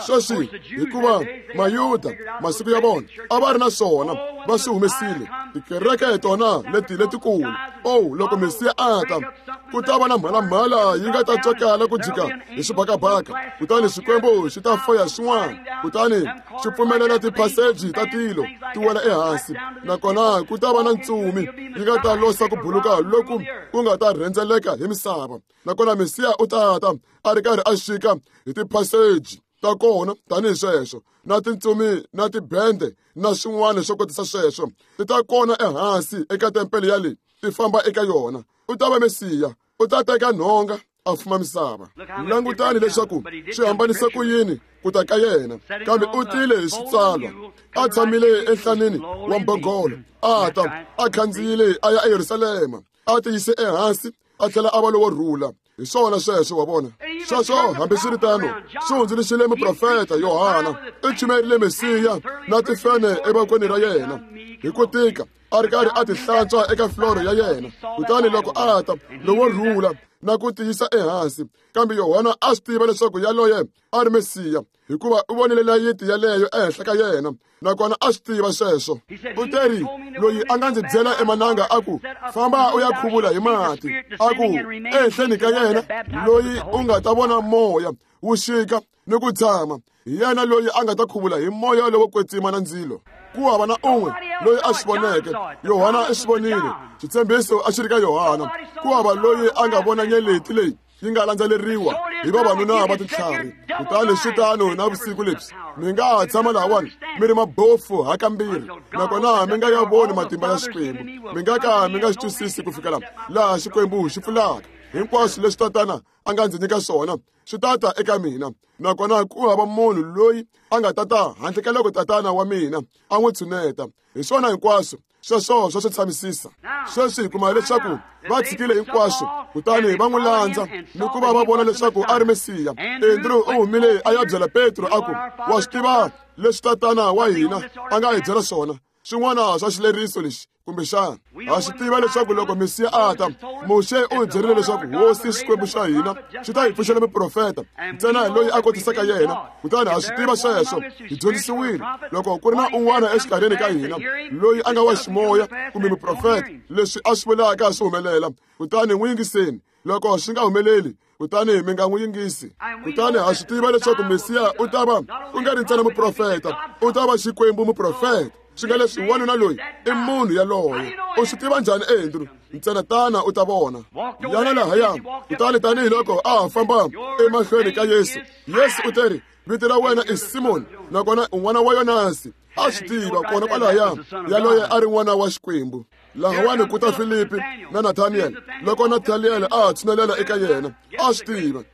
Sweswi, hikuva Mayuda masiku ya vona a va ri na swona, va swi humesile tikereke hi tona leti letikulu. Oh, loko Mesiya a ta, ku ta va na mhalamhala yi nga ta tswakala ku jika hi xibakabaka, kutani Xikwembu xi ta foya swin'wana, kutani xi pfumelela tiphaseji ta tilo ti wela ehansi, nakona ku ta va na ntsumi yi nga ta losa ku buluka loku ku nga ta rhendzeleka hi misava. Nakona Mesiya u ta ta a ri karhi a xika hi tiphaseji ta kona tanihi sweswo, na tintsumi na tibende na swin'wana swo kotisa sweswo ti ta kona ehansi eka tempele ya leyi ti famba eka yona. U ta va Mesiya, u ta teka nhonga a fuma misava. Langutani leswaku swi hambanise ku yini ku ta ka yena, kambe u tile hi switsalwa, a tshamile enhlanini wa mbhongolo, a ta a khandziyile a ya eYerusalema, a tiyise ehansi, a tlhela a va lowo rhula. Hi swona sweswo, wa vona. Sweswo hambiswiritano swi hundzuluxile muprofeta Yohana i chumerile Mesiya na tifene evokweni ra yena hi ku tika a ri karhi a ti hlantswa eka floro ya yena. Kutani loko a ta lowo rhula na ku tiyisa ehansi, kambe Yohana a swi tiva leswaku yaloye a ri Mesiya, hikuva u vonile layiti yaleyo ehenhla ka yena, nakona a swi tiva sweswo. U teri, loyi a nga ndzi byela emananga a ku, famba u ya khuvula hi mati, a ku ehenhleni ka yena loyi u nga ta vona moya wu xika ni ku tshama, hi yena loyi a nga ta khuvula hi moya lowo kwetsima na ndzilo. Ku hava na un'we loyi a swi voneke. Yohana i swi vonile, xitshembiso a xi ri ka Yohana. Ku hava loyi a nga vona nyeleti leyi yi nga landzeleriwa hi vavanuna va tintlhari. Kutani swi tano na vusiku lebyi, mi nga ha tshama lahawani mi ri mabofu hakambirhi, nakona mi nga ya voni matimba ya Xikwembu, mi nga ka mi nga xi twisisi ku fikela laha Xikwembu xi pfulaka. Hinkwaswo leswi Tatana a nga ndzi nyika swona swi tata eka mina, nakona ku hava munhu loyi a nga tata handle ka loko Tatana wa mina a n'wi tshuneta. Hi swona hinkwaswo sweswo swa swi tshamisisa. Sweswi hi kuma leswaku va tshikile hinkwaswo kutani va n'wi landza ni ku va va vona leswaku a ri Mesiya. Andrew u humile a ya byela Petro a ku, wa swi tiva leswi Tatana wa hina a nga hi byela swona, swin'wana swa xileriso lexi kumbexana ha swi tiva leswaku loko Mesiya a ta, Muxe u hi byerile leswaku Hosi Xikwembu xa hina xi ta hi pfuxela muprofeta ntsena loyi a kotisaka yena. Kutani ha swi tiva sweswo, hi dyondzisiwile loko ku ri na un'wana exikarhini ka hina loyi a nga wa ximoya kumbe muprofeta, leswi a swi vulaka swi humelela, kutani n'wi yingiseni. Loko swi nga humeleli, kutani mi nga n'wi yingisi. Kutani ha swi tiva leswaku Mesiya u ta va ku nga ri ntsena muprofeta, u ta va Xikwembu muprofeta. Swi nga leswi wanuna loyi i munhu yaloye. U swi tiva njhani, Andrew? Ntsena tana u ta vona. Yana lahaya. Kutani tanihiloko a ha famba emahlweni ka Yesu, Yesu u teri, vito ra wena i Simoni, nakona u n'wana wa Yonasi. A swi tiva kona kwalaya yaloye a ri n'wana wa Xikwembu. Lahawani ku ta Filipi na Nathaniel. Loko Nathaniel a ha tshunelela eka yena, a swi tiva.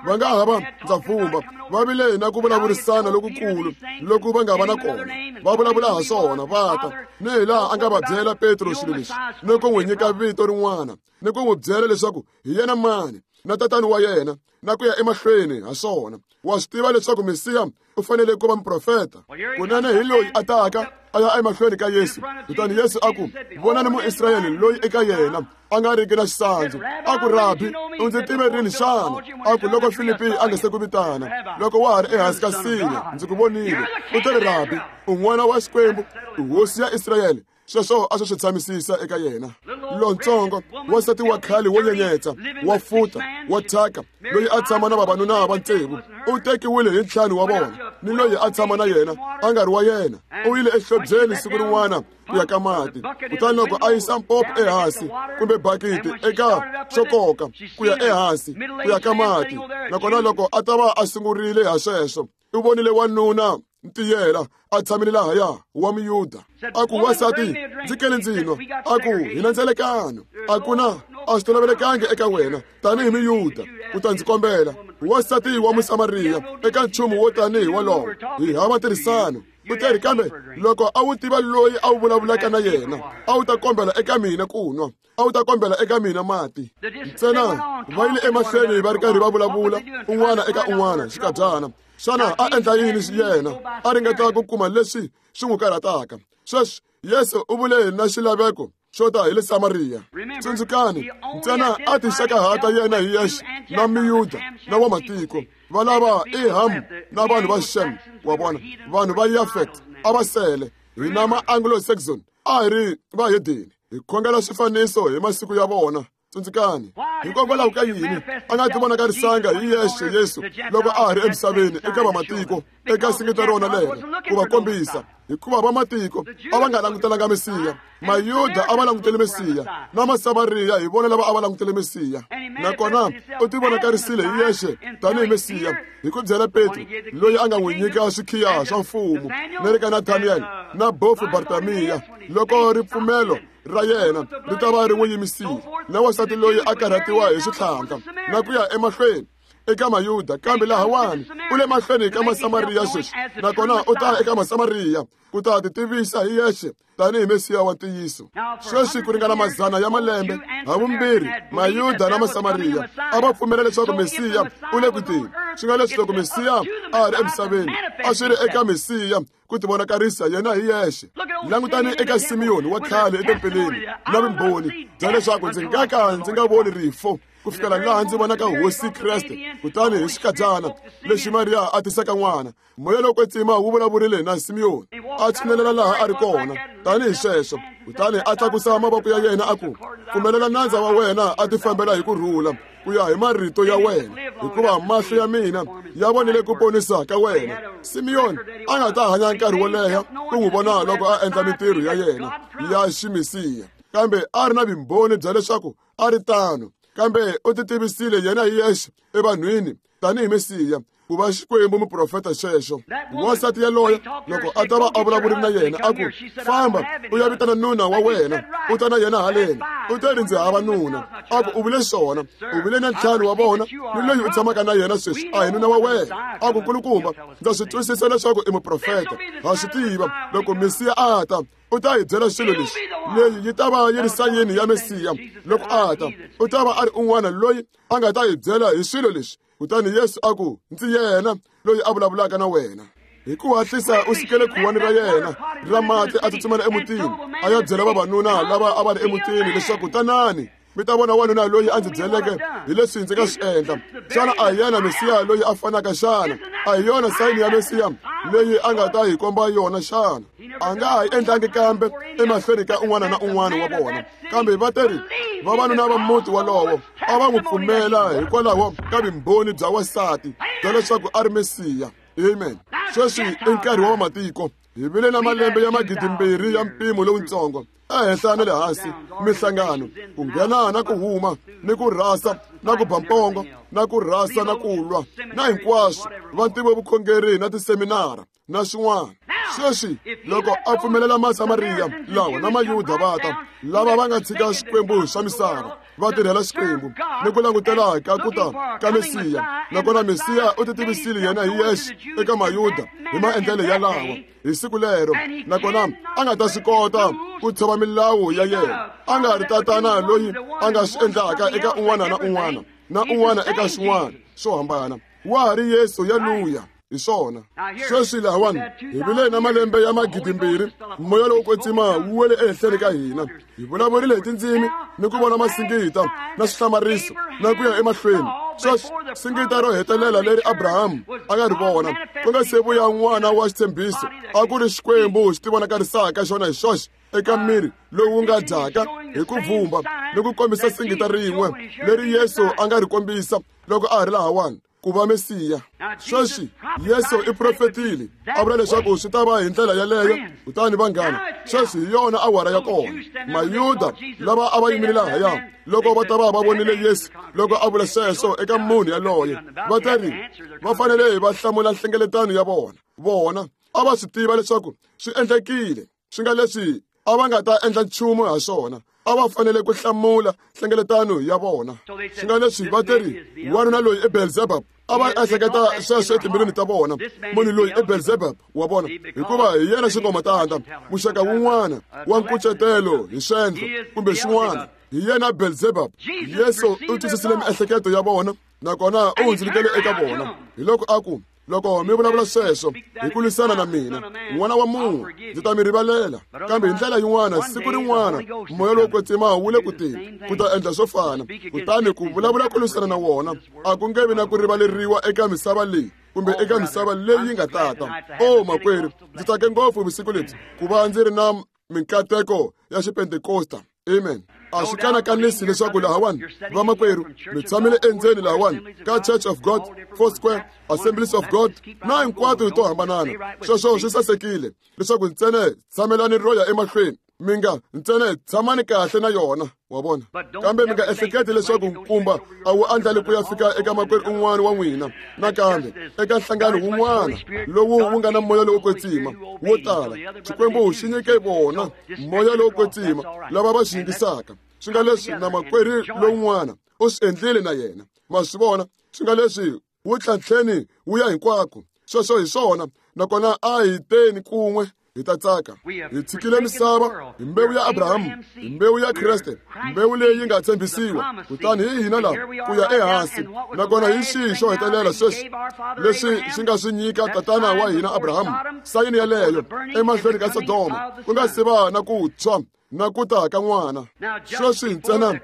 Va nga ha va, ndza pfumba, va vile na ku vulavurisana lokukulu loku va nga va na kona, va vulavula ha swona, va ta ni hi laha a nga va byela Petro swilo leswi, ni ku n'wi nyika vito rin'wana, ni ku n'wi byela leswaku hi yena mani na tatani wa yena, na ku ya emahlweni ha swona. Wa swi tiva leswaku Mesiya u fanele ku va muprofeta. Kunene hi loyi a taka a ya emahlweni ka Yesu. Kutani Yesu a ku, vonani Muisrayele loyi eka yena a nga riki na xisandzu. A ku, Rabi, u ndzi tive rini xana? A ku, loko Filipi a nga se ku vitana, loko wa ha ri ehansi ka nsinya, ndzi ku vonile. U teri, Rabi, u n'wana wa Xikwembu, u hosi ya Israyele. Sweswo a swi swi tshamisisa eka yena. Lontsongo wansati wa khale wo nyenyetsa, wa futa, wa thyaka, loyi a tshama na vavanuna va tsevu, u tekiwile hi ntlhanu wa vona, ni loyi a tshama na yena a nga ri wa yena. U yile ehlobyeni siku rin'wana ku ya ka mati, kutani loko a yisa mpopo ehansi kumbe bakiti eka xo koka ku ya ehansi ku ya ka mati, nakona loko a ta va a sungurile ha sweswo, u vonile wanuna ntiyela a tshamile lahaya wa Muyuda. A ku, wansati, ndzi kele ndzi nwa. A ku, hi na ndzelekano. A ku na, a swi tolovelekangi eka wena tanihi Muyuda ku ta ndzi kombela, wansati wa Musamariya, eka nchumu wo tanihi wolowo. Hi hava ntirhisano. U teri, kambe loko a wu tiva loyi a wu vulavulaka na yena, a wu ta kombela eka mina ku nwa, a wu ta kombela eka mina mati. Ntsena va yile emahlweni va ri karhi va vulavula un'wana eka un'wana xikadyana. Xana a endla yini yena? A ringeta ku kuma leswi swi n'wi karhataka. Sweswi Yesu u vule na xilaveko xo ta hi le Samariya. Tsundzukani, ntsena a tixakahata yena hi yexe na Miyuda na wa matiko. Va lava i Ham na vanhu va Shem, wa vona, vanhu va Yafet a va sele. Hina ma Anglo-Saxon a hi ri vahedeni, hi khongela swifaniso hi masiku ya vona. Tsundzukani, hikokwalaho ka yini a nga ti vonakarisanga hi yexe Yesu loko a ha ri emisaveni eka vamatiko eka singita rona lero ku va kombisa? Hikuva vamatiko a va nga langutelanga Mesiya, Mayuda a va langutele Mesiya, na Masamariya hi vona lava a va langutele Mesiya. Nakona u ti vonakarisile hi yexe tanihi Mesiya hi ku byela Petro, loyi a nga n'wi nyika swikhiya swa mfumo, na le ka Nathaniel na bofu Bartamiya, loko ripfumelo ra yena ri ta va ri n'wi yimisile, na wansati loyi a karhatiwa hi switlhantlha, na ku ya emahlweni. eka Mayuda, kambe lahawani u le mahlweni ka Masamariya sweswi, nakona u ta eka Masamariya ku ta ti tivisa hi yexe tanihi Mesiya wa ntiyiso. Sweswi ku ringana mazana ya malembe, havumbirhi Mayuda na Masamariya a va pfumela leswaku Mesiya u le ku teni. Swi nga leswi loko Mesiya a ri emisaveni, a swi ri eka Mesiya ku tivonakarisa yena hi yexe. Langutani eka Simiyoni wa khale etempeleni na vumbhoni bya leswaku ndzi nga ka ndzi nga voni rifo ku fikela laha ndzi vonaka Hosi Kreste. Kutani hi xikadyana lexi Mariya a tisaka n'wana, moya lowo kwetsima wu vulavurile na Simiyoni, a tshinelela laha a ri kona tanihi sweswo. Kutani a tlakusa mavoko ya yena a ku, pfumelela nandza wa wena a tifambela hi ku rhula ku ya hi marito ya wena, hikuva mahlo ya mina ya vonile ku ponisa ka wena. Simiyoni a nga ta hanya nkarhi wo leha ku n'wi vona loko a endla mintirho ya yena ya ximesiya, kambe a ri na vumbhoni bya leswaku a ri tano. Kambe u ti tivisile yena hi yexe evanhwini tanihi Mesiya, ku va Xikwembu muprofeta xexo. Wansati yaloye loko a ta va a vulavurile na yena a ku, famba u ya vitana nuna wa wena, u ta na yena haleni. U te ri ndzi hava nuna. A ku, u vule swona, u vile na ntlhanu wa vona, ni loyi u tshamaka na yena sweswi a hi nuna wa wena. A ku, nkulukumba, ndza swi twisisa leswaku i muprofeta, ha swi tiva loko Mesiya a ta u ta hi byela swilo leswi. Leyi yi ta va yi ri sayini ya Mesiya loko a ta, u ta va a ri un'wana loyi a nga ta hi byela hi swilo leswi. Kutani Yesu a ku, ndzi yena loyi a vulavulaka na wena. Hi ku hatlisa u sukele khuwani ra yena ra mati a tsutsumela emutini, a ya byela vavanuna lava a va ri emutini leswaku, tanani mi ta vona wanuna loyi a ndzi byeleke hi leswi ndzi nga swi endla. Xana a hi yena Mesiya loyi a fanaka xana? A hi yona sayini ya Mesiya leyi a nga ta hi komba yona xana? A nga ha yi endlangi kambe emahlweni ka un'wana na un'wana wa vona, kambe va teri vavanuna va muti wolowo a va n'wi pfumela hikwalaho ka vumbhoni bya wansati bya leswaku a ri Mesiya. Amen. Sweswi i nkarhi wa vamatiko. Hi vile na malembe ya 2000 ya mpimo lowutsongo ehenhla na le hansi, mihlangano, ku nghena na ku huma, ni ku rhasa na ku ba mpongo, na ku rhasa na ku lwa, na hinkwaswo va ntivo vukhongeri na tiseminara na swin'wana. Sweswi loko a pfumelela Masamariya lawa na Mayuda va ta, lava va nga tshika swikwembu swa misava va tirhela Xikwembu ni ku langutela ka ku ta ka Mesiya, nakona Mesiya u ti tivisile yena hi yexe eka Mayuda hi maendlelo ya lawa hi siku lero, nakona a nga ta swi kota ku tshova milawu ya yena. A nga ri tatana loyi a nga swi endlaka eka un'wana na un'wana na un'wana eka swin'wana swo hambana. Wa ha ri Yesu yaluya. Hi swona. Sweswi lahawani hi vile na malembe ya 2000, moya lowo kwetsima wu wele ehenhleni ka hina. Hi vulavurile hi tindzimi ni ku vona masingita na swihlamariso na ku ya emahlweni. Sweswi singita ro hetelela leri Abrahamu a nga ri vona ku nga se vuya n'wana wa xitshembiso, a ku ri Xikwembu xi tivonakarisaka xona hi xoxe eka miri lowu nga dyaka hi ku vumba ni ku kombisa singita rin'we leri Yesu a nga ri kombisa loko a ha ri lahawani ku va Mesiya. Sweswi Yesu i profetile a vula leswaku swi ta va hi ndlela yaleyo. Kutani vanghana, sweswi hi yona awara ya kona. Mayuda lava a va yimile lahaya loko va ta va va vonile Yesu loko a vula sweswo eka munhu yaloye, va ta ri va fanele va hlamula nhlengeletano ya vona. Vona a va swi tiva leswaku swi endlekile, swi nga leswi a va nga ta endla nchumu ha swona, a va fanele ku hlamula nhlengeletano ya vona. Swi nga leswi va teri wanuna loyi i Beelzebub, a va ehleketa sweswo etimbilwini ta vona, munhu loyi i Beelzebub wa vona, hikuva hi yena xingomatanda, muxaka wun'wana wa nkucetelo hi swendlo kumbe swin'wana, hi yena Beelzebub. Yesu u twisisile miehleketo ya vona nakona u hundzulukele eka vona. Hi loko a ku, loko mi vulavula sweswo hi ku lwisana na mina, n'wana wa munhu, ndzi ta mi rivalela. Kambe hi ndlela yin'wana, siku rin'wana moya lowo kwetsima wu le ku teni ku ta endla swo fana. Kutani ku vulavula ku lwisana na wona a ku nge vi na ku rivaleriwa eka misava leyi kumbe eka misava leyi nga tata. O makwerhu, ndzi tsake ngopfu vusiku lebyi ku va ndzi ri na minkateko ya xipentekosta. Amen. A swi kanakanisi leswaku lahawani vamakwerhu mi tshamile endzeni lahawani ka Church of God, Four Square, Assemblies of God na hinkwato to hambanana. Sweswo swi sasekile leswaku ntsena tshamelani ro ya emahlweni, mi nga ntsena tshamani kahle na yona, wa vona. Kambe mi nga ehleketi leswaku nkumba a wu andlali ku ya fika eka makwerhu un'wana wa n'wina nakambe eka nhlangano wun'wana lowu wu nga na moya lowo kwetsima wo tala. Xikwembu xi nyike vona moya lowo kwetsima lava va xi yingisaka. Swi nga leswi na makwerhu lowun'wana u swi endlile na yena. Ma swi vona? Swi nga leswi wu tlhantlheni wu ya hinkwako. Sweswo hi swona, nakona a hi teni kun'we hi ta tsaka. Hi tshikile misava hi mbewu ya Abrahamu, hi mbewu ya Kreste, mbewu leyi yi nga tshembisiwa. Kutani hi hina laha ku ya ehansi, nakona hi xihi xo hetelela sweswi leswi xi nga swi nyika tatana wa hina Abrahamu, sayini yaleyo emahlweni ka Sodoma, ku nga se va na ku tshwa na ku ta ka n'wana. Sweswi ntsena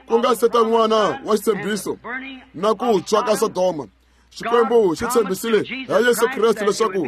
ku nga se ta n'wana wa xitshembiso na ku tshwa ka Sodoma, Xikwembu xi tshembisile hi Yesu Kreste leswaku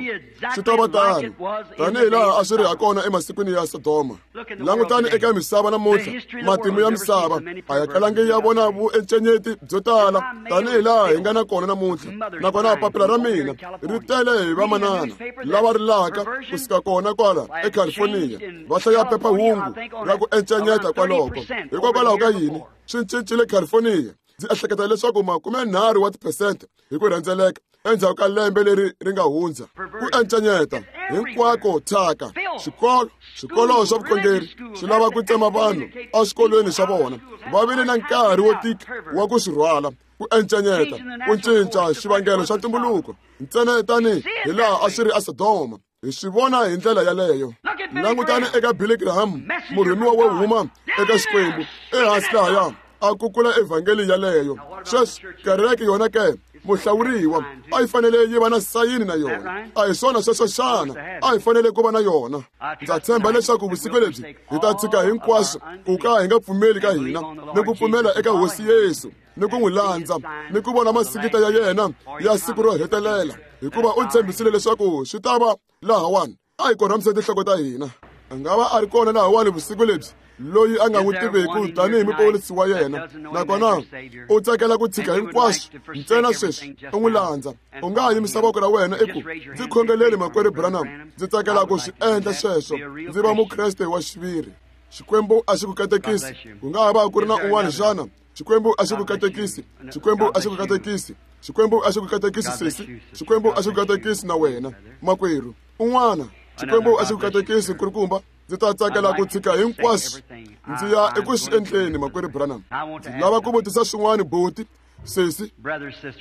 swi ta va tano, tanihi laha a swi ri hakona emasikwini ya Sodoma. Langutani eka misava namuntlha, matimu ya misava a ya kalangi ya vona vuencenyeti byo tala tanihi laha hi nga na kona namuntlha. Nakona papila ra mina ri tele hi vamanana lava rilaka kusuka kona kwala eCalifornia, va hlaya phephahungu ra ku encenyeta kwaloko. Hikokwalaho ka yini swi cincile California? Ndzi ehleketa leswaku 30 wa tiphesente hi ku rhendzeleka endzhaku ka lembe leri ri nga hundza. Ku encenyeta hinkwako thyaka, swikolo, swikolo swa vukhongeri swi lava ku tsema vanhu eswikolweni swa vona. Va vile na nkarhi wo tika wa ku swi rhwala. Ku encenyeta, ku cinca xivangelo xa ntumbuluko ntsena tani hi laha a swi ri eSodoma. Hi swi vona hi ndlela yaleyo. Langutani eka Billy Graham, murhumiwa wo huma eka Xikwembu, ehansi lahaya a kukula evhangeli yaleyo. Sweswi kereke yona ke, muhlawuriwa, a yi fanele yi va na sayini na yona. A hi swona sweswo xana? A hi fanele ku va na yona. Ndza tshemba leswaku vusiku lebyi hi ta tshika hinkwaswo ku ka hi nga pfumeli ka hina ni ku pfumela eka Hosi Yesu, ni ku n'wi landza, ni ku vona masikita ya yena ya siku ro hetelela, hikuva u tshembisile leswaku swi ta va lahawani. A hi korhamise tinhloko ta hina. A nga va a ri kona lahawani vusiku lebyi loyi a nga n'wi tiveki tanihi muponisi wa yena, nakona u tsakela ku tshika hinkwaswo ntsena sweswi u n'wi landza. U nga ha yimisa voko ra wena i ku, ndzi khongeleli makwerhu Branham, ndzi tsakela ku swi endla sweswo, ndzi va Mukreste wa xiviri. Xikwembu a xi ku katekisi. Ku nga ha va ku ri na un'wana xana? Xikwembu a xi ku katekisi. Xikwembu a xi ku katekisi. Xikwembu a xi ku katekisi sesi. Xikwembu a xi ku katekisi na wena makwerhu. Un'wana, Xikwembu a xi ku katekisi nkulukumba. Ndzi ta tsakela ku tshika hinkwaswo ndzi ya eku swi endleni makwerhu Branham. Ndzi lava ku vutisa swin'wana buti, sesi.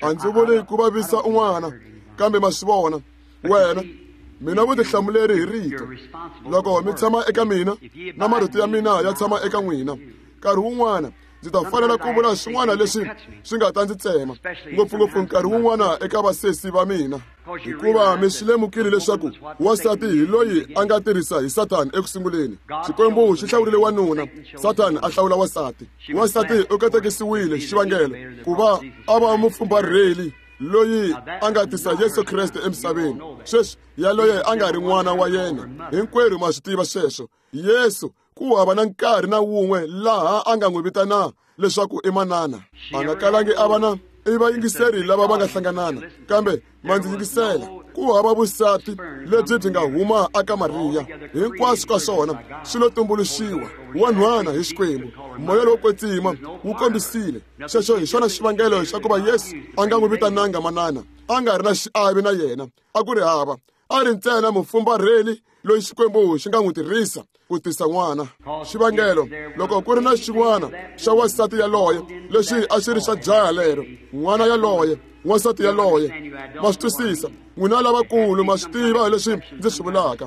A ndzi vuli ku vavisa un'wana, kambe ma swi vona wena mina vutihlamuleri hi rito. Loko mi tshama eka mina na marito ya mina ya tshama eka n'wina, nkarhi wun'wana ndzi ta fanela ku vula swin'wana leswi swi nga ta ndzi tsema, ngopfungopfu nkarhi wun'wana eka vasesi va mina, hikuva mi swi lemukile leswaku wansati hi loyi a nga tirhisa hi Sathani eku sunguleni. Xikwembu xi hlawurile wanuna, Sathani a hlawula wansati. Wansati u katekisiwile xivangelo ku va a va mufumbarheli loyi a nga tisa Yesu Kreste emisaveni. Sweswi yaloye a nga ri n'wana wa yena, hinkwerhu ma swi tiva sweswo. Yesu ku hava na nkarhi na wun'we laha a nga n'wi vitana leswaku i manana. A nga kalangi a va na i vayingiseri lava va nga hlanganana, kambe ma ndzi yingisela. Ku hava vusati lebyi byi nga huma aka Mariya. Hinkwaswo ka swona swi lo tumbuluxiwa wanhwana hi Xikwembu. Moya lowo kwetsima wu kombisile xexo. Hi xona xivangelo xa ku va Yesu a nga n'wi vitananga manana, a nga ri na xiave na yena. A ku ri hava, a ri ntsena mufumbarheli loyi Xikwembu xi nga n'wi tirhisa ku tisa n'wana. Xivangelo, loko ku ri na xin'wana xa wansati yaloye lexi a xi ri xa jaha lero, n'wana yaloye, wansati yaloye, ma swi twisisa n'wina lavakulu ma swi tiva leswi ndzi swi vulaka.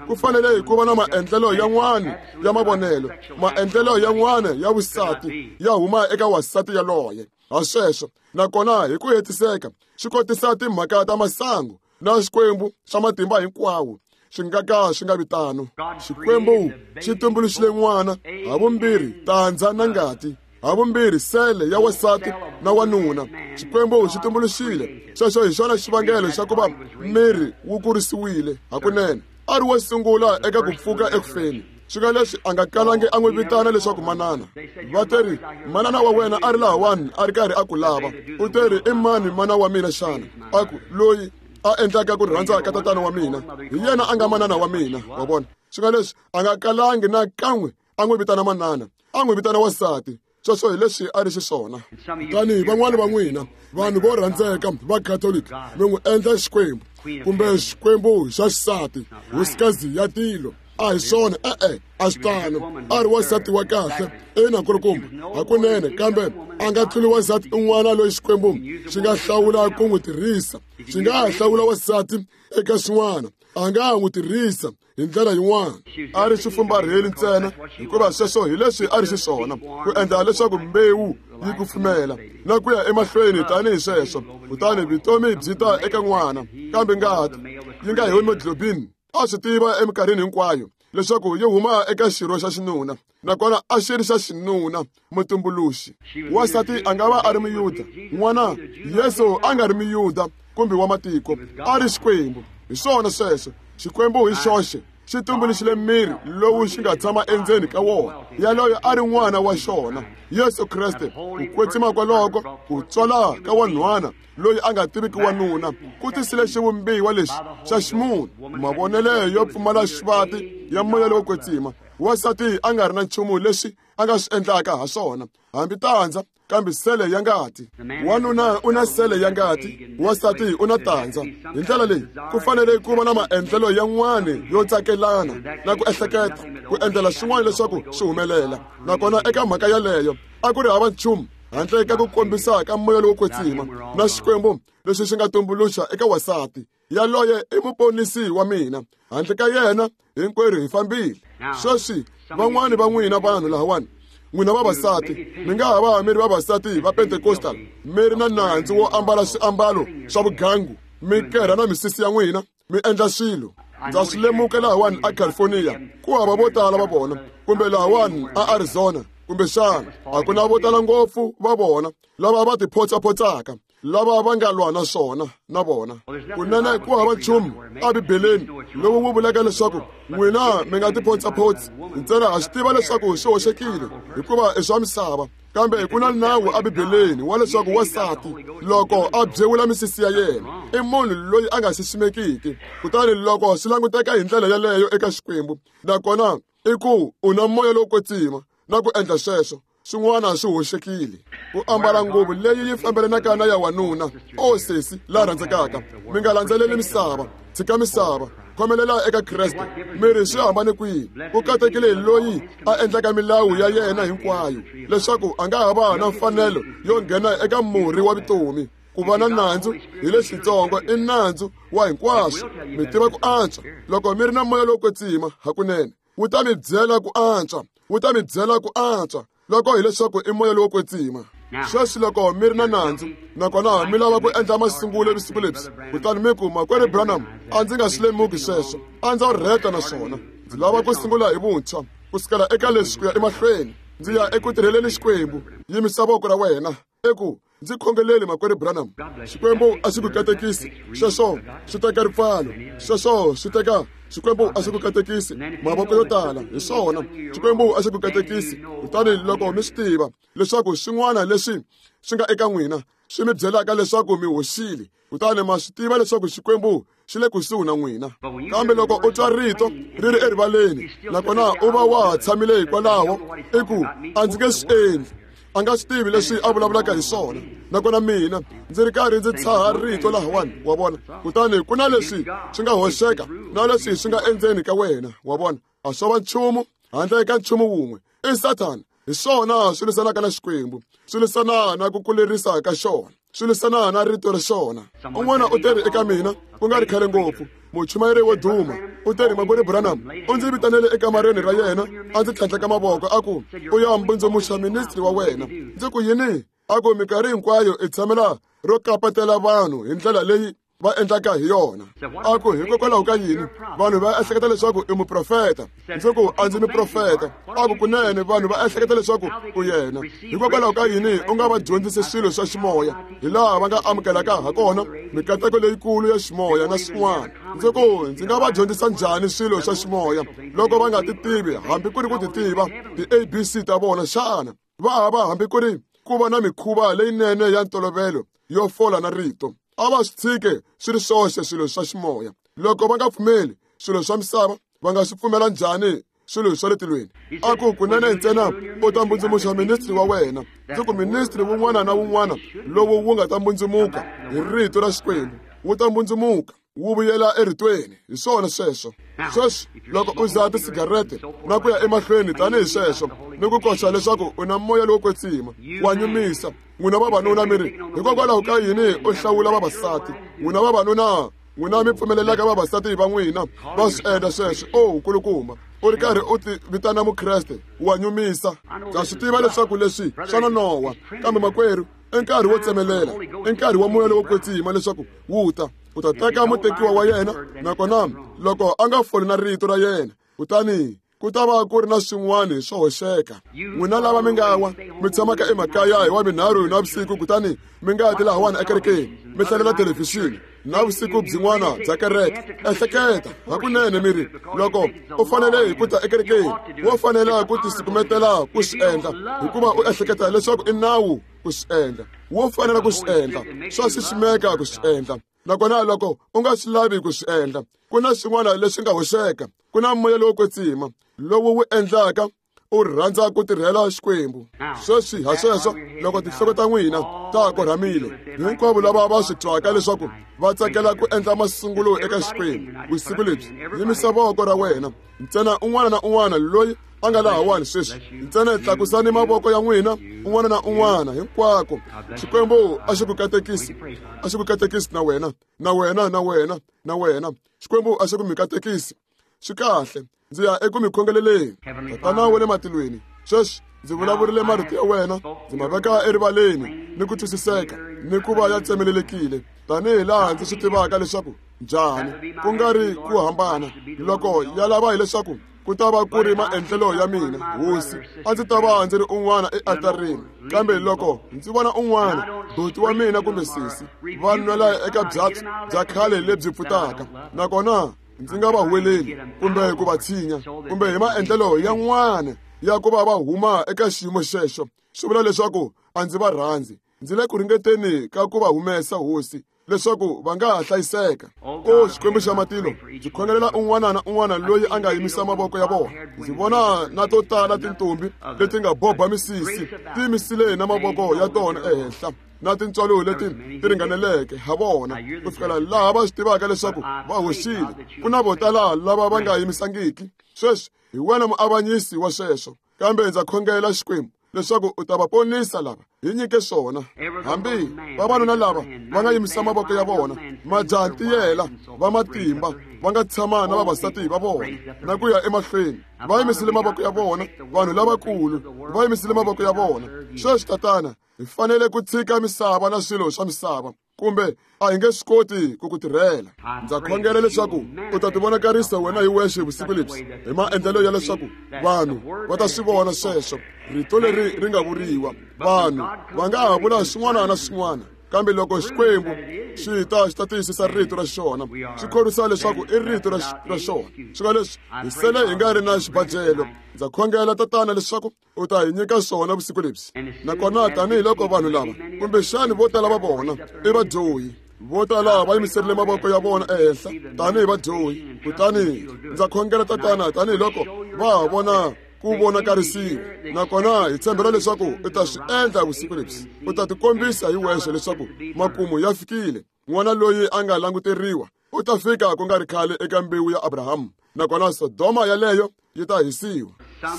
Ku fanele ku va na maendlelo yan'wana ya mavonelo, maendlelo yan'wana ya vusati ya huma eka wansati yaloye. Ha sweswo, nakona hi ku hetiseka swi kotisa timhaka ta masangu na Xikwembu xa matimba hinkwawo swi nga ka swi nga vi tano. Xikwembu xi tumbuluxile n'wana havumbirhi tandza na ngati, havumbirhi sele ya wansati na wanuna. Xikwembu xi tumbuluxile sweswo. Hi xona xivangelo xa ku va miri wu kurisiwile hakunene. A ri wo sungula eka ku pfuka ekufeni. Swi nga leswi a nga kalangi a n'wi vitana leswaku manana. Va teri, manana wa wena a ri lahawani a ri karhi a ku lava. U teri, i mani mana wa mina xana? A ku, loyi a endlaka ku rhandza ka tatana wa mina, hi yena a nga manana wa mina. Wa vona? Swi nga leswi a nga kalangi na kan'we a n'wi vitana manana, a n'wi vitana wansati. Sweswo hi leswi a ri xiswona. Kutani van'wana va n'wina vanhu vo rhandzeka va Catholic mi n'wi endla Xikwembu kumbe Xikwembu xa xisati, hosikazi ya tilo. A hi swona, e-e, a swi tano. A ri wansati wa kahle, ina nkulukumba, hakunene, kambe a nga tluli wansati un'wana loyi Xikwembu xi nga hlawula ku n'wi tirhisa. Xi nga ha hlawula wansati eka xin'wana, a nga ha n'wi tirhisa hi ndlela yin'wana. A ri xifumbarheli ntsena, hikuva sweswo hi leswi a ri xiswona, ku endla leswaku mbewu yi kufumela na ku ya emahlweni tanihi sweswo, kutani vutomi byi ta eka n'wana. Kambe ngati yi nga hemoglobin a swi tiva eminkarhini hinkwayo leswaku yi huma eka xirho xa xinuna, nakona a xi ri xa xinuna, mutumbuluxi. Wansati a nga va a ri muyuda, n'wana Yesu a nga ri muyuda kumbe wa matiko, a ri Xikwembu. Hi swona sweswo, Xikwembu hi xoxe xi tumbuluxile miri lowu xi nga tshama endzeni ka wona, yaloyo a ri n'wana wa xona, Yesu Kreste. Ku kwetsima kwaloko, ku tswala ka wanhwana loyi a nga tiviki wanuna, ku tisile xivumbiwa lexi xa ximunhu, mavonelo yo pfumala xivati ya moya lowo kwetsima. Wansati a nga ri na nchumu leswi a nga swi endlaka ha swona, hambi tandza, kambe sele ya ngati. Wanuna u na sele ya ngati, wansati u na tandza. Hi ndlela leyi ku fanele ku va na maendlelo yan'wana yo tsakelana na ku ehleketa ku endlela swin'wana leswaku swi humelela. Nakona eka mhaka yaleyo a ku ri hava nchumu handle ka ku kombisa ka moya lowo kwetsima na Xikwembu leswi xi nga tumbuluxa eka wansati yaloye i muponisi wa mina. Handle ka yena hinkwerhu hi fambile. Sweswi van'wani va n'wina vanhu lahawani, n'wina vavasati, mi nga ha va mi ri vavasati va Pentecostal, mi ri na nandzu wo ambala swiambalo swa vugangu, mi kerha na misisi ya n'wina, mi endla swilo. Ndza swi lemuka lahawani a California, ku hava vo tala va vona, kumbe lahawani a Arizona, kumbexana a ku na vo tala ngopfu va vona lava va tiphotsapotsaka, lava va nga lwa na swona na vona. Kunene ku hava nchumu eBibeleni lowu wu vulaka leswaku n'wina mi nga tiphotsapotsi ntsena. Ha swi tiva leswaku swi hoxekile hikuva i swa misava, kambe ku na nawu eBibeleni wa leswaku wansati loko a byewula misisi ya yena i munhu loyi a nga xiximekiki. Kutani loko swi languteka hi ndlela yaleyo eka Xikwembu, nakona i ku u na moya lowo kwetsima na ku endla sweswo, swin'wana swi hoxekile. Ku ambala nguvu leyi yi fambelanaka na ya wanuna, o sesi la rhandzekaka, mi nga landzeleli misava, tshika misava, khomelela eka Kreste. Mi ri swi hambane kwihi? Ku katekile hi loyi a endlaka milawu ya yena hinkwayo, leswaku a nga ha va na mfanelo yo nghena eka murhi wa vutomi. Ku va na nandzu hi lexitsongo i nandzu wa hinkwaswo. Mi tiva ku antswa loko mi ri na moya lowo kwetsima hakunene, wu ta mi byela ku antswa, wu ta mi byela ku antswa loko hileswaku i moya lowo kwetsima. Sweswi loko mi ri na nandzu nakona mi lava ku endla masungulo vusiku lebyi, kutani mi ku, Makwerhu Branham, a ndzi nga swi lemuki sweswo, a ndzo rheta na swona, ndzi lava ku sungula hi vuntshwa ku sukela eka leswi ku ya emahlweni, ndzi ya eku tirheleni Xikwembu, yimisa voko ra wena eku ndzi khongeleli, Makwerhu Branham. Xikwembu a xi ku katekisi. Sweswo swi teka ripfalo, sweswo swi teka. Xikwembu a xi ku katekisi. Mavoko yo tala hi swona. Xikwembu a xi ku katekisi. Kutani loko mi swi tiva leswaku swin'wana leswi swi nga eka n'wina swi mi byelaka leswaku mi hoxile, kutani ma swi tiva leswaku Xikwembu xi le kusuhi na n'wina. Kambe loko u twa rito ri ri erivaleni, nakona u va wa ha tshamile hikwalaho, i ku a ndzi nge swi endli, a nga swi tivi leswi a vulavulaka hi swona, nakona mina ndzi ri karhi ndzi tshaha rito lahawani, wa vona. Kutani ku na leswi swi nga hoxeka na leswi swi nga endzeni ka wena, wa vona. A swo va nchumu handle ka nchumu wun'we, i Sathana. Hi swona swi lwisanaka na Xikwembu, swi lwisana na ku kulerisa ka xona, swi lwisana na rito ra xona. Un'wana u teri eka mina ku nga ri khale ngopfu, muchumayeri wo duma, u teri, Makwerhu Branham, u ndzi vitanele ekamareni ra yena, a ndzi tlhandleka mavoko, a ku, u ya mbundzumuxa ministri wa wena. Ndzi ku, yini? A ku, minkarhi hinkwayo i tshamela ro kapatela vanhu hi ndlela leyi va endlaka hi yona. A ku, hikokwalaho ka yini vanhu va ehleketa leswaku i muprofeta? Ndzi ku, a ndzi muprofeta. A ku, kunene vanhu va ehleketa leswaku u yena. Hikokwalaho ka yini u nga va dyondzisi swilo swa ximoya hi laha va nga amukelaka ha kona mikateko leyikulu ya ximoya na swin'wana? Ndzi ku, ndzi nga va dyondzisa njhani swilo swa ximoya loko va nga ti tivi hambi ku ri ku ti tiva ti-ABC ta vona xana? Va hava hambi ku ri ku va na mikhuva leyinene ya ntolovelo yo fola na rito. A va swi tshike swi ri swoxe swilo swa ximoya. Loko va nga pfumeli swilo swa misava, va nga swi pfumela njhani swilo swa le tilweni? A ku, kunene ntsena u ta mbundzumuxa ministri wa wena. Ndzi ku, ministri wun'wana na wun'wana lowu wu nga ta mbundzumuka hi rito ra Xikwembu wu ta mbundzumuka. Wu vuyela eritweni. Hi swona sweswo. Sweswi loko u dzaha tisigarete na ku ya emahlweni tanihi sweswo ni ku koxa leswaku u na moya lowo kwetsima, wa nyumisa. N'wina vavanuna mi ri, hikokwalaho ka yini u hlawula vavasati? N'wina vavanuna, n'wina mi pfumelelaka vavasati va n'wina va swi endla sweswo. O nkulukumba, u ri karhi u ti vitana mukreste, wa nyumisa. Ndza swi tiva leswaku leswi swa nonoha, kambe makwerhu, i nkarhi wo tsemelela, i nkarhi wa moya lowo kwetsima leswaku wu ta. U ta teka mutekiwa wa yena, nakona loko a nga foli na rito ra yena, kutani ku ta va ku ri na swin'wana swo hoxeka. N'wina lava mi nga wa mi tshamaka emakaya hi wa minharhu na vusiku, kutani mi nga ti lahawani ekerekeni mi hlalela thelevhixini na vusiku byin'wana bya kereke, ehleketa hakunene mi ri, loko u fanele hi ku ta ekerekeni, wo fanela ku tisukumetela ku swi endla, hikuva u ehleketa leswaku i nawu ku swi endla. Wo fanela ku swi endla, swa xiximeka ku swi endla. Nakona loko u nga swi lavi ku swi endla, ku na swin'wana leswi nga hoxeka. Ku na moya lowo kwetsima lowu wu endlaka u rhandza ku tirhela Xikwembu. Sweswi ha sweswo, loko tinhloko ta n'wina ta korhamile, hinkwavo lava va swi twaka leswaku va tsakela ku endla masungulo eka Xikwembu vusiku lebyi, yimisa voko ra wena. Ntsena un'wana na un'wana loyi a nga lahawani sweswi, ntsena tlakusani mavoko ya n'wina, un'wana na un'wana, hinkwako. Xikwembu a xi ku katekisi, a xi ku katekisi na wena, na wena, na wena, na wena. Xikwembu a xi ku mi katekisi. Swi kahle, ndzi ya eku mi khongeleleni. Tatana wa le matilweni, sweswi ndzi vulavurile marito ya wena, ndzi ma veka erivaleni ni ku twisiseka ni ku va ya tsemelelekile, tanihi laha ndzi swi tivaka leswaku njhani, ku nga ri ku hambana. Loko ya lava hileswaku ku ta va ku ri maendlelo ya mina, Hosi, a ndzi ta va ndzi ri un'wana ealtarini. Kambe loko ndzi vona un'wana, buti wa mina kumbe sesi, va nwela eka byatso bya khale lebyi pfutaka, nakona ndzi nga va huweleli kumbe ku va tshinya kumbe hi maendlelo yan'wana ya ku va va huma eka xiyimo xexo, swi vula leswaku a ndzi va rhandzi. Ndzi le ku ringeteni ka ku va humesa, Hosi, leswaku va nga ha hlayiseka. O Xikwembu xa matilo, ndzi khongelela un'wana na un'wana loyi a nga yimisa mavoko ya vona. Ndzi vona na to tala tintombi leti nga boba misisi ti yimisile na mavoko ya tona ehenhla, na tintswalo leti ti ringaneleke ha vona ku fikela laha va swi tivaka leswaku va hoxile. Ku na vo tala lava va nga yimisangiki. Sweswi hi wena muavanyisi wa sweswo, kambe ndza khongela Xikwembu leswaku u ta va ponisa lava hi nyike swona. Hambi vavanuna lava va nga yimisa mavoko ya vona, majaha ntiyela va matimba va nga tshama na vavasati va vona na ku ya emahlweni, va yimisile mavoko ya vona. Vanhu lavakulu va yimisile mavoko ya vona. Sweswi Tatana, hi fanele ku tshika misava na swilo swa misava, kumbe a hi nge swi koti ku ku tirhela. Ndza khongela leswaku u ta tivonakarisa wena hi wexe vusiku lebyi hi maendlelo ya leswaku vanhu va ta swi vona sweswo rito leri ri nga vuriwa. Vanhu va nga ha vula swin'wana na swin'wana, kambe loko Xikwembu xi ta xi ta tiyisisa rito ra xona, xi khorwisa leswaku i rito ra xona. Swi nga leswi hi sele hi nga ri na xibajelo. Ndza khongela Tatana leswaku u ta hi nyika swona vusiku lebyi. Nakona tanihiloko vanhu lava, kumbexani vo tala va vona i vadyohi, vo tala va yimiserile mavoko ya vona ehenhla tanihi vadyohi, kutani ndza khongela Tatana tanihiloko va ha vona ku vonakarisiwa, nakona hi tshembela leswaku u ta swi endla vusiku lebyi. U ta tikombisa hi wexe leswaku makumu ya fikile. N'wana loyi a nga languteriwa u ta fika ku nga ri khale eka mbewu ya Abrahamu, nakona Sodoma yaleyo yi ta hisiwa.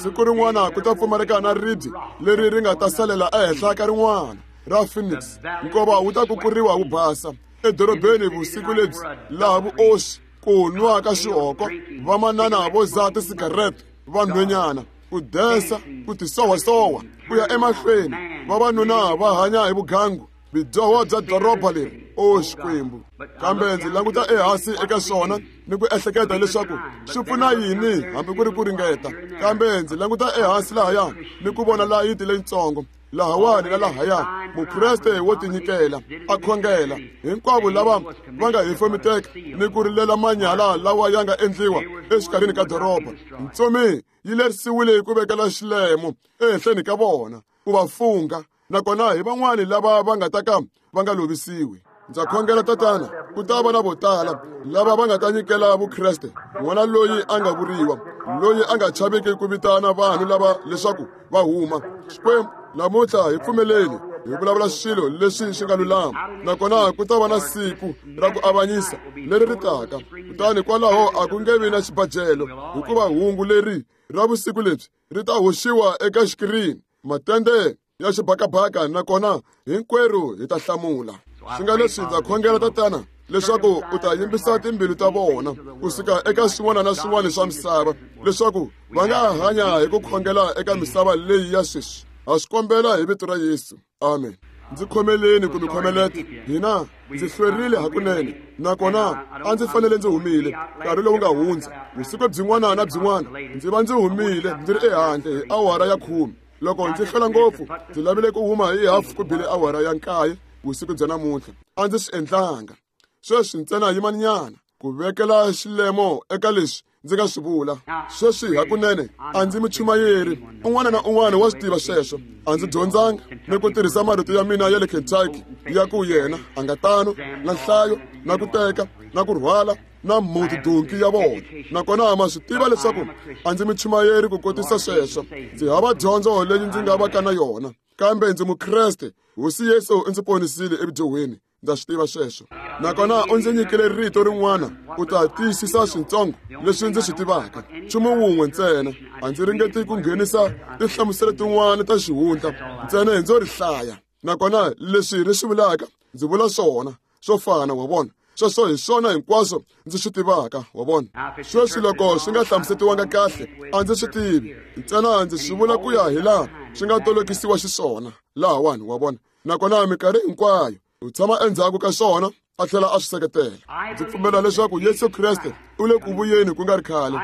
Siku rin'wana ku ta pfumaleka na ribye leri ri nga ta salela ehenhla ka rin'wana ra Phoenix. Nkova wu ta kukuriwa wu basa edorobeni vusiku lebyi, laha vuoswi, ku nwa ka xihoko, vamanana vo dzaha tisigarete, vanhwenyana ku desa, ku tisowasowa, ku ya emahlweni, vavanuna va hanya hi vugangu, bidyoho bya doroba leri. O Xikwembu, kambe ndzi languta ehansi eka swona ni ku ehleketa leswaku swi pfuna yini hambi ku ri ku ringeta. Kambe ndzi languta ehansi lahaya ni ku vona layiti leyitsongo lahawani na lahaya, mukreste wo tinyikela a khongela, hinkwavo lava va nga hefemiteka ni ku rilela manyala lawa ya nga endliwa exikarhini ka doroba. Ntsumi yi lerisiwile ku vekela xilemo ehenhleni ka vona ku va fungha, nakona hi van'wani lava va nga ta ka va nga lovisiwi. Ndza khongela Tatana, ku ta va na vo tala lava va nga ta nyikela Vukreste, n'wana loyi a nga vuriwa, loyi a nga chaviki ku vitana vanhu lava leswaku va huma. Xikwembu, namuntlha hi pfumeleli Hi vulavula swilo leswi swi nga lulama, nakona ku ta va na siku ra ku avanyisa leri ri taka. Kutani kwalaho a ku nge vi na xibajelo, hikuva hungu leri ra vusiku lebyi ri ta hoxiwa eka xikirini, matende ya xibakabaka, nakona hinkwerhu hi ta hlamula. Swi nga leswi ndza khongela, Tatana, leswaku u ta yimbisa timbilu ta vona kusuka eka swin'wana na swin'wana swa misava, leswaku va nga hanya hi ku khongela eka misava leyi ya sweswi. Ha swi kombela hi vito ra Yesu, amen. Ndzi khomeleni ku mi khomeleta hina, ndzi hlwerile hakunene, nakona a ndzi fanele ndzi humile nkarhi lowu nga hundza. Vusiku byin'wana na byin'wana ndzi va ndzi humile ndzi ri ehandle hi awara ya 10. Loko ndzi hlwela ngopfu, ndzi lavile ku huma hi hafu ku bile awara ya 9 vusiku bya namuntlha. A ndzi swi endlanga. Sweswi ntsena yimanyana ku vekela xilemo eka leswi ndzi nga swi vula. Sweswi hakunene a ndzi muchumayeri, un'wana na un'wana wa swi tiva sweswo. A ndzi dyondzanga ni ku tirhisa marito ya mina ya le Kentucky ya ku yena a nga tano, na nhlayo, na ku teka, na ku rhwala, na muti donki ya vona. Nakona ma swi tiva leswaku a ndzi muchumayeri ku kotisa sweswo. Ndzi hava dyondzo leyi ndzi nga vaka na yona, kambe ndzi Mukreste. Hosi Yesu u ndzi ponisile evudyohweni, ndza swi tiva sweswo. Nakona u ndzi nyikile rito rin'wana ku ta tiyisisa swintsongo leswi ndzi swi tivaka. Nchumu wun'we ntsena, a ndzi ringeti ku nghenisa tinhlamuselo tin'wana ta xihundla, ntsena ndzo ri hlaya. Nakona leswi ri swi vulaka, ndzi vula swona swo fana, wa vona. Sweswo hi swona hinkwaswo ndzi swi tivaka, wa vona. Sweswi loko swi nga hlamusetiwanga kahle, a ndzi swi tivi, ntsena ndzi swi vula ku ya hi laha swi nga tolokisiwa xiswona lahawani, wa vona. Nakona minkarhi hinkwayo u tshama endzhaku ka swona a tlhela a swi seketela. Ndzi pfumela leswaku Yesu Kreste u le ku vuyeni ku nga ri khale.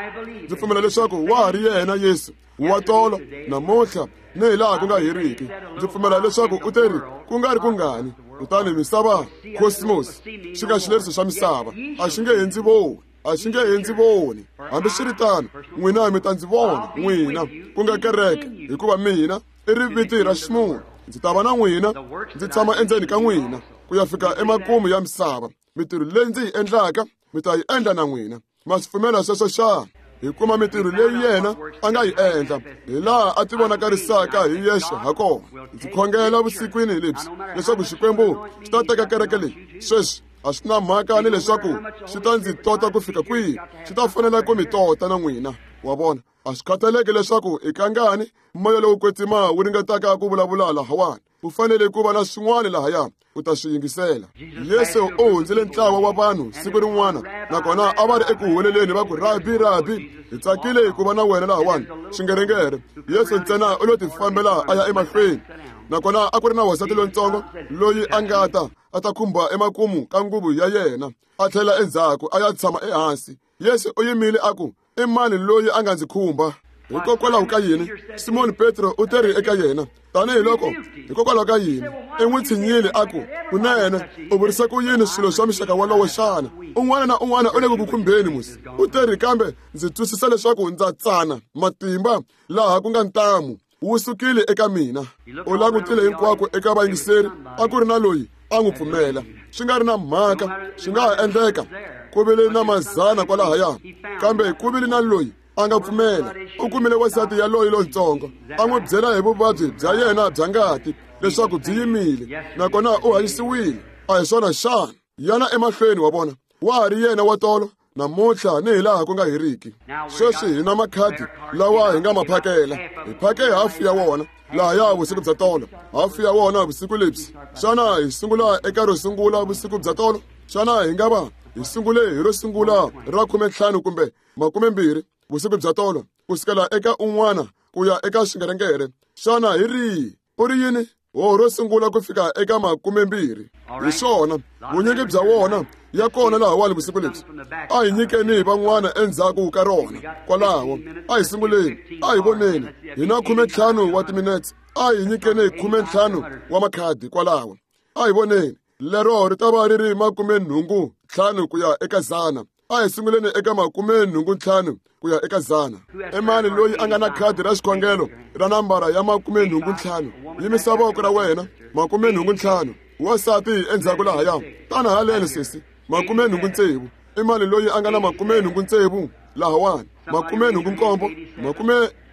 Ndzi pfumela leswaku wa ha ri yena Yesu wa tolo, namuntlha, ni hi laha ku nga heriki. Ndzi pfumela leswaku u teri ku nga ri kungani, kutani misava, cosmos, xi nga xileriso xa misava, a xi nge he ndzi voni, a xi nge he ndzi voni. Hambiswiritano, n'wina mi ta ndzi vona, n'wina ku nga kereke, hikuva mina i riviti ra ximunhu. Ndzi ta va na n'wina, ndzi tshama endzeni ka n'wina ku ya fika emakumu ya misava. Mitirho leyi ndzi yi endlaka mi ta yi endla na n'wina. Ma swi pfumela sweswo xana? Hi kuma mitirho leyi yena a nga yi endla, hi laha a tivonakarisaka hi yexe ha kona. Ndzi khongela vusikwini lebyi leswaku Xikwembu xi ta teka kereke leyi sweswi. A swi na mhaka ni leswaku xi ta ndzi tota ku fika kwihi, xi ta fanela ku mi tota na n'wina, wa vona. A swi khathaleki leswaku i kangani moya lowu kwetsima wu ringetaka ku vulavula lahawani, ku fanele ku va na swin'wana lahaya u ta swi yingisela. Yesu u hundzile ntlawa wa vanhu siku rin'wana, nakona a va ri eku huweleleni va ku, Rabi, Rabi, hi tsakile ku va na wena lahawani. Xingerengere, Yesu ntsena u lo tifambela a ya emahlweni. Nakona a ku ri na wansati lontsongo loyi a nga ta a ta khumba emakumu ka nguvu ya yena, a tlhela endzhaku a ya tshama ehansi. Yesu u yimile a ku, I mani loyi a nga ndzi khumba? Hikokwalaho ka yini? Simoni Petro u teri eka yena, tanihiloko hikokwalaho ka yini i n'wi tshinyile a ku, kunene u vurisa ku yini swilo swa muxaka wolowo xana? Un'wana na un'wana u le ku ku khumbeni musi. U teri, kambe ndzi twisisa leswaku ndza tsana, matimba laha ku nga ntamu wu sukile eka mina. U langutile hinkwako eka vayingiseri, a ku ri na loyi a n'wi pfumela. Swi nga ri na mhaka, swi nga ha endleka ku vile na mazana kwalahaya, kambe ku vile na loyi a nga pfumela. U kumile wansati yaloyi lontsongo, a n'wi byela hi vuvabyi bya yena bya ngati leswaku byi yimile, nakona u hanyisiwile. A hi swona xana? Yana emahlweni, wa vona, wa ha ri yena wa tolo, namuntlha, ni hi laha ku nga heriki. Sweswi hi na makhadi lawa hi nga ma phakela. Hi phake hafu ya wona lahaya vusiku bya tolo, hafu ya wona vusiku lebyi. Xana hi sungula eka ro sungula vusiku bya tolo? Xana hi nga va hi sungule hi ro sungula ra 15 kumbe 20 vusiku bya tolo, ku sukela eka un'wana ku ya eka xingerengere? Xana hi rihi? U ri yini? Ho ro sungula ku fika eka 20. Hi swona, vunyingi bya wona ya kona lahawani vusiku lebyi. A hi nyikeni van'wana endzhaku ka rona kwalaho. A hi sunguleni, a hi voneni. Hi na 15 wa timinetse. A hi nyikeni 15 wa makhadi kwalaho. A hi voneni. Lero ri ta va ri ri 85 ku ya eka 100. A hi sunguleni eka 85 ku ya eka 100. I mani loyi a nga na khadi ra xikhongelo ra nambara ya 85? Yimisa voko ra wena. 85. Wansati endzhaku lahaya. Tana haleni sesi. 86. I mani loyi a nga na 86 lahawani? 87.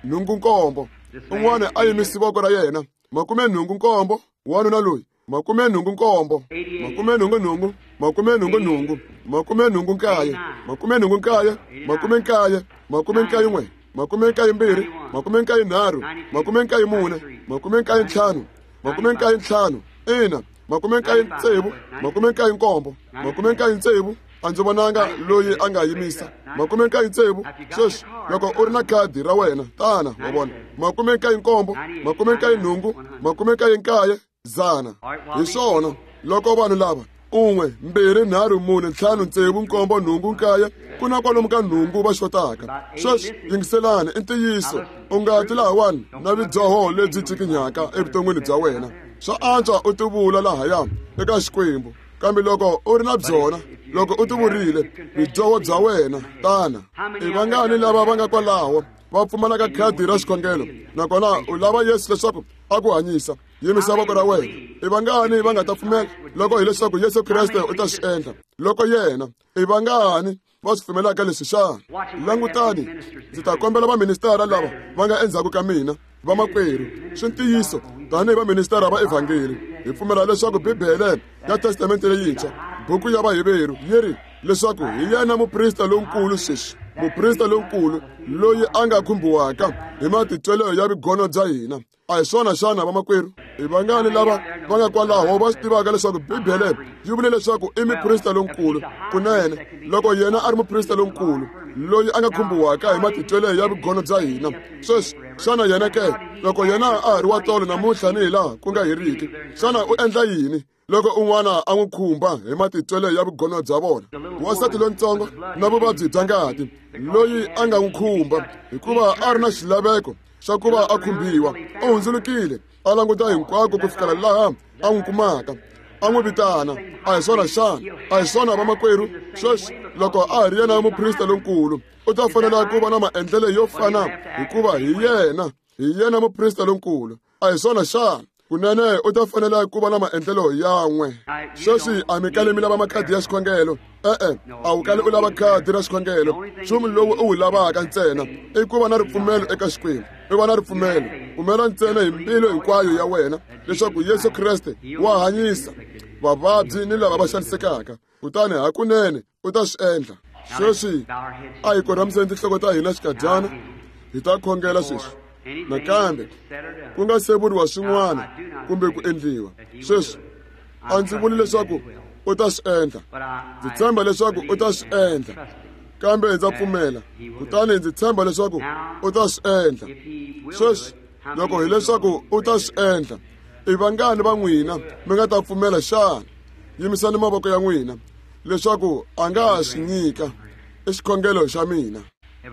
87. Un'wana a yimisi voko ra yena. 87. Wanuna loyi 87, 88, 88, 89, 89, 90, 91, 92, 93, 94, 95, 95, ina, 96, 97, 97. A ndzi vonanga loyi a nga yimisa 96. Sweswi loko u ri na khadi ra wena, tana wa vona. 97, 98, 99, 100. Hi swona loko vanhu lava 1 2 3 4 5 6 7 8 9 ku na kwalomu ka 8 va xotaka. Sweswi yingiselani, i ntiyiso u nga ti lahawani na vidyoho lebyi cikinyaka evuton'wini bya wena. Swa antswa u tivula lahaya eka Xikwembu, kambe loko u ri na byona, loko u tivurile vidyoho bya wena, tana. I vangani lava va nga kwalaho va pfumalaka khadi ra xikhongelo, nakona u lava Yesu leswaku a ku hanyisa? Yimisa voko ra wena. I vangani va nga ta pfumela loko hileswaku Yesu Kreste u ta swi endla? Loko yena, i vangani va swi pfumelaka leswi xana? Langutani, ndzi ta kombela vaministara lava va nga endzhaku ka mina, vamakwerhu, swi ntiyiso tanihi vaministara va evhangeli, hi pfumela leswaku Bibele ya Testamente leyintshwa, buku ya Vaheveru, yi ri leswaku hi yena muprista lonkulu sweswi, muprista lonkulu loyi a nga khumbiwaka hi matitwelo ya vugono bya hina. A hi swona xana, vamakwerhu? I vangani lava va nga kwalaho va swi tivaka leswaku Bibele yi vule leswaku i muprista lonkulu? Kunene, loko yena a ri muprista lonkulu loyi a nga khumbiwaka hi matitwelo ya vugono bya hina, sweswi xana yena ke, loko yena a ha ri wa tolo namuntlha ni hi laha ku nga heriki, xana u endla yini loko un'wana a n'wi khumba hi matitwelo ya vugono bya vona? Wansati lontsongo na vuvabyi bya ngati loyi a nga n'wi khumba hikuva a ri na xilaveko xa ku va a khumbiwa, u hundzulukile a languta hinkwako ku fikela laha a n'wi kumaka, a n'wi vitana. A hi swona xana? A hi swona, vamakwerhu? Sweswi loko a ha ri yena muprista lonkulu, u ta fanela ku va na maendlelo yo fana, hikuva hi yena muprista lonkulu. A hi swona xana? Kunene u ta fanela ku va na maendlelo yan'we. Sweswi a mi kali mi lava makhadi ya xikhongelo. E-e, a wu kali u lava khadi ra xikhongelo. Nchumu lowu u wu lavaka ntsena i ku va na ripfumelo eka Xikwembu. I va na ripfumelo, pfumela ntsena hi mbilu hinkwayo ya wena leswaku Yesu Kreste wa hanyisa vavabyi ni lava va xanisekaka, kutani hakunene u ta swi endla. Sweswi a hi korhamiseni tinhloko ta hina xikadyana, hi ta khongela sweswi. Nakambe ku nga se vuriwa swin'wana kumbe ku endliwa. Sweswi a ndzi vuli leswaku u ta swi endla, ndzi tshemba leswaku u ta swi endla, kambe ndza pfumela kutani ndzi tshemba leswaku u ta swi endla. Sweswi loko hileswaku u ta swi endla, i vangani va n'wina mi nga ta pfumela xana? Yimisani mavoko ya n'wina leswaku a nga ha swi nyika. I xikhongelo xa mina.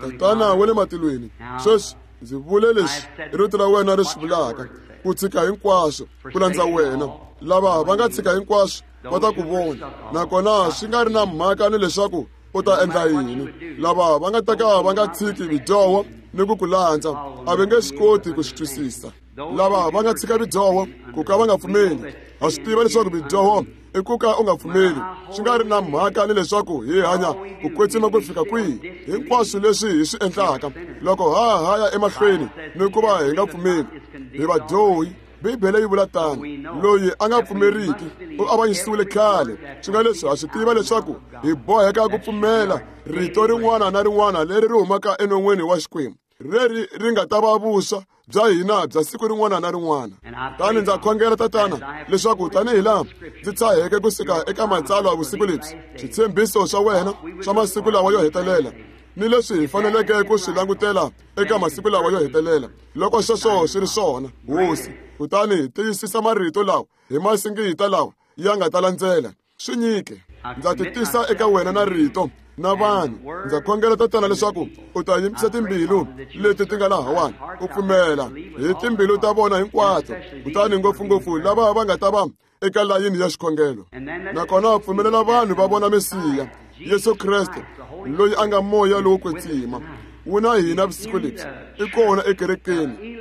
Tatana wa le matilweni, sweswi ndzi vule leswi rito ra wena ri swi vulaka, ku tshika hinkwaswo ku landza wena. Lava va nga tshika hinkwaswo va ta ku vona, nakona swi nga ri na mhaka ni leswaku u ta endla yini. Lava va nga ta ka va nga tshiki vidyoho ni ku ku landza a va nge swi koti ku swi twisisa. Lava va nga tshika vidyoho ku ka va nga pfumeli, ha swi tiva leswaku vidyoho i ku ka u nga pfumeli, swi nga ri na mhaka ni leswaku hi hanya ku kwetsima ku fika kwihi. Hinkwaswo leswi hi swi endlaka, loko ha ha ya emahlweni ni ku va hi nga pfumeli, hi vadyohi. Bibele yi vula tano, loyi a nga pfumeriki u avanyisiwile khale. Swi nga leswi ha swi tiva leswaku hi boheka ku pfumela rito rin'wana na rin'wana leri ri humaka enon'wini wa Xikwembu, leri ri nga ta va vuswa bya hina bya siku rin'wana na rin'wana. Tani ndza khongela, Tatana, leswaku tanihi laha ndzi tshaheke kusuka eka matsalwa vusiku lebyi, switshembiso swa wena swa masiku lawa yo hetelela ni leswi hi faneleke ku swi langutela eka masiku lawa yo hetelela, loko sweswo swi ri swona, Hosi, kutani tiyisisa marito lawa hi masingita lawa ya nga ta landzela. Swi nyike. Ndza ti tisa eka wena na rito na vanhu. Ndza khongela, Tatana, leswaku u ta yimisa timbilu leti ti nga lahawani, u pfumela hi timbilu ta vona hinkwato, kutani ngopfungopfu lava va nga ta va eka layini ya xikhongelo. Nakona pfumelela vanhu va vona Mesiya, Yesu Kreste, loyi a nga moya lowo kwetsima, wu na hina vusiku lebyi, i kona ekerekeni,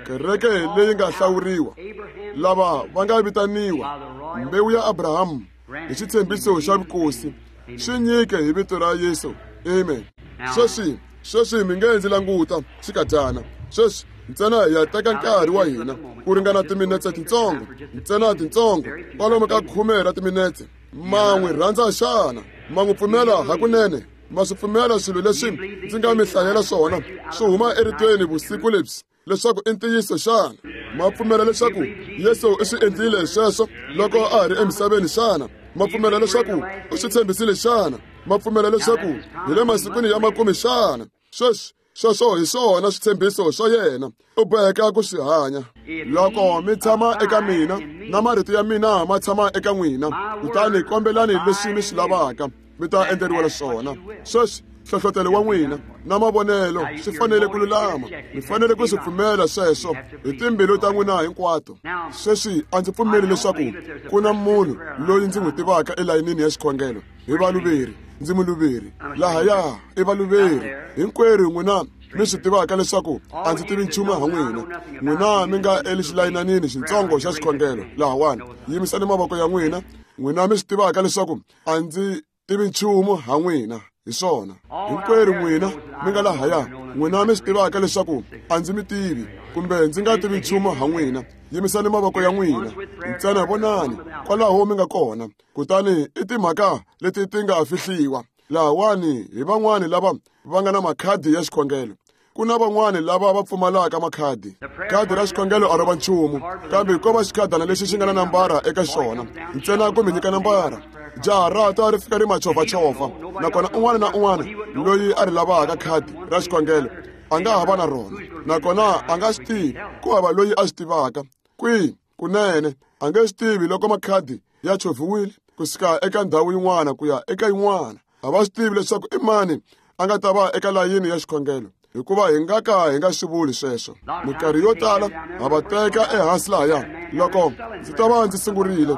kereke leyi nga hlawuriwa, lava va nga vitaniwa mbewu ya Abrahamu hi xitshembiso xa vukosi. Swi nyike hi vito ra Yesu. Amen. Sweswi mi nge ndzi languta xikadyana. Sweswi Ntsena hi ya teka nkarhi wa hina ku ringana timinetse tintsongo, ntsena tintsongo, kwalomu ka 10 ra timinetse. Ma n'wi rhandza xana? Ma n'wi pfumela hakunene? Ma swi pfumela swilo leswi ndzi nga mi hlayela swona swi huma eritweni vusiku lebyi leswaku i ntiyiso xana? Ma pfumela leswaku Yesu u swi endlile sweswo loko a ha ri emisaveni xana? Ma pfumela leswaku u swi tshembisile xana? Ma pfumela leswaku hi le masikwini ya makume xana? Sweswi sweswo hi swona switshembiso swa yena, u boheka ku swi hanya. Loko mi tshama eka mina na marito ya mina ma tshama eka n'wina, kutani kombelani leswi mi swi lavaka, mi ta endleriwa swona. Sweswi nhlohlotelo wa n'wina na mavonelo swi fanele ku lulama. Mi fanele ku swi pfumela sweswo hi timbilu ta n'wina hinkwato. Sweswi a ndzi pfumeli leswaku ku na munhu loyi ndzi n'wi tivaka elayinini ya xikhongelo. Hi valuveri, ndzi muluveri. Lahaya i valuveri hinkwerhu n'wina mi swi tivaka leswaku a ndzi tivi nchumu ha n'wina. N'wina mi nga exilayinanini xitsongo xa xikhongelo lahawani, yimisani mavoko ya n'wina. N'wina mi swi tivaka leswaku a ndzi tivi nchumu ha n'wina. Hi swona hinkwerhu n'wina mi nga lahaya, n'wina mi swi tivaka leswaku a ndzi mi tivi kumbe ndzi nga tivi nchumu ha n'wina, yimisani mavoko ya n'wina. Ntsena vonani kwalaho mi nga kona. Kutani i timhaka leti ti nga fihliwa lahawani hi van'wani lava va nga na makhadi ya xikhongelo. Ku na van'wani lava va pfumalaka makhadi. Khadi ra xikhongelo a ro va nchumu, kambe ko va xikhadana lexi xi nga na nambara eka xona, ntsena ku mi nyika nambara. Jaha ra ta ri fika ri machovhachovha, nakona un'wana na un'wana loyi a ri lavaka khadi ra xikhongelo a nga ha va na rona, nakona a nga swi tivi, ku hava loyi a swi tivaka kwihi. Kunene a nge swi tivi loko makhadi ya chovhiwile kusuka eka ndhawu yin'wana ku ya eka yin'wana. A va swi tivi leswaku i mani a nga ta va eka layini ya xikhongelo, hikuva hi nga ka hi nga swi vuli sweswo. Minkarhi yo tala ha va teka ehansi lahaya. Loko ndzi ta va ndzi sungurile,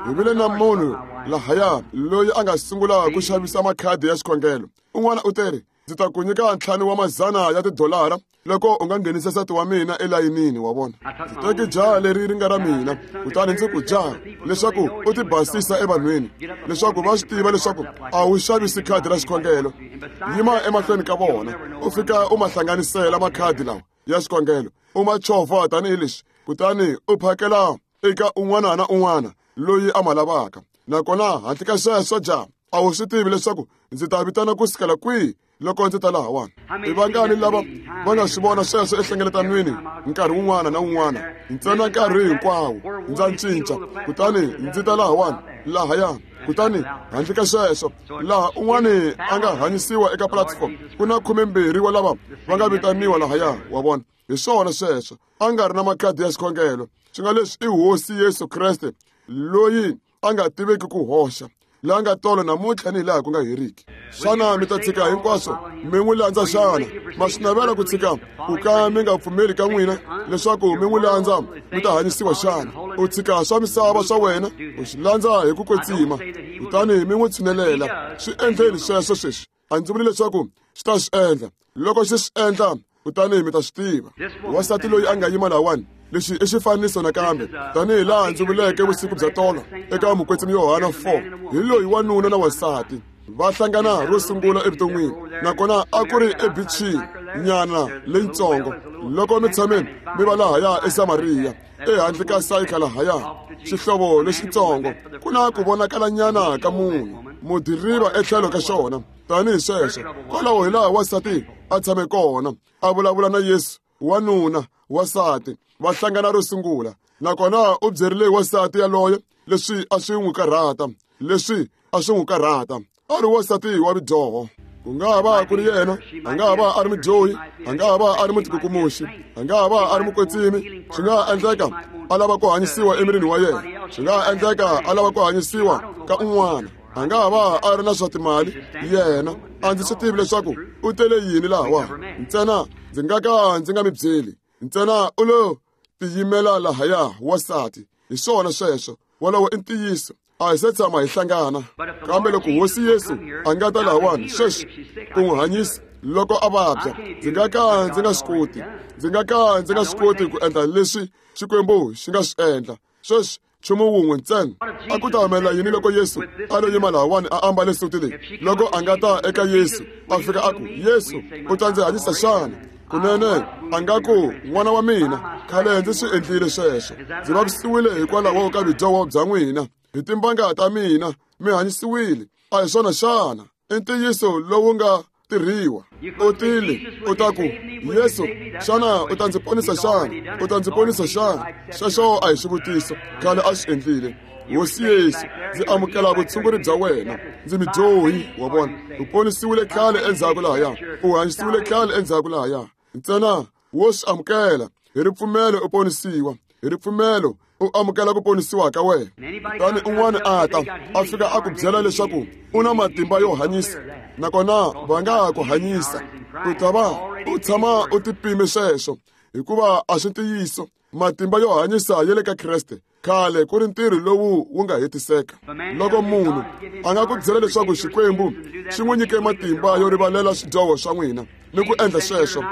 hi vile na munhu lahaya loyi a nga sungula ku xavisa makhadi ya xikhongelo. Un'wana u teri, ndzi ta ku nyika 5 wa mazana ya tidolara loko u nga nghenisa nsati wa mina elayinini. Wa vona, ndzi teke jaha leri ri nga ra mina, kutani ndzi ku, jaha, leswaku u ti basisa evanhwini, leswaku va swi tiva leswaku a wu xavisi khadi ra xikhongelo. Yima emahlweni ka vona, u fika u ma hlanganisela makhadi lawa ya xikhongelo, u ma chovha tanihileswi, kutani u phakela eka un'wana na un'wana loyi a ma lavaka. Nakona handle ka sweswo, jaha, a wu swi tivi leswaku ndzi ta vitana ku sukela kwihi loko ndzi ta lahawani. I vangani lava va nga swi vona sweswo ehlengeletanweni nkarhi wun'wana na wun'wana? Ntsena nkarhi hinkwawo ndza cinca, kutani ndzi ta lahawani lahaya. Kutani handle ka sweswo, laha un'wani a nga hanyisiwa eka platform, ku na 12 wa lava va nga vitaniwa lahaya. Wa vona, hi swona sweswo. A nga ri na makhadi ya xikhongelo. Swi nga leswi i Hosi Yesu Kreste loyi a nga tiveki ku hoxa, la nga tolo namuntlha ni hi laha ku nga heriki. Xana mi ta tshika hinkwaswo mi n'wi landza xana? Ma swi navela ku tshika ku ka mi nga pfumeli ka n'wina leswaku mi n'wi landza mi ta hanyisiwa xana? U tshika swa misava swa wena u swi landza hi ku kwetsima, kutani mi n'wi tshinelela. Swi endleni sweswo sweswi. A ndzi vuli leswaku swi ta swi endla. Loko xi swi endla, kutani mi ta swi tiva. Wansati loyi a nga yima lahawani, lexi i xifaniso nakambe, tanihi laha ndzi vuleke vusiku bya tolo eka Mukwetsimi Yohana 4, hi loyi wanuna na wansati va hlangana ro sungula evuton'wini, nakona a ku ri ebichini nyana leyitsongo. Loko mi tshame mi va lahaya eSamariya, ehandle ka Sayika lahaya, xihlovo lexitsongo, ku na ku vonakalanyana ka munhu mudiriva etlhelo ka xona. Tanihi sweswo, kwalaho hi laha wansati a tshame kona a vulavula na Yesu. Wanuna, wansati va hlangana ro sungula, nakona u byerile wansati yaloye leswi a swi n'wi karhata, leswi a swi n'wi karhata. A ri wansati wa vudyoho. Ku nga ha va ku ri yena, a nga ha va a ri mudyohi, a nga ha va a ri mutikukumuxi, a nga ha va a ri mukwetsimi. Swi nga ha endleka a lava ku hanyisiwa emirini wa yena, swi nga ha endleka a lava ku hanyisiwa ka un'wana. A nga ha va a ri na swa timali yena. A ndzi swi tivi leswaku u tele yini lahawani, ntsena ndzi nga ka ndzi nga mi byeli. Ntsena u lo tiyimela lahaya, wansati. Hi swona sweswo, wolowo i ntiyiso. A hi se tshama hi hlangana, kambe loko Hosi Yesu a nga ta lahawani sweswi ku n'wi hanyisa loko a vabya, ndzi nga ka ndzi nga swi koti, ndzi nga ka ndzi nga swi koti ku endla leswi Xikwembu xi nga swi endla. Sweswi nchumu wun'we ntsena, a ku ta humelela yini loko Yesu a lo yima lahawani a ambale suti leyi? Loko a nga ta eka Yesu a fika a ku, Yesu, u ta ndzi hanyisa xana? Kunene a nga ku, n'wana wa mina, khale ndzi swi endlile sweswo. Ndzi vavisiwile hikwalaho ka vudyoho bya n'wina. Hi timbanga ta mina mi hanyisiwile. A hi swona xana? I ntiyiso lowu nga tirhiwa. U tile u ta ku, Yesu, xana u ta ndzi ponisa xana? U ta ndzi ponisa xana? Xexo a hi xivutiso. Khale a swi endlile. Hosi Yesu, ndzi amukela vutshunguri bya wena. Ndzi mudyohi, wa vona. U ponisiwile khale endzhaku lahaya. U hanyisiwile khale endzhaku lahaya. Ntsena wo swi amukela. Hi ripfumelo u ponisiwa. Hi ripfumelo u amukela ku ponisiwa ka wena. Kutani un'wana a ta, a fika a ku byela leswaku u na matimba yo hanyisa, nakona va nga ha ku hanyisa. U ta va u tshama u tipime sweswo, hikuva a swi ntiyiso. Matimba yo hanyisa ya le ka Kreste. Khale ku ri ntirho lowu wu nga hetiseka. Loko munhu a nga ku byela leswaku Xikwembu xi n'wi nyike matimba yo rivalela swidyoho swa n'wina ni ku endla sweswo,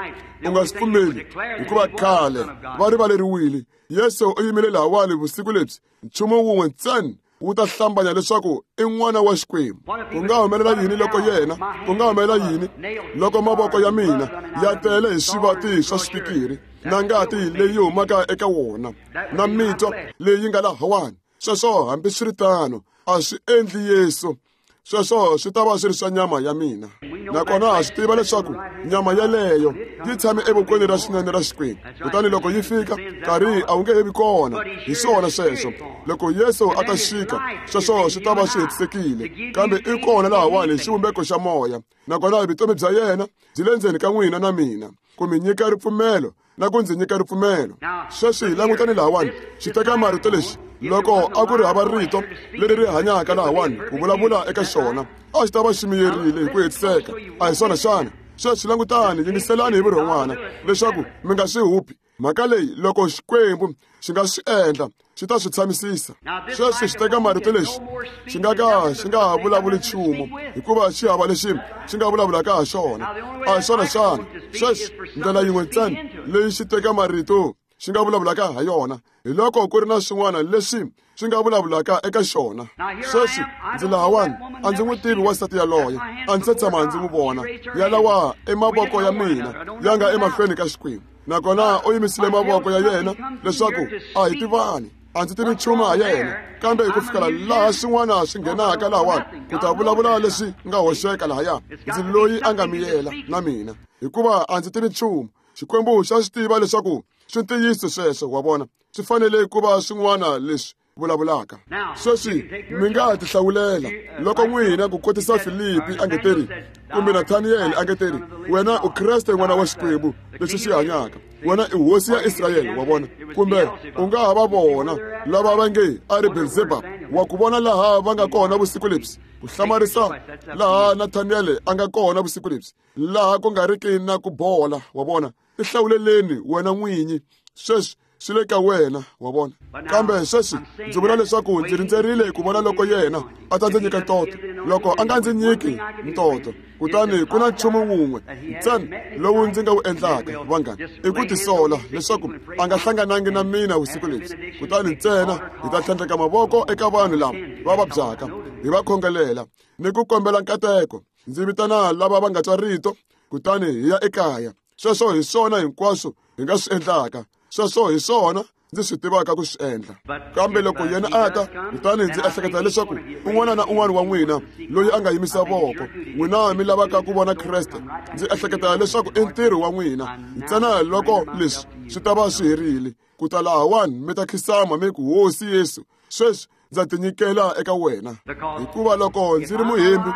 u nga swi pfumeli, hikuva khale va rivaleriwile. Yesu u yimile lahawani vusiku lebyi, nchumu wun'we ntsena wu ta hlambanya leswaku i n'wana wa Xikwembu. Ku nga humelela yini loko yena, ku nga humelela yini loko mavoko ya mina ya tele hi swivati swa swipikiri na ngati leyi humaka eka wona na mitwa leyi nga lahawani? Sweswo hambiswiritano a swi endli Yesu. Sweswo swi ta va swi ri swa nyama ya mina. Nakona ha swi tiva leswaku nyama yeleyo yi tshame evokweni ra xinene ra Xikwembu. Kutani loko yi fika, nkarhi a wu nge he vi kona. Hi swona sweswo. Loko Yesu a ta xika, sweswo swi ta va swi hetisekile. Kambe i kona lahawani hi xivumbeko xa moya. Nakona vutomi bya yena byi le ndzeni ka n'wina na mina, ku mi nyika ripfumelo na ku ndzi nyika ripfumelo. Sweswi langutani lahawani, xi teka marito lexi. Loko a ku ri hava rito leri ri hanyaka lahawani ku vulavula eka xona, a xi ta va xi miyerile hi ku hetiseka. A hi swona xana? Sweswi langutani, yingiselani hi vurhon'wana leswaku mi nga swi hupi. Mhaka leyi, loko Xikwembu xi nga swi endla, xi ta swi tshamisisa. Sweswi xi teka marito lexi xi nga ka xi nga ha vulavuli nchumu, hikuva xi hava lexi xi nga vulavulaka ha xona. A hi swona xana? Sweswi ndlela yin'we ntsena leyi xi teka marito xi nga vulavulaka ha yona hi loko ku ri na swin'wana leswi swi nga vulavulaka eka xona. Sweswi ndzi lahawani, a ndzi n'wi tivi wansati yaloye, a ndzi se tshama ndzi n'wi vona. Yalawa i mavoko ya mina ya nga emahlweni ka Xikwembu, nakona u yimisile mavoko ya yena leswaku a hi tivani. A ndzi tivi nchumu ha yena, kambe hi ku fikela laha swin'wana swi nghenaka lahawani ku ta vulavula leswi nga hoxeka lahaya, ndzi loyi a nga miyela na mina, hikuva a ndzi tivi nchumu. Xikwembu xa swi tiva leswaku swi ntiyiso sweswo, wa vona. Swi fanele ku va swin'wana leswi vulavulaka. Sweswi mi nga tihlawulela loko n'wina ku kotisa Filipi a nge teri, kumbe Nathaniel a nge teri, wena u Kreste n'wana wa Xikwembu lexi xi hanyaka, wena i hosi ya Israyele, wa vona. Kumbe u nga ha va vona lava va nge a ri Beelzebub, wa ku vona laha va nga kona vusiku lebyi, ku hlamarisa laha Nathaniel a nga kona vusiku lebyi, laha ku nga riki na ku bola, wa vona. Tihlawuleleni wena n'winyi. Sweswi swi le ka wena, wa vona. Kambe sweswi ndzi vula leswaku ndzi rindzerile ku vona loko yena a ta ndzi nyika ntoto. Loko a nga ndzi nyiki ntoto, kutani ku na nchumu wun'we ntsena lowu ndzi nga wu endlaka, vanghana, i ku tisola leswaku a nga hlanganangi na mina vusiku lebyi. Kutani ntsena hi ta tlhandleka mavoko eka vanhu lava va vabyaka, hi va khongelela ni ku kombela nkateko. Ndzi vitana lava va nga twa rito, kutani hi ya ekaya. Sweswo hi swona hinkwaswo hi nga swi endlaka. Sweswo hi swona ndzi swi tivaka ku swi endla. Kambe loko yena a ta, kutani ndzi ehleketa leswaku un'wana na un'wana wa n'wina loyi a nga yimisa voko, n'wina mi lavaka ku vona Kreste, ndzi ehleketa leswaku i ntirho wa n'wina ntsena loko leswi swi ta va swi herile, ku ta lahawani mi ta khisama mi ku, Hosi Yesu, sweswi ndza tinyikela eka wena. Hikuva loko ndzi ri muhembi,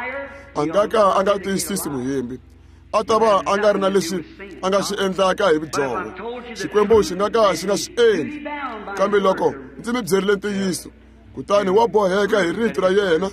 a nga ka a nga tiyisisi muhembi, a ta va a nga ri na leswi a nga swi endlaka hi vudyoho. Xikwembu xi nga ka xi nga swi endli. Kambe loko ndzi mi byerile ntiyiso, kutani wa boheka hi rito ra yena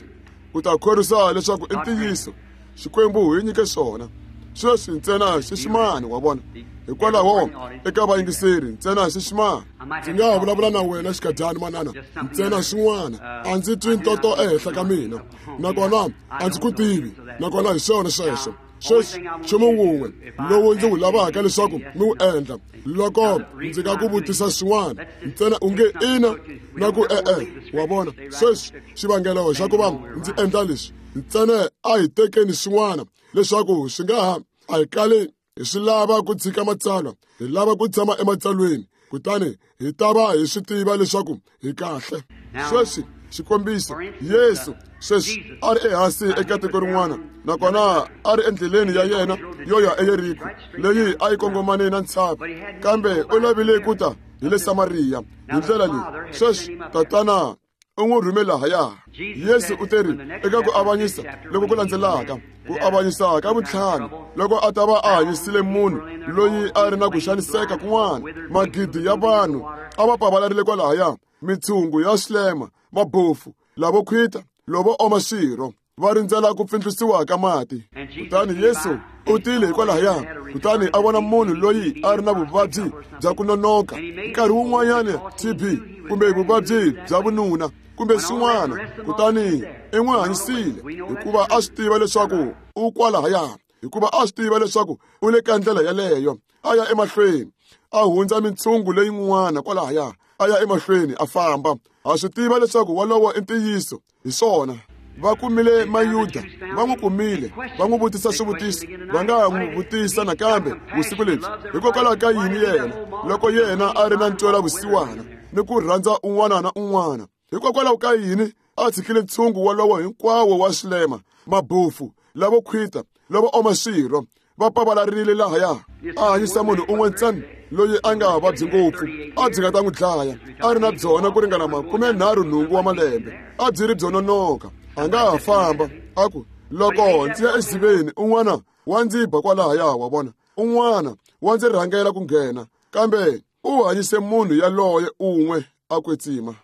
ku ta khorwisa leswaku i ntiyiso. Xikwembu hi nyike swona. Sweswi ntsena xiximani, wa vona. Hikwalaho eka vayingiseri ntsena xiximani. Ndzi nga ha vulavula na wena xikadyana, manana, ntsena swin'wana. A ndzi twi ntoto ehenhla ka mina, nakona a ndzi ku tivi, nakona hi swona sweswo. Sweswi nchumu wun'we lowu ndzi wu lavaka leswaku mi wu endla, loko ndzi nga ku vutisa swin'wana ntsena u nge ina na ku e-e, wa vona. Sweswi xivangelo xa ku va ndzi endla leswi, ntsena a hi tekeni swin'wana leswaku swi nga ha a hi kali Hi swi lava ku tshika matsalwa, hi lava ku tshama ematsalweni, kutani hi ta va hi swi tiva leswaku hi kahle. Sweswi, xikombiso, Yesu sweswi a ri ehansi eka tiko rin'wana, nakona a ri endleleni ya yena yo ya eYeriko, leyi a yi kongomane na ntshava, kambe u lavile ku ta hi le Samariya hi ndlela leyi. Sweswi Tatana u n'wi rhume lahaya. Yesu u teri eka ku avanyisa loko ku landzelaka, ku avanyisa ka vuntlhanu, loko a ta va a hanyisile munhu loyi a ri na ku xaniseka kun'wana, magidi ya vanhu a va pavalarile kwalahaya, mitshungu ya swilema, mabofu, lavo khwita, lovo oma swirho, va rindzela ku pfindlusiwa ka mati. Kutani Yesu u tile hikwalahaya, kutani a vona munhu loyi a ri na vuvabyi bya ku nonoka, nkarhi wun'wanyana TB kumbe vuvabyi bya vununa kumbe swin'wana, kutani i n'wi hanyisile hikuva a swi tiva leswaku u kwalahaya, hikuva a swi tiva leswaku u le ka ndlela yaleyo. A ya emahlweni, a hundza mintshungu leyin'wana kwalahaya, a ya emahlweni a famba. Ha swi tiva leswaku wolowo i ntiyiso, hi swona. Va kumile Mayuda, va n'wi kumile, va n'wi vutisa swivutiso, va nga n'wi vutisa nakambe vusiku lebyi, hikokwalaho ka yini yena, loko yena a ri na ntwela vusiwana ni ku rhandza un'wana na un'wana, hikokwalaho ka yini a tshikile ntshungu wolowo hinkwawo wa swilema, mabofu, lavo khwita, lavo oma swirho, va pavalarile lahaya? A hanyisa munhu un'we ntsena loyi a nga vabyi ngopfu, a byi nga ta n'wi dlaya, a ri na byona ku ringana 38 wa malembe, a byi ri byo nonoka, a nga ha famba. A ku, loko ndzi ya exiveni, un'wana wa ndzi ba kwalahaya, wa vona, un'wana wa ndzi rhangela ku nghena, kambe u hanyise munhu yaloye un'we a kwetsima.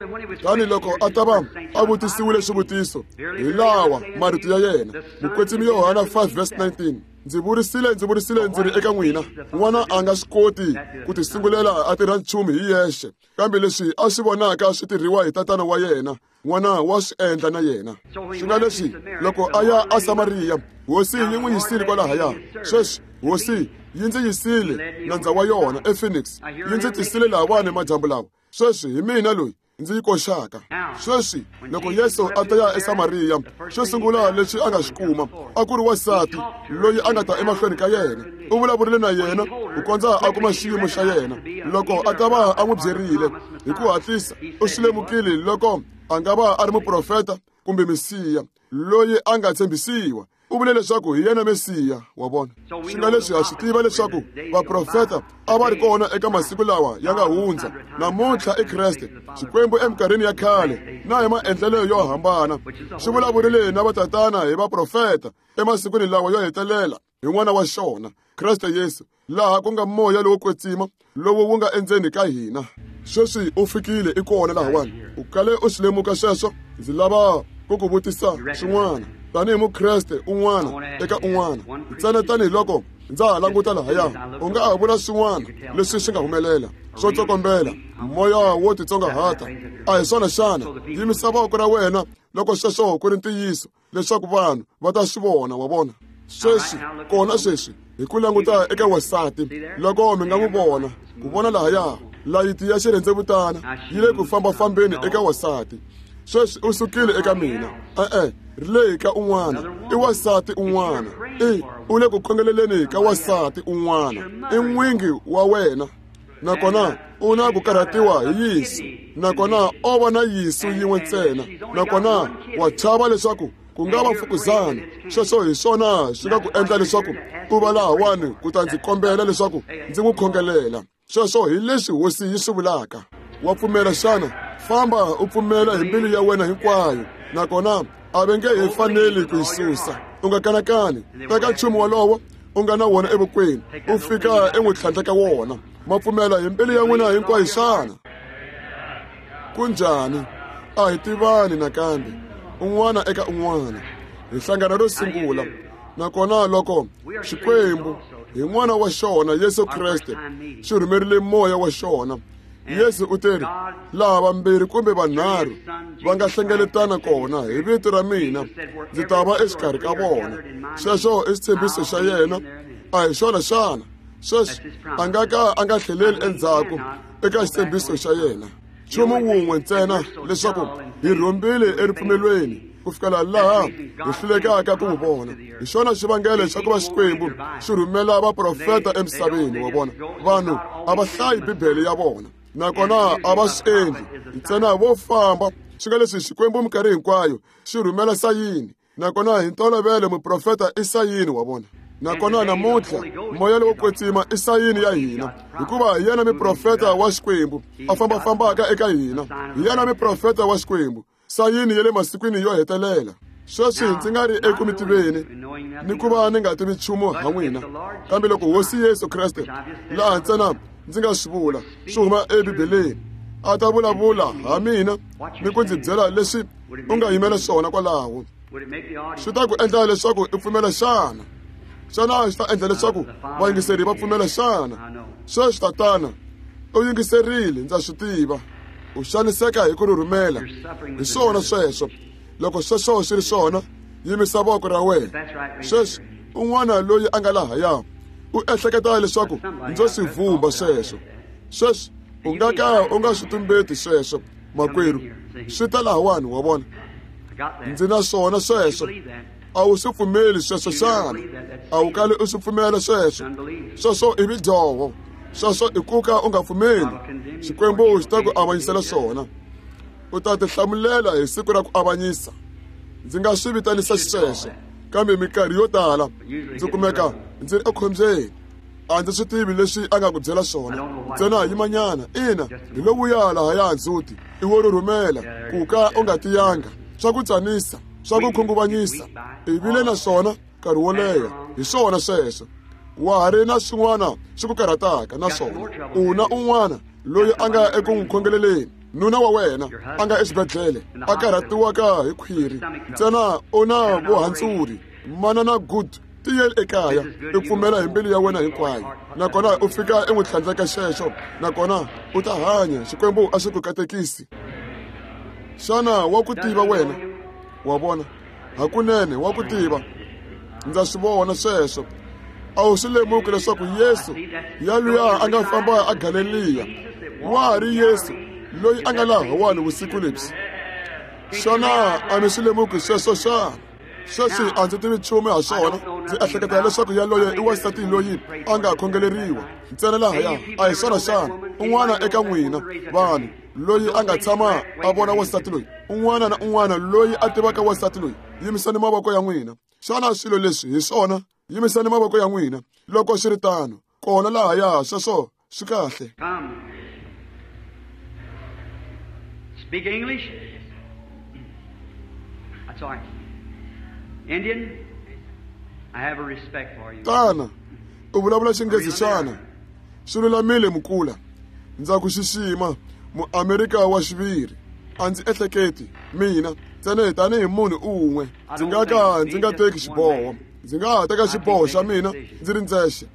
Tani loko a ta va a vutisiwile swivutiso, hi lawa marito ya yena, Mukwetsimi Yohana 5 verse 19, ndzi vurisile, ndzi vurisile ndzi ri eka n'wina, n'wana a nga swi koti ku tisungulela a tirha nchumu hi yexe, kambe leswi a swi vonaka swi tirhiwa hi tatana wa yena, n'wana wa swi endla na yena. Swi nga leswi loko a ya a Samariya, hosi yi n'wi yisile kwalahaya. Sweswi hosi yi ndzi yisile nandza wa yona ePhoenix, yi ndzi tisile lahawani madyambu lawa. Sweswi hi mina loyi ndzi yi koxaka. Sweswi loko Yesu a ta ya eSamariya, xo sungula leswi a nga xi kuma a ku ri wansati loyi a nga ta emahlweni ka yena. U vulavurile na yena ku kondza a kuma xiyimo xa yena. Loko a ta va a n'wi byerile hi ku hatlisa, u swi lemukile loko a nga va a ri muprofeta kumbe Mesiya loyi a nga tshembisiwa. U vule leswaku hi yena Mesiya, wa vona. Swi nga leswi ha swi tiva leswaku vaprofeta a va ri kona eka masiku lawa ya nga hundza. Namuntlha i Kreste, Xikwembu eminkarhini ya khale na hi maendlelo yo hambana xi vulavurile na vatatana hi vaprofeta emasikwini lawa yo hetelela hi n'wana wa xona, Kreste Yesu, laha ku nga moya lowo kwetsima lowu wu nga endzeni ka hina. Sweswi u fikile, i kona lahawani. U kale u swi lemuka sweswo? Ndzi lava ku ku vutisa swin'wana tanihi Mukreste un'wana eka un'wana, ntsena tanihiloko ndza ha languta lahaya. U nga ha vula swin'wana leswi swi nga humelela swo tsokombela, moya wo titsongahata, a hi swona xana? Yimisa voko ra wena loko sweswo ku ri ntiyiso, leswaku vanhu va ta swi vona, wa vona. Sweswi kona sweswi hi ku languta eka wansati, loko mi nga n'wi vona, ku vona lahaya layiti ya xirhendzevutana yi le ku fambafambeni eka wansati. Sweswi u sukile eka mina, e-e, ri le ka un'wana, i wansati un'wana, i u le ku khongeleleni ka wansati un'wana, i n'wingi wa wena, nakona u na ku karhatiwa hi yiso, nakona o va na yiso yin'we ntsena, nakona wa chava leswaku ku nga va mfukuzana. Sweswo hi swona swi nga ku endla leswaku u va lahawani ku ta ndzi kombela leswaku ndzi n'wi khongelela. Sweswo hi leswi hosi yi swi vulaka. Wa pfumela xana? Famba u pfumela hi mbilu ya wena hinkwayo, nakona a va nge he faneli ku yi susa. U nga kanakani, teka nchumu wolowo u nga na wona evokweni, u fika en'wi tlhandla ka wona. Ma pfumela hi mbilu ya n'wina hinkwayo xana? Kunjhani? A hi tivani nakambe, un'wana eka un'wana. Hi hlangana ro sungula, nakona loko Xikwembu hi n'wana wa xona Yesu Kreste xi rhumerile moya wa xona, Yesu u teri, laha vambirhi kumbe vanharhu va nga hlengeletana kona hi vito ra mina, ndzi ta va exikarhi ka vona. Sweswo i xitshembiso xa yena, a hi xona xana? Sweswi a nga ka a nga tlheleli endzhaku eka xitshembiso xa yena. Nchumu wun'we ntsena, leswaku hi rhombile eripfumelweni. Ku fikela laha hi hlulekaka ku n'wi vona. Hi xona xivangelo xa ku va Xikwembu xi rhumela vaprofeta emisaveni, wa vona. Vanhu a va hlayi Bibele ya vona, nakona a va swi endli. Ntsena vo famba, swi nga leswi Xikwembu minkarhi hinkwayo xi rhumela sayini, nakona hi ntolovelo muprofeta i sayini, wa vona. Nakona namuntlha moya lowo kwetsima i sayini ya hina, hikuva hi yena muprofeta wa Xikwembu a fambafambaka eka hina. Hi yena muprofeta wa Xikwembu, sayini ya le masikwini yo hetelela. Sweswi ndzi nga ri eku mi tiveni ni ku va ni nga tivi nchumu ha n'wina, kambe loko Hosi Yesu Kreste, laha ntsena ndzi nga swi vula swi huma eBibeleni, a ta vulavula ha mina ni ku ndzi byela leswi u nga yimela swona kwalaho, swi ta ku endla leswaku u pfumela xana? Xana swi ta endla leswaku vayingiseri va pfumela xana? Sweswi tatana u yingiserile, ndza swi tiva. U xaniseka hi ku rhurhumela. Hi swona sweswo. Loko sweswo swi ri swona, yimisa voko ra wena. Sweswi un'wana loyi a nga lahaya u ehleketa leswaku ndzo swi vumba sweswo. Sweswi u nga ka u nga swi tumbeti sweswo, makwerhu. Swi ta lahawani, wa vona. Ndzi na swona sweswo. A wu swi pfumeli sweswo xana? A wu kali u swi pfumela sweswo? Sweswo i midyoho. Sweswo i ku ka u nga pfumeli. Xikwembu xi ta ku avanyisela swona. U ta tihlamulela hi siku ra ku avanyisa. Ndzi nga swi vitanisa xisweswo, kambe minkarhi yo tala ndzi kumeka ndzi ri ekhombyeni. A ndzi swi tivi leswi a nga ku byela swona. Ntsena yimanyana. Ina, hi lowuya lahaya ndzhuti i wo rhurhumela, ku ka u nga tiyanga, swa ku tsanisa, swa ku khunguvanyisa. I vile na swona nkarhi wo leha. Hi swona sweswo. Wa ha ri na swin'wana swi ku karhataka na swona. U na un'wana loyi a nga eku n'wi khongeleleni. Nuna wa wena a nga exibedhlele a karhatiwaka hi khwiri, ntsena u na vuhandzuri. Manana Good, tiyeli ekaya, i pfumela hi mbilu ya wena hinkwayo, nakona u fika i n'wi tlhandleka xexo, nakona u ta hanya. Xikwembu a xi ku katekisi. Xana wa ku tiva wena? Wa vona, hakunene wa ku tiva. Ndza swi vona sweswo. A wu swi lemuki leswaku Yesu yaluya a nga famba a Galeliya wa ha ri Yesu loyi a nga lahawani vusiku lebyi? Xana a mi swi lemuki sweswo xana? Sweswi a ndzi tivi nchumu ha swona. Ndzi ehleketa leswaku yaloye i wansati loyi a nga khongeleriwa ntsena lahaya. A hi swona xana? Un'wana eka n'wina vanhu loyi a nga tshama a vona wansati loyi, un'wana na un'wana loyi a tivaka wansati loyi, yimisani mavoko ya n'wina. Xana swilo leswi hi swona? Yimisani mavoko ya n'wina loko swi ri tano. Kona lahaya, sweswo swi kahle. Speak English? That's all right. Indian, I have a respect for you. Tana, u vulavula Xinghezi xana? Swi lulamile mukula. Ndza ku xixima, muamerika wa xiviri. A ndzi ehleketi mina ntsena tanihi munhu un'we. Ndzi nga ka ndzi nga teki xiboho. Ndzi nga ha teka xiboho xa mina ndzi ri ndzexe.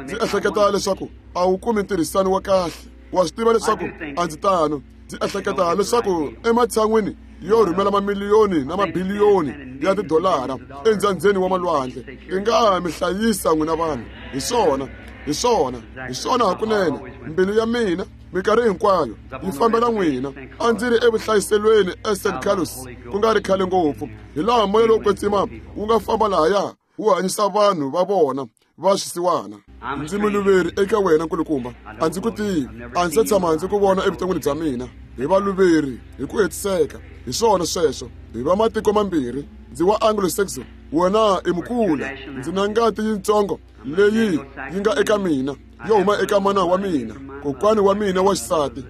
Ndzi ehleketa leswaku a wu kumi ntirhisano wa kahle. Wa swi tiva leswaku a ndzi tano. Ndzi ehleketa leswaku ematshan'wini yo rhumela mamiliyoni na mabiliyoni ya tidolara endzandzeni wa malwandle, ti nga mi hlayisa n'wina vanhu. Hi swona, hi swona, hi swona hakunene. Mbilu ya mina minkarhi hinkwayo yi fambela n'wina. A ndzi ri evuhlayiselweni eSt Carlos ku nga ri khale ngopfu, hi laha moya lowo kwetsima wu nga famba lahaya wu hanyisa vanhu va vona va swisiwana. Ndzi muluveri eka wena nkulukumba, a ndzi ku tivi, a ndzi se tshama ndzi ku vona evuton'wini bya mina. Hi valuveri hi ku hetiseka. Hi swona sweswo. Hi va matiko mambirhi. Ndzi wa Anglo-Saxon, wena i mukula. Ndzi na ngati yitsongo leyi yi nga eka mina, yo huma eka mana wa mina, kokwani wa mina wa xisati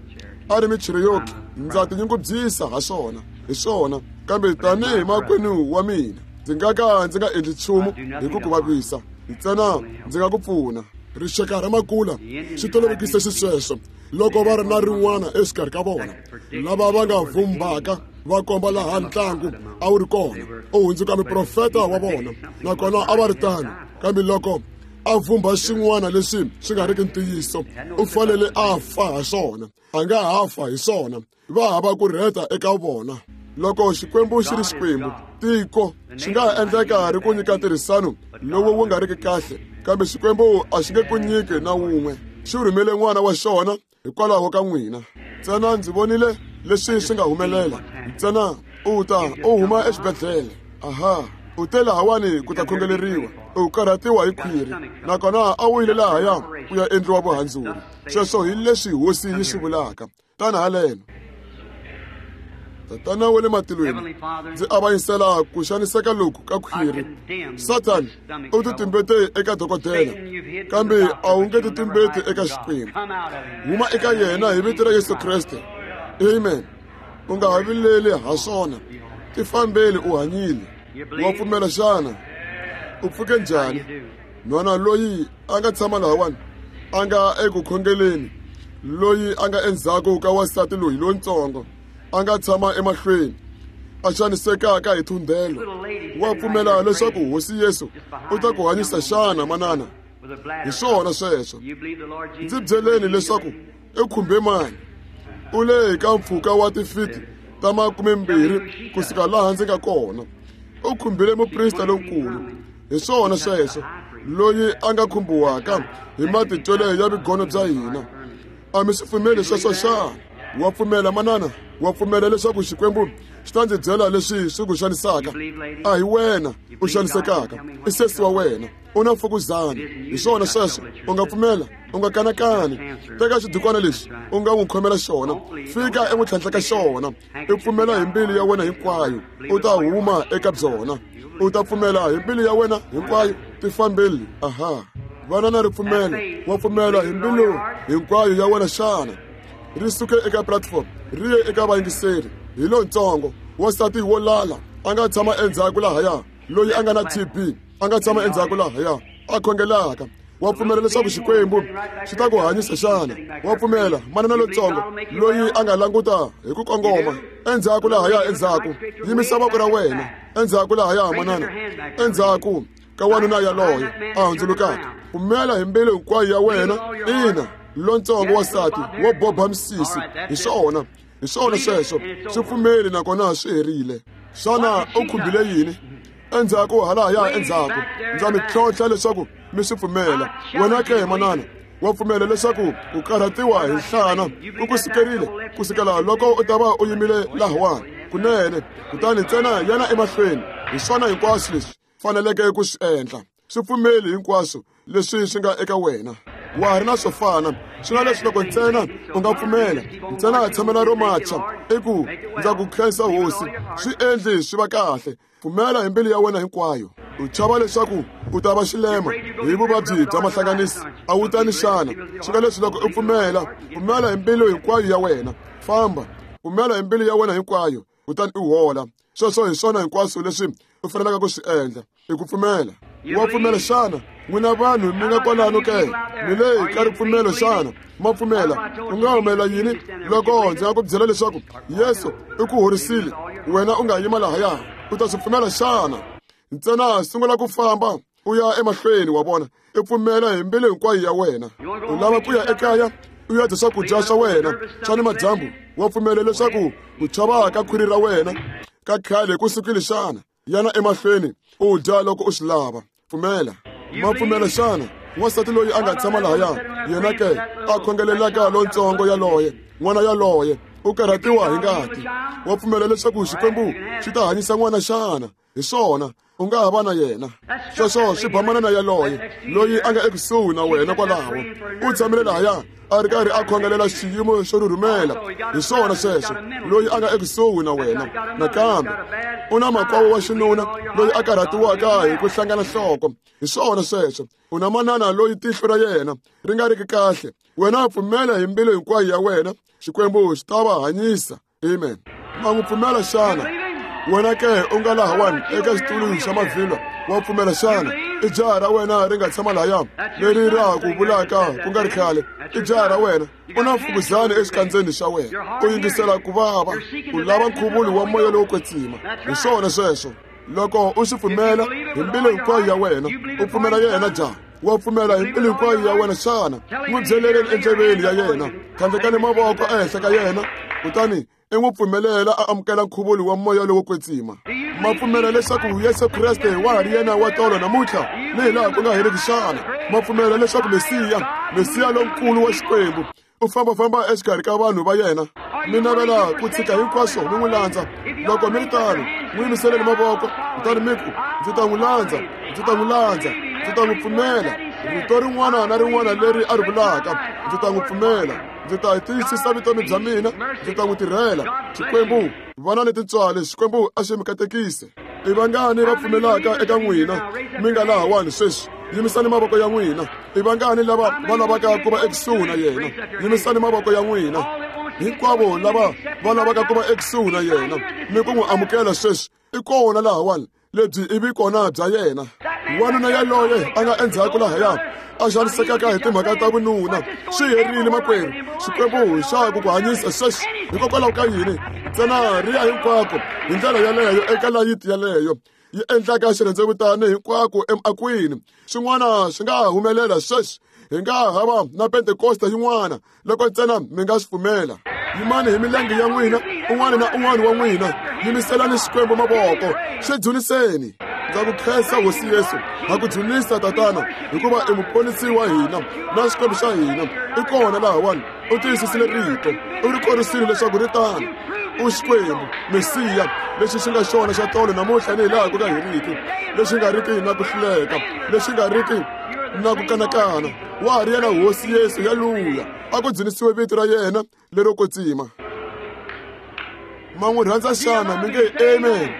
a ri Michiriyoki. Ndza tinyungubyisa ha swona, hi swona. Kambe tanihi makwenu wa mina, ndzi nga ka ndzi nga endli nchumu hi ku ku vavisa, ntsena ndzi nga ku pfuna. Rixaka ra makula swi tolovekise xisweswo loko va ri na rin'wana exikarhi ka vona lava va nga vumbaka va komba laha ntlangu a wu ri kona, u hundzuka muprofeta wa vona, nakona a va ri tano. Kambe loko a vumba xin'wana leswi swi nga riki ntiyiso, u fanele a fa ha swona. A nga ha fa hi swona. Va hava ku rheta eka vona. Loko Xikwembu xi ri Xikwembu, tiko swi nga ha endleka ri ku nyika ntirhisano lowu wu nga riki kahle, kambe Xikwembu a xi nge ku nyiki na wun'we. Xi rhumele n'wana wa xona hikwalaho ka n'wina. Ntsena ndzi vonile leswi swi nga humelela. Ntsena U ta u huma exibedhlele. Aha, u te lahawani ku ta khongeleriwa. U karhatiwa hi khwiri, nakona a wu yile lahaya ku ya endliwa vuhandzuri. Sweswo hi leswi hosi yi swi vulaka. Tana haleno. Tatana wa le matilweni, ndzi avanyisela ku xaniseka loku ka khwiri. Sathani u titumbete eka dokodela, kambe a wu nge titumbeti eka Xikwembu. Huma eka yena hi vito ra Yesu Kreste. Amen. U nga ha vileli ha swona. Tifambeli u hanyile. Wa pfumela xana? U pfuke njhani? Nhwana loyi a nga tshama lahawani a nga eku khongeleni, loyi a nga endzhaku ka wansati loyi lontsongo a nga tshama emahlweni a xanisekaka hi thundhelo. Wa pfumela leswaku Hosi Yesu u ta ku hanyisa xana, manana? Hi swona sweswo. Ndzi byeleni leswaku i khumbe mani. U le ka mpfhuka wa tifiti ta 20 kusuka laha ndzi nga kona. U khumbile muprista lonkulu. Hi swona sweswo, loyi a nga khumbiwaka hi matitwelo ya vugono bya hina. A mi swi pfumeli sweswo xana? Wa pfumela, manana? Wa pfumela leswaku Xikwembu xi ta ndzi byela leswi swi ku xanisaka? A hi wena u xanisekaka, i sesi wa wena. U na mfukuzana. Hi swona sweswo. U nga pfumela, u nga kanakani. Teka xidukwana lexi u nga n'wi khomela xona, fika en'wi tlhantlha ka xona. I pfumela hi mbilu ya wena hinkwayo, u ta huma eka byona. U ta pfumela hi mbilu ya wena hinkwayo. Tifambeli. Aha. Vana na ripfumelo. Wa pfumela hi mbilu hinkwayo ya wena xana? Ri suke eka platform ri ye eka vayingiseri. Hi lontsongo wansati wo lala a nga tshama endzhaku lahaya, loyi a nga na TB a nga tshama endzhaku lahaya a khongelaka. Wa pfumela leswaku Xikwembu xi ta ku hanyisa xana? Wa pfumela, manana lontsongo loyi a nga languta hi ku kongoma endzhaku lahaya endzhaku. Yimisa voko ra wena endzhaku lahaya, manana, endzhaku ka wanuna yaloye a hundzulukaka. Pfumela hi mbilu hinkwayo ya wena. Ina, lontsongo wansati wo boba misisi. Hi swona, hi swona sweswo. Swi pfumeli nakona swi herile. Xana u khumbile yini? Endzhaku halahaya endzhaku. Ndza mi tlhontlha leswaku mi swi pfumela. Wena ke, manana, wa pfumela leswaku ku karhatiwa hi nhlana u ku sukerile kusukela loko u ta va u yimile lahawani kunene. Kutani ntsena yana emahlweni. Hi swona hinkwaswo leswi faneleke ku swi endla. Swi pfumeli hinkwaswo leswi swi nga eka wena. Wa ha ri na swo fana. Swi nga leswi loko ntsena u nga pfumela, ntsena tshamela ro macha, i ku ndza ku khensa Hosi. Swi endli swi va kahle. Pfumela hi mbilu ya wena hinkwayo. U chava leswaku u ta va xilema hi vuvabyi bya mahlanganisi. A wu tani xana? Swi nga leswi loko u pfumela, pfumela hi mbilu hinkwayo ya wena. Famba, pfumela hi mbilu ya wena hinkwayo, kutani u hola. Sweswo hi swona hinkwaswo leswi u fanelaka ku swi endla, i ku pfumela. Wa pfumela xana? N'wina vanhu mi nga kwalano ke, mi le ka ripfumelo xana? Ma pfumela? U nga humelela yini loko ndzi nga ku byela leswaku Yesu i ku horisile, wena u nga yima lahaya? U ta swi pfumela xana? Ntsena sungula ku famba u ya emahlweni, wa vona. I pfumela hi mbilu hinkwayo ya wena. U lava ku ya ekaya u ya dya swakudya swa wena swa ni madyambu. Wa pfumela leswaku ku chava ka khwiri ra wena ka khale ku sukile xana? Yana emahlweni u dya loko u swi lava. Pfumela. Ma pfumela xana? Wansati loyi a nga tshama lahaya, yena ke a khongelelaka lontsongo yaloye, n'wana yaloye u karhatiwa hi ngati. Wa pfumela leswaku Xikwembu xi ta hanyisa n'wana xana? Hi swona, u nga ha va na yena. Sweswo swi ba manana yaloye loyi a nga ekusuhi na wena kwalaho. U tshamile lahaya a ri karhi a khongelela xiyimo xo rhurhumela. Hi swona sweswo, loyi a nga ekusuhi na wena. Nakambe u na makwavo wa xinuna loyi a karhatiwaka hi ku hlangana nhloko. Hi swona sweswo, u na manana loyi tihlo ra yena ri nga riki kahle. Wena pfumela hi mbilu hinkwayo ya wena, Xikwembu xi ta va hanyisa. Amen. Ma n'wi pfumela xana? Wena ke u nga lahawani eka xitulu xa mavhilwa, wa pfumela xana? I jaha ra wena ri nga tshama lahaya, leri ra ha ku vulaka ku nga ri khale. I jaha ra wena. U na mfukuzana exikandzeni xa wena. U yingisela ku vava. U lava nkhuvulo wa moya lowo kwetsima. Hi swona sweswo. Loko u swi pfumela hi mbilu hinkwayo ya wena, u pfumela yena jaha. Wa pfumela hi mbilu hinkwayo ya wena xana? N'wi byeleleni endleveni ya yena, tlhandlekani mavoko ehenhla ka yena, kutani i n'wi pfumelela a amukela nkhuvulo wa moya lowo kwetsima. Ma pfumela leswaku Yesu Kreste wa ha ri yena wa tolo namuntlha ni hi laha ku nga heriki xana? Ma pfumela leswaku Mesiya, Mesiya lonkulu wa Xikwembu, u fambafamba exikarhi ka vanhu va yena? Mi navela ku tshika hinkwaswo mi n'wi landza? Loko mi ri tano, n'wi yimiseleni mavoko kutani mi ku, Ndzi ta n'wi landza, ndzi ta n'wi landza, ndzi ta n'wi pfumela. Rito rin'wana na rin'wana leri a ri vulaka, ndzi ta n'wi pfumela. Ndzi ta tiyisisa vutomi bya mina, ndzi ta n'wi tirhela. Xikwembu, vana ni tintswalo, Xikwembu a xi mi katekise. I vangani va pfumelaka eka n'wina mi nga lahawani sweswi? Yimisani mavoko ya n'wina. I vangani lava va lavaka ku va ekusuhi na yena? Yimisani mavoko ya n'wina. Hinkwavo lava va lavaka ku va ekusuhi na yena ni ku n'wi amukela sweswi, i kona lahawani. Lebyi i vikona bya yena. Wanuna yaloye a nga endzhaku lahaya a xanisekaka hi timhaka ta vununa, swi herile makwerhu. Xikwembu xa ku ku hanyisa sweswi. Hikokwalaho ka yini? Ntsena ri ya hinkwako hi ndlela yaleyo eka layiti yaleyo yi endlaka xirhendzevutani hinkwako emiakwini. Swin'wana swi nga humelela sweswi. Hi nga ha va na Pentekosta yin'wana loko ntsena mi nga swi pfumela. Yimani hi milenge ya n'wina, un'wana na un'wana wa n'wina, yimiselani Xikwembu mavoko, xi dzuniseni. Ndza ku khensa Hosi Yesu, ha ku dzunisa Tatana, hikuva i muponisi wa hina na Xikwembu xa hina. I kona lahawani, u tiyisisile rito, u ri korisile leswaku ri tano. U Xikwembu, Mesiya, lexi xi nga xona xa tolo namuntlha ni hilaha ku nga heriki, lexi nga riki na ku hluleka, lexi nga riki na ku kanakana. Wa ha ri yena Hosi Yesu yaluya, a ku dzunisiwe vito ra yena lero kwetsima. Ma n'wi rhandza xana? Mi nge amen.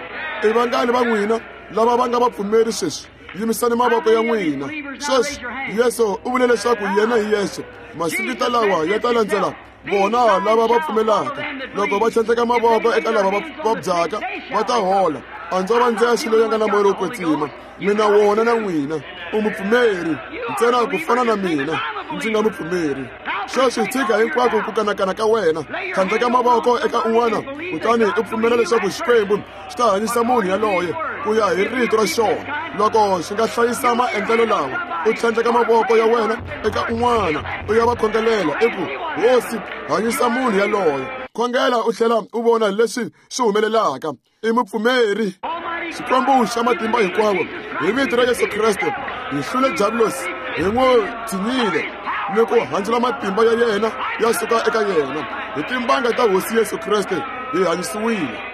I vangani va n'wina lava va nga vapfumeri sweswi? Yimisani mavoko ya n'wina sweswi. Yesu u vule leswaku yena hi yexe, masingita lawa ya ta landzela vona lava va pfumelaka. Loko va tlhandleka mavoko eka lava va vabyaka, va ta hola. A ndzo va ndzexe loyi a nga na moya lowo kwetsima. Mina wona na n'wina. U mupfumeri ntsena ku fana na mina ndzi nga mupfumeri. Sweswi tshika hinkwako ku kanakana ka wena, tlhandleka mavoko eka un'wana, kutani u pfumela leswaku Xikwembu xi ta hanyisa munhu yaloye ku ya hi rito ra xona. Loko xi nga hlayisa maendlelo lawa, u tlhandleka mavoko ya wena eka un'wana, u ya va khongelela, i ku, Hosi, hanyisa munhu yaloye. Khongela u tlhela u vona leswi swi humelelaka. I mupfumeri. Xikwembu xa matimba hinkwawo, hi vito ra Yesu Kreste, hi hlule Diabulosi, hi n'wi tshinyile ni ku handzula matimba ya yena ya suka eka yena. Hi timbanga ta Hosi Yesu Kreste hi hanyisiwile.